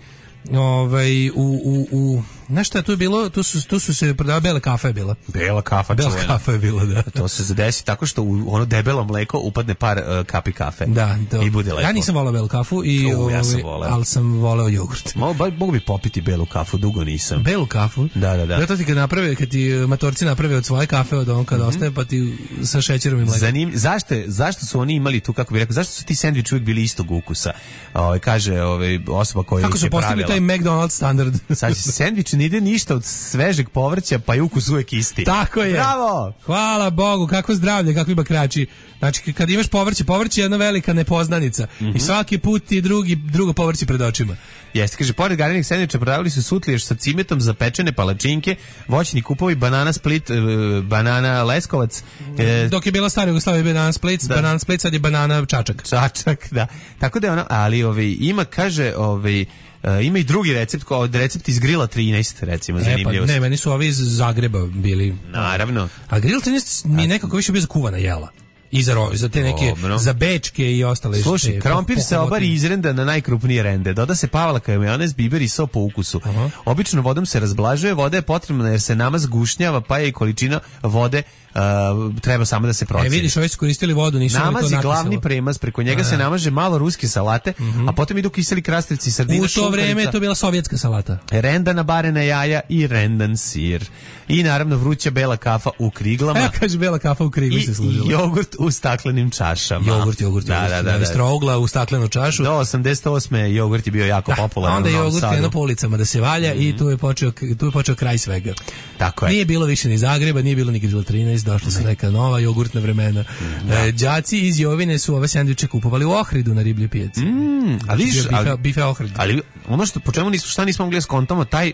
ovaj, u, u, u znaš šta, tu je bilo, tu su, tu su se prodavali, bela kafa je bila. Bela kafa, Bela čuvena. kafa je bila, da. To se zadesi tako što u ono debelo mleko upadne par uh, kapi kafe. Da, to. I bude lepo. Ja nisam volao belu kafu, i, o, ja sam ovaj, ali sam voleo jogurt. Mogu, mogu bi popiti belu kafu, dugo nisam. Belu kafu? Da, da, da. Zato ti kad naprave, kad ti matorci naprave od svoje kafe, od on kada mm-hmm. ostaje, pa ti sa šećerom i mlekom. Zanim, zašto, zašto su oni imali tu, kako bih rekao, zašto su ti sendviči uvijek bili istog ukusa? Ove, kaže ove, osoba koja ih je pravila. Kako su postigli taj McDonald's standard? Sad, sendvič ne ide ništa od svežeg povrća, pa je ukus uvek isti. Tako je. Bravo! Hvala Bogu, kako zdravlje, kakvi bakrači. Znači, kad imaš povrće, povrće je jedna velika nepoznanica. Mm-hmm. I svaki put ti drugi, drugo povrće pred očima. Jeste, kaže, pored gariranih sendviča prodavali su sutliješ sa cimetom za pečene palačinke, voćni kupovi, banana Split, banana Leskovac. E, Dok je bila stara Jugoslavija, banana Split, da. Banana Split, sad je banana Čačak. Čačak, da. Tako da je ono, ali ovaj, ima, kaže, ovaj, Uh, ima i drugi recept, kao recept iz Grila trinaest, recimo, zanimljivo. E, pa, ne, meni su ovi iz Zagreba bili. Naravno. A Grill trinaest mi je nekako više bio za kuvana jela. I za, ro, za te neke, Dobro. za bečke i ostale. Slušaj, krompir se obari izrenda na najkrupnije rende. Doda se pavalka, majonez, biber i so po ukusu. Uh-huh. Obično vodom se razblažuje, voda je potrebna jer se namaz gušnjava, pa je i količina vode Uh, treba samo da se proceni. E vidiš, ovi su koristili vodu, nisu namaz to je glavni premaz, preko njega a, se namaže malo ruske salate, mm-hmm. a potom idu kiseli krastavci, sardina, u to šunkarica, vreme je to bila sovjetska salata. Rendana barena jaja i rendan sir. I naravno vruća bela kafa u kriglama. Ja kaže bela kafa u krigli se služila. I jogurt u staklenim čašama. Jogurt, jogurt, da, jogurt. Da, da, da, da. Strogla u staklenu čašu. Do osamdeset osme jogurt je bio jako da, popularan. Onda je jogurt krenuo po ulicama da se valja mm-hmm. i tu je počeo, tu je počeo kraj svega. Tako je. Nije bilo više ni Zagreba, nije bilo ni Grill trinaest, došla su neka nova jogurtna vremena. Da. E, đaci iz Jovine su ove sendviče kupovali u Ohridu na riblje pijaci. Mm, a vidiš, bife, ali, bife Ohrid. Ali ono što po čemu nismo šta nismo mogli skontamo taj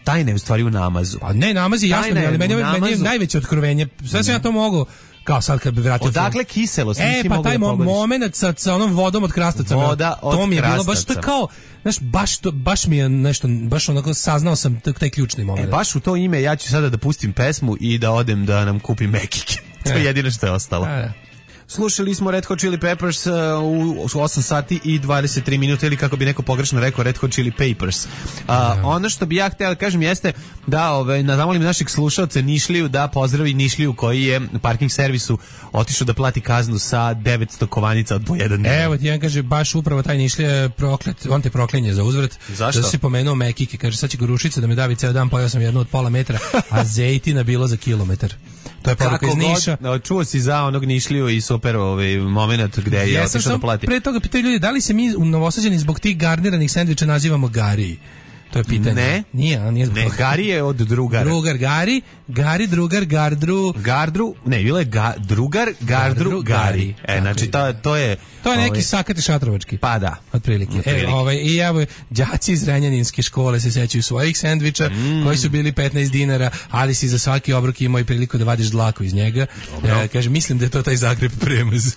tajne je u stvari u namazu. Pa ne, namaz je jasno, ali meni, meni je najveće otkrovenje. Sve sam ja to mogu kao sad kad bi vratio. Odakle kiselost? E, pa taj mo- moment sa, sa onom vodom od krastavca. Voda od to mi je krastavca. Bilo baš to kao, znaš, baš, to, baš mi je nešto, baš onako saznao sam taj ključni moment. E, baš u to ime ja ću sada da pustim pesmu i da odem da nam kupim mekike. To je jedino što je ostalo. E. Slušali smo Red Hot Chili Peppers uh, u osam sati i dvadeset tri minute, ili kako bi neko pogrešno rekao Red Hot Chili Papers. Uh, yeah. Ono što bi ja htio da kažem jeste da ove, zamolim naših slušalca Nišliju da pozdravi Nišliju koji je parking servisu otišao da plati kaznu sa devetsto kovanica od po jedan dnevno. Evo ti jedan kaže, baš upravo taj Nišlija je proklet, on te proklinje za uzvrat. Zašto? Da si pomenuo mekike, kaže sad će gorušica da me davi ceo dan, pojao sam jednu od pola metra, a zejtina bilo za kilometar. To je poruka iz Niša. God, čuo si za onog Nišliju i super ovaj moment gde je otišao da plati. Pre toga pitaju ljudi da li se mi u Novosađani zbog tih garniranih sendviča nazivamo gariji. To je pitanje. Ne. Nije, a nije. Ne, Gari je od drugara. Drugar, Gari, Gari, drugar, Gardru. Gardru, ne, bilo je ga, drugar, Gardru, Gardru Gari. Gari. E, znači, to, to je... To je neki ovaj, sakati šatrovački. Pa da. Otprilike. Otprilike. E, ovaj, i evo, đaci iz Renjaninske škole se sećaju svojih sendviča, mm. koji su bili petnaest dinara, ali si za svaki obrok imao i priliku da vadiš dlaku iz njega. E, kaže, mislim da je to taj Zagreb premaz.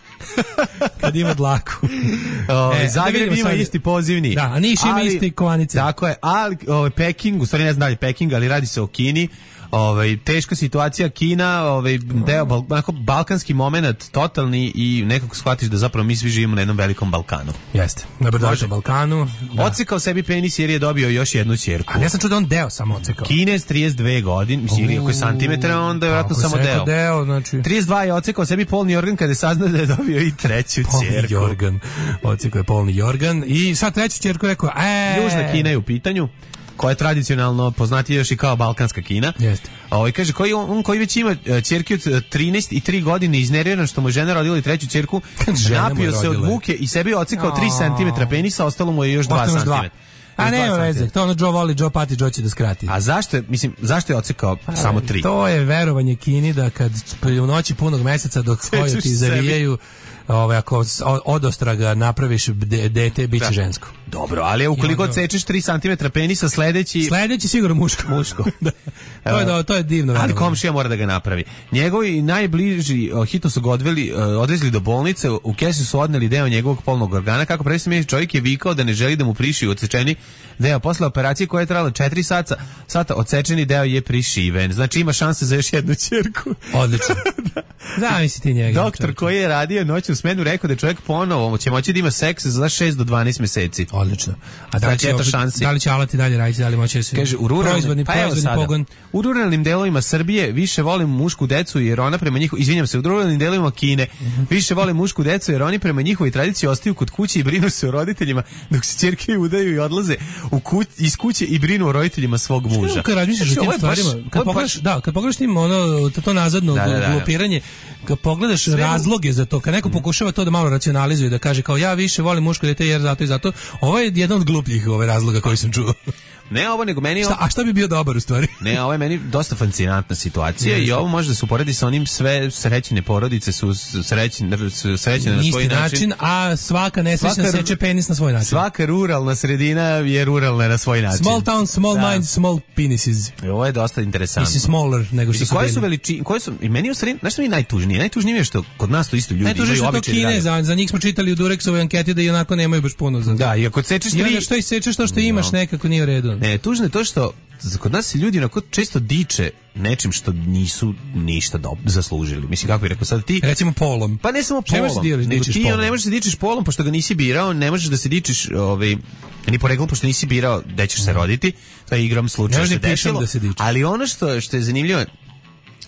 Kad ima dlaku. O, e, Zagreb ima sad isti pozivni. Da, a Niš ima isti kovanice. Tako je, ali ovaj, Peking, u stvari ne znam da li Peking, ali radi se o Kini. Ovaj, teška situacija, Kina, ovaj, deo, bal, onako, balkanski moment totalni i nekako shvatiš da zapravo mi svi živimo na jednom velikom Balkanu. Jeste, na brdovitom Balkanu. Da. Ocekao sebi penis jer je dobio još jednu ćerku. Ali ja sam čuo da on deo samo ocekao. Kinez, trideset dve godine, mislim, ako je santimetra, onda je vjerojatno samo deo. deo znači... trideset dva je ocekao sebi polni organ kada je saznao da je dobio i treću polni ćerku. Polni organ. Ocekao je polni organ i sad treću ćerku rekao, e... Južna Kina je u pitanju, koja je tradicionalno poznatija još i kao balkanska Kina. Jeste. Ovaj kaže koji on, on koji već ima ćerke od trinaest i tri godine, iznerviran što mu žena rodila i treću ćerku, napio se od muke i sebi ocekao tri centimetra penisa, ostalo mu je još dva centimetra. A nema veze, to ono Joe voli, Joe pati, Joe će da skrati. A zašto je, mislim, zašto je ocekao A, samo tri? To je verovanje Kini da kad u noći punog meseca dok koju ti zavijaju, ovaj, ako od ostraga napraviš dete, bit će žensko. Dobro, ali ukoliko onda... odsečeš tri centimetra penisa, sledeći... Sledeći sigurno muško. Muško. Da. To, je, da, to je divno. Ali komšija mora da ga napravi. Njegovi najbliži hitno su ga odveli, odvezli do bolnice, u kesi su odneli deo njegovog polnog organa. Kako predstavljeni čovjek je vikao da ne želi da mu prišiju odsečeni deo. Posle operacije koja je trajala četiri sata, sata odsečeni deo je prišiven. Znači ima šanse za još jednu ćerku. Odlično. Da. Zamisli ti njega. Doktor čovječe. Koji je radio noću u smenu rekao da je čovjek ponovo će moći da ima seks za šest do dvanaest meseci. Odlično. A da li će, šansi. Da li će alati dalje raditi, da li moće se... Kaže, u ruralnim, proizvodni, pa proizvodni pogon. U ruralnim delovima Srbije više volim mušku decu jer ona prema njihovoj, izvinjam se, u ruralnim delovima Kine mm-hmm. više volim mušku decu jer oni prema njihovoj tradiciji ostaju kod kuće i brinu se o roditeljima dok se ćerke udaju i odlaze u kuć, iz kuće i brinu o roditeljima svog muža. Što kad razmišljaš o tim stvarima, kad pogledaš, da, kad pogledaš tim ono, to, to nazadno da, da, da, glupiranje, kad pogledaš sve razloge za to, kad neko pokušava to da malo racionalizuje, da kaže kao ja više volim muško dete jer zato i zato, ovo je jedan od glupljih ove razloga koji sam čuo. Ne ovo, nego meni... Šta, a šta bi bio dobar u stvari? Ne, ovo je meni dosta fascinantna situacija i ovo može da se uporedi sa onim sve srećene porodice su srećene, srećene na svoj način. način. A svaka nesrećna seče penis na svoj način. Svaka ruralna sredina je ruralna na svoj način. Small town, small da. Mind, small penises. I ovo je dosta interesantno. Mislim smaller nego što I su koje bili. su veličine, koje su, i meni u sredini, znaš što mi je najtužnije? Najtužnije je što kod nas to isto ljudi imaju običaj da rade. Za, za njih smo čitali u Durexovoj anketi da i onako nemaju baš puno za. Da, i ako sečeš tri... I što i sečeš to što imaš no. nekako nije u redu. Ne, tužno je to što kod nas se ljudi onako često diče nečim što nisu ništa do, zaslužili. Mislim, kako bih rekao sad ti... Recimo polom. Pa ne samo polom, dijeliš, nego ti polom. Ne možeš se dičeš polom pošto ga nisi birao, ne možeš da se dičeš ovaj, ni poreklom pošto nisi birao gde ćeš se roditi. To je igram slučaja se desilo. Da se ali ono što, što je zanimljivo,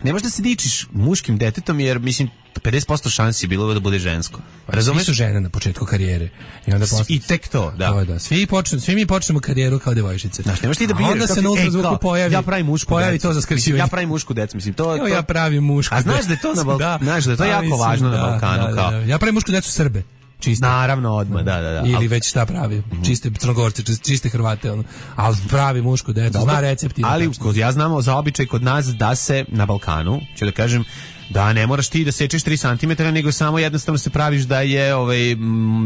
ne možeš da se dičiš muškim detetom jer, mislim, pedeset posto šansi je bilo da bude žensko. Razumeš? Svi su žene na početku karijere. I onda posle... I tek to, da. To, da. Svi, počne, svi mi počnemo karijeru kao devojčice. Znaš, nemaš ti da biraš. Onda se na ultrazvuku e, pojavi, ja pravim mušku pojavi decu. to za skraćivanje. Ja pravim mušku decu, mislim. To, jo, to... Ja pravim mušku A znaš da je to na Balkanu? Da. Znaš da je to jako mislim, važno da, na Balkanu. Da, kao. Da, da. Ja pravim mušku decu Srbe. Čiste. Naravno, odmah, da, da, da. Ili al... već šta pravi, mm-hmm. čiste Crnogorce, čiste Hrvate, ono. Ali pravi muško decu, zna recepti. Ali kod, ja znamo za običaj kod nas da se na Balkanu, ću da kažem, da ne moraš ti da sečeš tri centimetra, nego samo jednostavno se praviš da je ovaj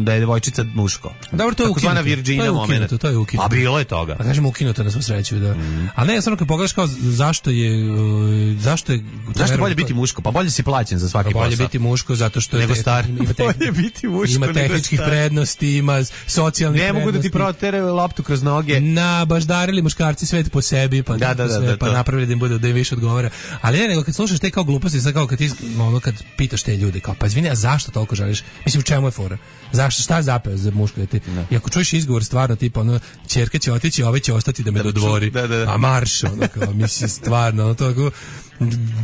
da je devojčica muško. Dobro, to je ukinuto. To je ukinuto, to je ukinuto. A bilo je toga. Pa kažemo ukinuto na svu sreću, da. Mm. A ne, samo kad pogledaš kao zašto je uh, zašto je zašto bolje biti muško? Pa bolje si plaćen za svaki posao. Bolje biti muško zato što nego star. Ima bolje biti muško. Ima tehničkih prednosti, ima socijalnih prednosti. Ne mogu da ti protere loptu kroz noge. Na baždarili muškarci svet po sebi, pa da, da, da, da, pa napravili da im bude da im više odgovara. Ali ne, nego kad slušaš te kao gluposti, sad kao kad ti ono kad pitaš te ljude kao pa izvini, a zašto toliko želiš? Mislim, u čemu je fora? Zašto, šta je zapeo za muško dete? I ako čuješ izgovor stvarno tipa ono ćerka će otići, a ovaj će ostati da me dodvori. Da, da, da. A marš, ono kao mislim stvarno, ono to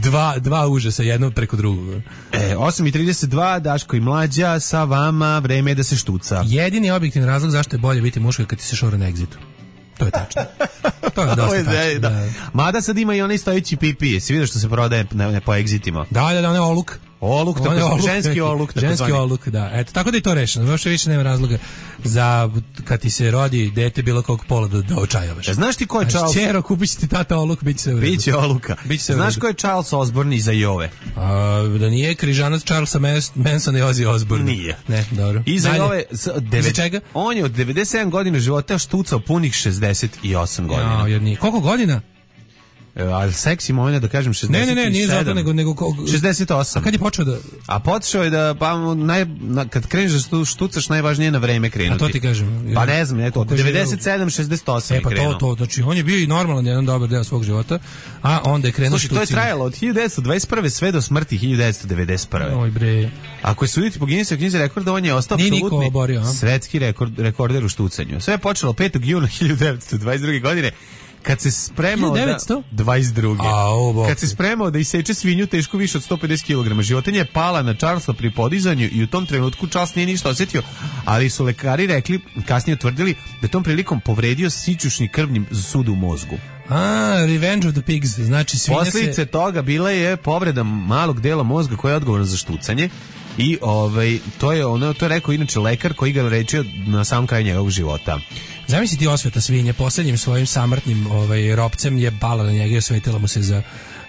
dva dva užasa jedno preko drugog. E, osam i trideset dva, Daško i Mlađa sa vama, vreme je da se štuca. Jedini objektivni razlog zašto je bolje biti muško je kad ti se šora na egzitu. To je tačno. To je dosta tačno. Da. Da. Mada sad ima i onaj stojeći pipi. Jesi vidio što se prodaje na, na, po egzitima? Da, da, da, onaj oluk. Oluk, tako oluk, ženski oluk. Ženski zvani. oluk, da. Eto, tako da je to rešeno. Još više nema razloga za kad ti se rodi dete bilo kog pola da, da očajavaš. E, znaš ti ko je Charles? Čero, kupit će ti tata oluk, bit će sve u redu. Biće oluka. Biće sve u Znaš redu. ko je Charles Osborne iza Jove? A, da nije križanac Charlesa Mansona i Ozzy Osbourne. Nije. Ne, dobro. Iza Dalje. Jove... s- devet- Iza čega? On je od devedeset sedam godina života štucao punih šezdeset osam godina. Ja, jer nije. Koliko godina? E, ali seksi moment da kažem šezdeset sedam. Ne, ne, ne, nije zato, nego... nego ko- šezdeset osam. A kad je počeo da... A počeo je da, pa, naj, na, kad kreneš da stu- štucaš, najvažnije je na vreme krenuti. A to ti kažem. Pa ne znam, eto, od Kaže, devedeset sedam šezdeset osam E pa je krenuo. to, to, znači on je bio i normalan jedan dobar deo svog života, a onda je krenuo Slušaj, to je štucima. trajalo od hiljadu devetsto dvadeset prve sve do smrti hiljadu devetsto devedeset prve. Oj bre. Ako je suditi po Guinnessovoj knjizi rekorda, on je ostao Nije niko apsolutni oborio, a? svetski rekord, rekorder u štucanju. Sve je počelo petog juna hiljadu devetsto dvadeset druge godine, kad se spremao hiljadu devetsto? da... dvadeset druge. A, o, bok. Kad se spremao da iseče svinju tešku više od sto pedeset kilograma. Životinja je pala na Charlesa pri podizanju i u tom trenutku Charles nije ništa osjetio, ali su lekari rekli, kasnije utvrdili, da tom prilikom povredio sićušni krvni sud u mozgu. A, Revenge of the Pigs, znači svinja Posljedice se... toga bila je povreda malog dela mozga koja je odgovorna za štucanje. I ovaj to je ono to je rekao inače lekar koji ga lečio na sam kraj njegovog života. Zamisli ti osveta svinje, posljednjim svojim samrtnim ovaj, ropcem je pala na njega i osvetila mu se za,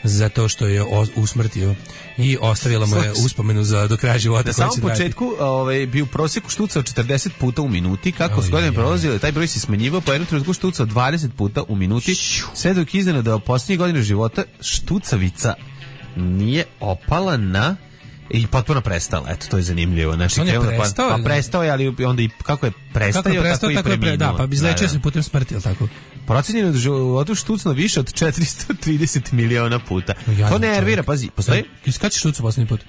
za to što je o, usmrtio i ostavila mu je uspomenu za do kraja života. Na samom početku ovaj, bi u prosjeku štucao četrdeset puta u minuti, kako su godine prolazile, taj broj se smanjivao, pa jednom trenutku štucao dvadeset puta u minuti, sve dok iznenada u posljednjih godina života štucavica nije opala na i potpuno prestala. Eto, to je zanimljivo. Znači, on je krenuo da prestao, pa, ili- pa prestao je, ali onda i kako je prestao, Kako je prestao, tako, tako i je pre, preminuo. da, pa bi izlečio se putem smrti, ili tako? Procenjeno je da životu štucno više od četiristo trideset miliona puta. Jadan To nervira, čovjek. pazi, postoji... Kad si štucao posljednji put?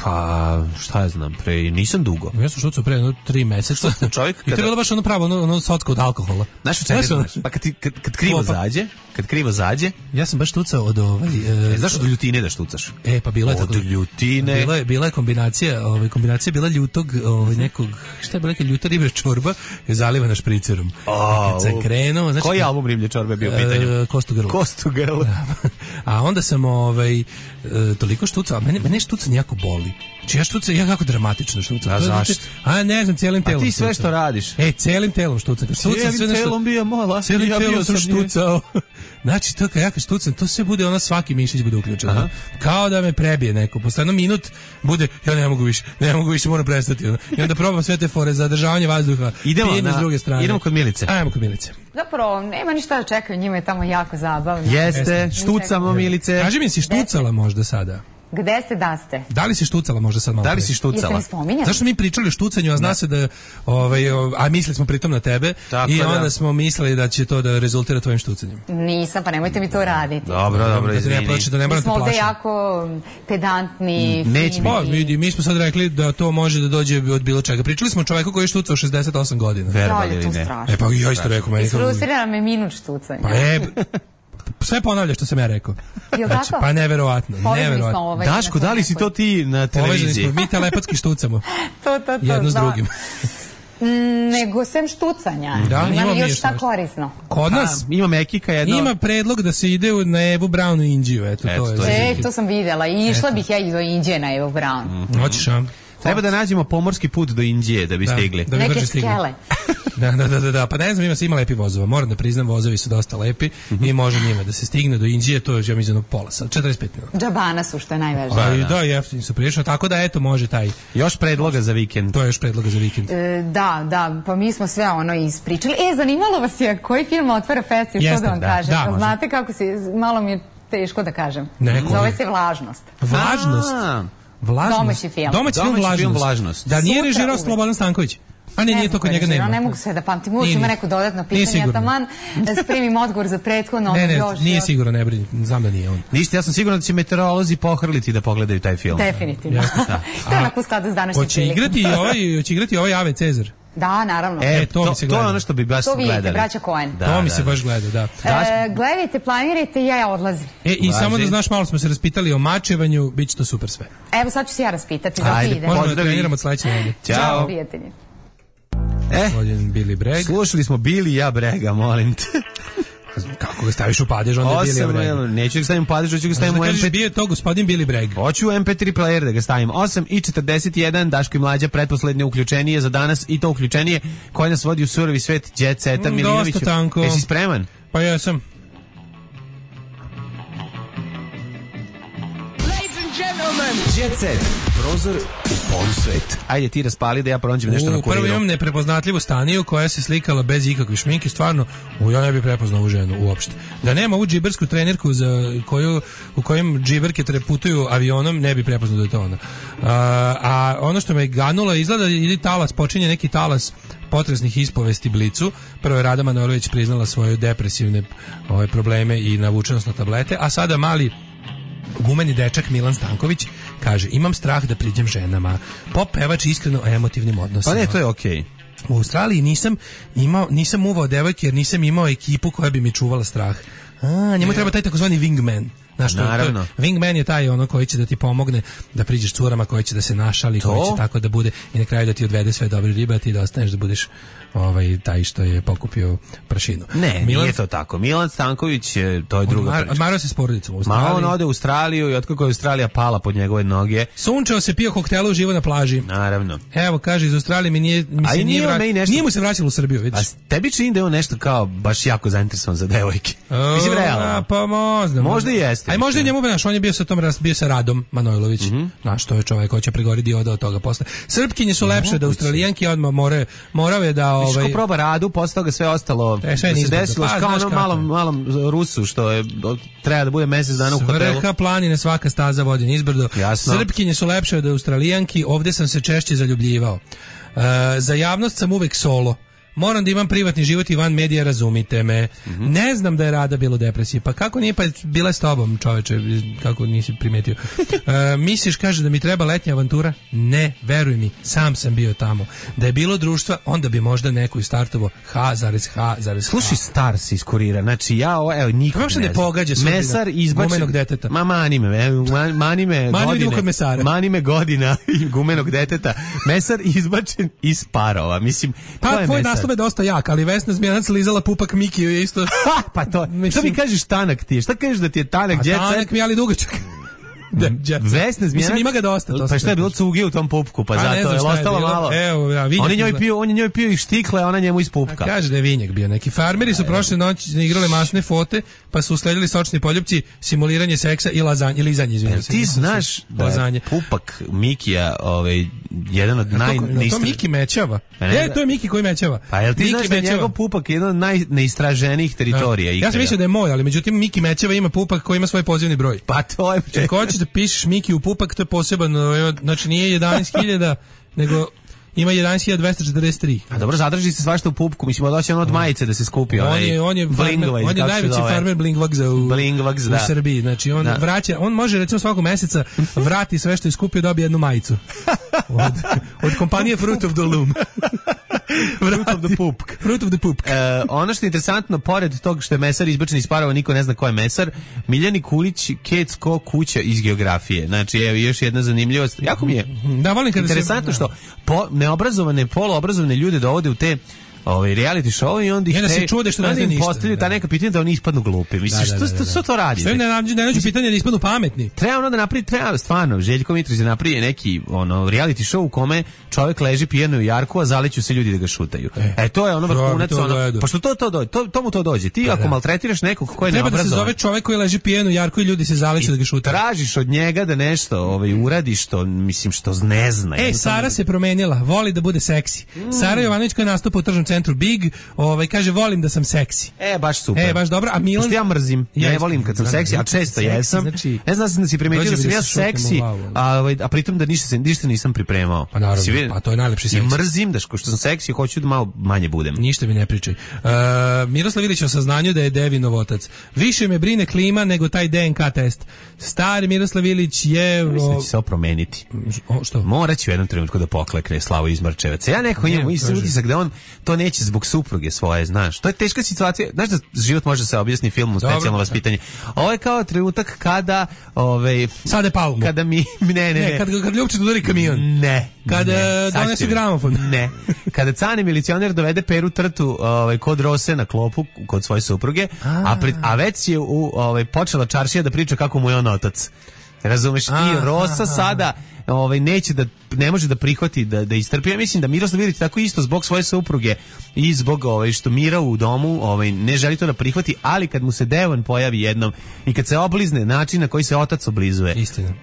Pa, šta ja znam, pre, nisam dugo. Ja sam štucao pre jedno tri meseca. Čovjek I to je kada- bilo baš ono pravo, ono, ono socko od alkohola. Znaš u čega Znaš, ono- znaš? Pa kad, ti- kad, kad krivo Klopa. zađe, kad krivo zađe, Ja sam baš štucao od ovaj... E, e, znaš od ljutine da štucaš? E, pa bila je Od tako. ljutine. Bila je, bila je kombinacija, ovaj, kombinacija bila ljutog, ovaj, nekog, šta je bila neka ljuta riblja čorba je zalivana špricerom. A, Kad se u- krenuo, znači... Koji album Riblje čorbe bio u pitanju? E, Kostu grlo. Kostu grlo. A onda sam ovaj, e, toliko štucao, a mene, mene štucanje jako boli. Znači ja štucam, ja kako dramatično štucam. A To je, znači- zašto? A ne znam, cijelim A telom ti sve štucam. što radiš? E, cijelim telom štucam. Kad štucam, sve Cijelim nešto- telom bio mola. Cijelim Ja telom bio sam sam nje. štucao. Znači, to kad ja kad štucam, to sve bude ono, svaki mišić bude uključen. ono. Kao da me prebije neko. Posle jedno minut bude, ja ne mogu više, ne mogu više, moram prestati. ono. I onda probam sve te fore, zadržavanje vazduha, Idemo pijenje na- s druge strane. idemo kod Milice. Ajmo kod Milice. Zapravo, nema ništa da čekaju, njima je tamo jako zabavno. Jeste, štucamo Milice. Kaži mi, si štucala možda sada? Gde ste, da ste? Da li si štucala možda sad malo? Da li pre? si Jeste štucala? mi spominjali? Zašto smo mi pričali o štucanju, a zna se da, ovaj, o- a mislili smo pritom na tebe, Tako i da. onda smo mislili da će to da rezultira tvojim štucanjem. Nisam, pa nemojte mi to raditi. Dobro, dobro, Da te ne izvini. plaši, da ne Mi moram te smo ovde plašiti. jako pedantni, Mm, neće fini. Pa, vidi, mi smo sad rekli da to može da dođe od bilo čega. Pričali smo o čoveku koji je štucao šezdeset osam godina. Verovali Dalje, ili to ne? strašno. E pa ja isto rekao meni. kao- Isfrustrirala me minut štucanja. Pa e, sve ponavlja što sam ja rekao. Jel Znači, tako? pa neverovatno, Povezani smo neverovatno. ovaj. Daško, da li si to ti na Povežani televiziji? smo, mi telepatski štucamo. To, to, to. Jedno s da. drugim. Mm, Nego sem štucanja. Da, Ima imamo li mi još još šta nešto. korisno? Kod nas A, ima Mekika jedno. ima predlog da se ide u- na Evu Brownu i Indiju. Eto, Eto, to je. to je. E, to sam videla i išla bih ja i do Indije na Evo Brown. Hoćeš, a? Treba da nađemo pomorski put do Indije da bi Da, stigli. da bi Neke brže stigli. skele. Da, da, da, da, da, pa ne znam, ima se ima lepi vozova. Moram da priznam, vozovi su dosta lepi i može njima da se stigne do Indije, to je ja mislim pola sat, četrdeset pet minuta. Džabana su, što je najvažnije. Pa i da, jeftini su prilično, tako da eto može taj. Još predloga za vikend. To je još predloga za vikend. E, da, da, pa mi smo sve ono ispričali. E, zanimalo vas je koji film otvara festival, što Jeste, da vam da, kažem? da, može. Znate kako se, malo mi je teško da kažem. Ne, koji? Zove se Vlažnost. Vlažnost. A, Vlažnost. Domaći film. Domaći film Domaći Vlažnost. film Vlažnost. Da nije Sutra režirao uvek. Slobodan Stanković. A ne, nije to kod njega nema. Ne mogu sve da pamtim, uvijek Nije, ima nije. neko dodatno Nije pitanje, ja sigurno. taman da spremim odgovor za prethodno. Ne, ne, još, nije još. sigurno, ne brini, znam da nije on. Ništa, ja sam siguran da će meteorolozi pohrliti da pogledaju taj film. Definitivno. Jasno, da. To je A, onako u skladu s današnjim Hoće igrati i ovaj, hoće igrati i ovaj Ave Cezar. Da, naravno. E, E, to to, mi se to gleda. je ono što bi baš To vidite, gledali. braća Coen. Da, to mi da, se da. baš gleda, da. E, gledajte, planirajte i ja, ja odlazim. E, i Važi. samo da znaš, malo smo se raspitali o mačevanju, bit će to super sve. Evo sad ću se ja raspitati, zato Ajde, idem. Možemo da Pozdravi. treniramo od sledeće nedelje. Ćao. Prijatelji. E, Gospodin Billy Bragg. slušali smo Bili ja brega, molim te. Kako Ako ga staviš u padež, onda je Billy Bragg. Neću ga stavim u padež, hoću ga stavim u em pe tri. Bio je to gospodin Billy Bragg. Hoću u em pe tri player da ga stavim. osam i četrdeset jedan, Daško i Mlađa, pretposlednje uključenije za danas i to uključenije koje nas vodi u surovi svet Jet Seta mm, Milinoviću. Dosta tanko. Jesi spreman? Pa ja sam. Jet Set, prozor u polusvet. Ajde ti raspali da ja pronađem nešto na kuriru. Prvo imam neprepoznatljivu Staniju koja se slikala bez ikakve šminke, stvarno, u, ja ne bih prepoznao ovu ženu uopšte. Da nema ovu džibersku trenerku za koju, u kojem džiberke putuju avionom, ne bih prepoznao da je to ona. A, a ono što me ganulo, izgleda ili talas, počinje neki talas potresnih ispovesti Blicu. Prvo je Rada Manojlović priznala svoje depresivne ove, probleme i navučenost na tablete, a sada mali gumeni dečak Milan Stanković kaže: imam strah da priđem ženama. Pop pevač iskreno o emotivnim odnosima. Pa ne, to je okej. Okay. U Australiji nisam imao, nisam uvao devojke jer nisam imao ekipu koja bi mi čuvala strah. A, njemu treba taj takozvani wingman. Znaš, naravno. To, wingman je taj ono koji će da ti pomogne da priđeš curama, koji će da se našali, to? Koji će tako da bude i na kraju da ti odvede sve dobre ribe, a ti da ostaneš da budeš ovaj taj što je pokupio prašinu. Ne, Milan, nije to tako. Milan Stanković, to je druga priča. Odmarao se s porodicom u Australiji. Ma on ode u Australiju i otkako je Australija pala pod njegove noge. Sunčao se, pio koktele, uživo na plaži. Naravno. Evo, kaže, iz Australije mi nije, mi se nije, vra... nešto... nije mu se vraćalo u Srbiju, vidiš. A tebi čini da je on nešto kao baš jako zainteresovan za devojke. O, mislim, realno. Pa možda. Možda i jeste. Aj možda i njemu, naš, on je bio sa tom, bio sa Radom Manojlović. Mm -hmm. Znaš, to je čovjek koji će prigoriti oda od toga posle. Srpkinje su lepše da Australijanke odmah more, morave da... Ovaj... Viš ko proba Radu, posle toga sve ostalo e, sve da se desilo, pa, kao onom malom, malom Rusu, što je, treba da bude mesec dana u hotelu. Svrha planine, svaka staza vodi nizbrdo. Jasno. Srpkinje su lepše od Australijanki, ovdje sam se češće zaljubljivao. Uh, za javnost sam uvek solo. Moram da imam privatni život i van medija, razumite me. Mm-hmm. Ne znam da je Rada bilo depresija. Pa kako nije, pa bila je s tobom, čoveče, kako nisi primetio. E, misliš, kaže, da mi treba letnja avantura? Ne, veruj mi, sam sam bio tamo. Da je bilo društva, onda bi možda neko istartovo H zarez H zarez H. Slušaj, star se iskurira. Znači, ja, o, evo, nikog ne znam. ne pogađa Mesar izbačen. Gumenog deteta. Ma, mani me, evo, mani me godine. Mani me godina i gumenog deteta. Mesar izbačen iz parova. Mislim, pa, to je Mesar. Je dosta jak, ali Vesna Zmijanac lizala pupak Mikiju je isto. Pa to, mislim, šta mi kažeš tanak ti? Šta kažeš da ti je tanak? A tanak mi je ali dugačak. Da, Vesna Zmijanac. Mislim, ima ga dosta. To pa šta je bilo cuge u tom pupku, pa a zato je ostalo malo. Evo, ja, on je njoj pio, on je njoj pio i štikle, a ona njemu iz pupka. A kaže da je vinjak bio neki. Farmeri su prošle noći igrali masne fote, pa su usledili sočni poljupci, simuliranje seksa i lazanje, lizanje, izvinite se. Ti znaš da je pupak Mikija, ovaj, jedan od naj... To Miki mećava. E, to je Miki koji mećava. Pa jel ti znaš da je njegov pupak jedan od najneistraženijih teritorija? Ja sam mislio da je moj, ali međutim Miki mećava ima pupak koji ima svoj pozivni broj. Pa to je... Ako hoćeš da pišeš Miki u pupak, to je poseban, znači nije jedanaest hiljada, nego ima jedanaest hiljada dvesta četrdeset tri. A dobro, zadrži se svašta u pupku, mislim, doći ono od majice da se skupi. On je, on je, farmer, on je najveći farmer Blingvagza u, Blingvags, da. u Srbiji. Znači, on da. vraća, on može recimo svakog meseca vrati sve što je skupio, dobije jednu majicu. Od, od kompanije Fruit of the Loom. Fruit of the Pupk. Fruit of the Pupk. E, ono što je interesantno, pored tog što je Mesar izbačen iz parova, niko ne zna ko je Mesar, Miljani Kulić, Kecko kuća iz geografije. Znači, evo, još jedna zanimljivost. Jako mi je da, volim kada interesantno se, što po, neobrazovane, poluobrazovane ljude dovode u te ovaj reality show i onda ih se čude što ne zna ništa. Postavljaju ta neka pitanja da oni ispadnu glupi. Misliš, što što što to radi? Što im ne nađu, ne nađu pitanja da ispadnu pametni. Treba ono da napravi, treba stvarno, Željko Mitrović da napravi neki ono reality show u kome čovjek leži pijano u jarku, a zaleću se ljudi da ga šutaju. E, e to je ono vrhunac, ono. Pa što to to dođe? To tomu to dođe. Ti ako maltretiraš nekog ko je neobrazovan. Treba da se zove čovjek koji leži pijano u jarku i ljudi se zaleću da ga šutaju. Tražiš od njega da nešto, ovaj uradi što mislim što ne zna. Ej, Sara se promenila, voli da bude seksi. Sara Jovanović koja nastupa u tržnom centru Big, ovaj kaže volim da sam seksi. E baš super. E baš dobro, a Milan ja mrzim. Ja ne volim kad sam seksi, a često jesam. Znači, ne znam da si primetio da sam ja seksi, a a pritom da ništa se ništa nisam pripremao. Pa naravno, pa to je najlepši seks. I mrzim da što sam seksi, hoću da malo manje budem. Ništa mi ne pričaj. Uh, Miroslav Ilić o saznanju da je Devinov otac. Više me brine klima nego taj D N K test. Stari Miroslav Ilić je mislim da će se promeniti. O, što? Moraće u jednom trenutku da poklekne Slavo Izmarčevac. Ja nekako imam isti utisak da on to ne neće zbog supruge svoje, znaš. To je teška situacija. Znaš da život može se objasniti filmom specijalno vaspitanje. Ovo je kao trenutak kada ovaj Sade palmu. Kada mi ne ne ne, ne kad kad Ljupčić udari kamion. Ne. Kada ne, donese gramofon. Ne. Kada Cane milicioner dovede Peru Trtu ovaj kod Rose na klopu kod svoje supruge, a a, pred, a već je u ovaj počela čaršija da priča kako mu je on otac. Razumeš? I Rosa sada ovaj neće da ne može da prihvati da da istrpi. Ja mislim da Miroslav Ilić tako isto zbog svoje supruge i zbog ovaj što Mira u domu ovaj ne želi to da prihvati, ali kad mu se Devan pojavi jednom i kad se oblizne način na koji se otac oblizuje. Istina.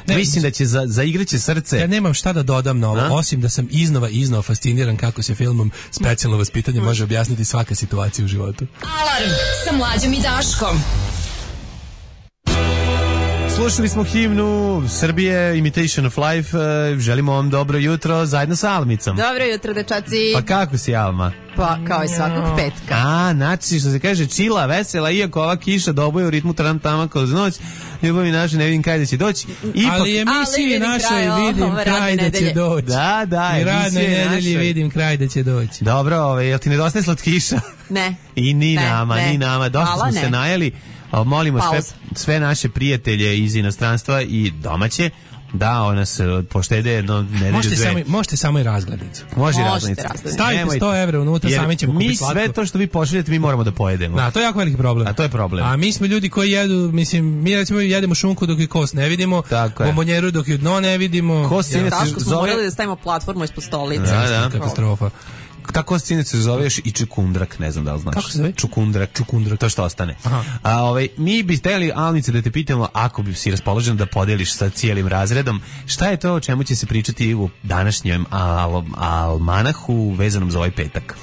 Ne, mislim da će za zaigraće srce. Ja nemam šta da dodam na ovo, a? Osim da sam iznova iznova fasciniran kako se filmom Specijalno vaspitanje može objasniti svaka situacija u životu. Alarm sa Mlađom i Daškom. Slušali smo himnu Srbije, Imitation of Life. Želimo vam dobro jutro zajedno sa Almicom. Dobro jutro, dečaci. Pa kako si, Alma? Pa kao i svakog petka. A, znači što se kaže čila, vesela, iako ova kiša doboje u ritmu tram tama kroz noć, ljubavi naše ne vidim kraj da će doći. Ipak, ali emisiji našoj vidim kraj da će doći. Da, da, i radne nedelje vidim kraj da će doći. Dobro, ove, jel ti nedostaje slatkiša? Ne. I ni ne, nama, ne. ni nama. Dosta Hvala, smo ne. se najeli. Molimo sve, sve naše prijatelje iz inostranstva i domaće da ona se poštede jedno nedelju možete dve. Samo, možete samo i razglednicu. Može i razglednicu. Stavite sto evra unutra, sami ćemo kupiti slatko. Mi sve to što vi pošaljete mi moramo da pojedemo. Da, to je jako veliki problem. A to je problem. A mi smo ljudi koji jedu, mislim, mi recimo jedemo šunku dok je kost ne vidimo, bombonjeru dok je dno ne vidimo. Kost ja. Taško smo morali da stavimo platformu ispod stolice. Da, da. Katastrofa. Tako se se zoveš i čukundrak, ne znam da li znaš. Kako se zove? Čukundrak, čukundrak, to što ostane. Aha. A ovaj mi bi hteli, Alnice, da te pitamo, ako bi si raspoložen da podeliš sa cijelim razredom, šta je to o čemu će se pričati u današnjem al almanahu vezanom za ovaj petak?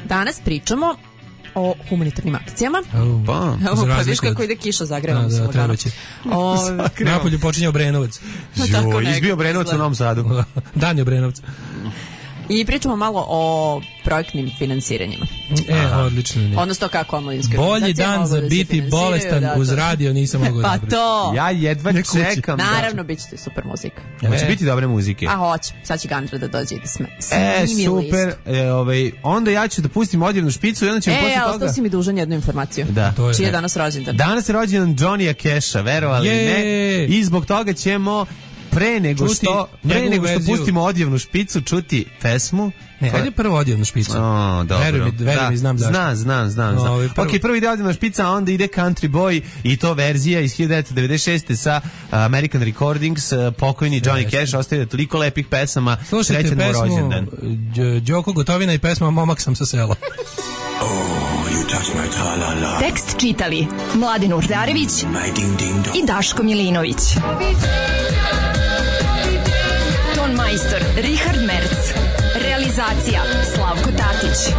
Danas pričamo o humanitarnim akcijama. Oh, pa, evo, pa viš kako ide kiša, zagrevam se. Da, treba će. Napolju počinje Obrenovac. Jo, izbio Obrenovac u Novom Sadu. Dan je Obrenovac. I pričamo malo o projektnim finansiranjima. E, aha, odlično. Ne. Odnosno kako omladinske bolji dan za biti bolestan da, uz radio nisam mogao pa da to. Ja jedva čekam. Naravno, bit će super muzika. E. Hoće biti dobre muzike. A hoće. Sad će Gandra da dođe i da sme. E, super. E, ovaj, onda ja ću da pustim odjevnu špicu i onda ćemo e, posle toga... E, ostao si mi dužan jednu informaciju. Da. To je, čiji je danas rođendan? Danas je rođendan Johnnyja Casha, verovali je. Ne. I zbog toga ćemo pre nego čuti što pre nego što verziju. Pustimo odjevnu špicu čuti pesmu. Ne, ajde prvo odjevnu špicu. O, dobro. Veruj mi, veruj mi, znam zašto. Znam, znam, znam. znam. No, prvo. Ok, prvi ide odjevna špica, a onda ide Country Boy i to verzija iz hiljadu devetsto devedeset šeste sa American Recordings, pokojni Johnny Cash, ostavio toliko lepih pesama. Slušajte pesmu Đoko Gotovina i pesma Momak sam sa sela. Oh, you touch my tra-la-la. Tekst čitali Mladin Urdarević i Daško Milinović. Ton majstor Richard Merc. Realizacija Slavko Tatić.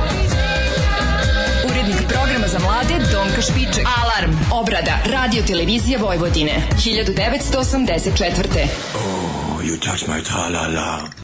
Urednik programa za mlade Donka Špiček. Alarm, obrada, radio televizija Vojvodine. hiljadu devetsto osamdeset četvrte. Oh, you touch my tra-la-la.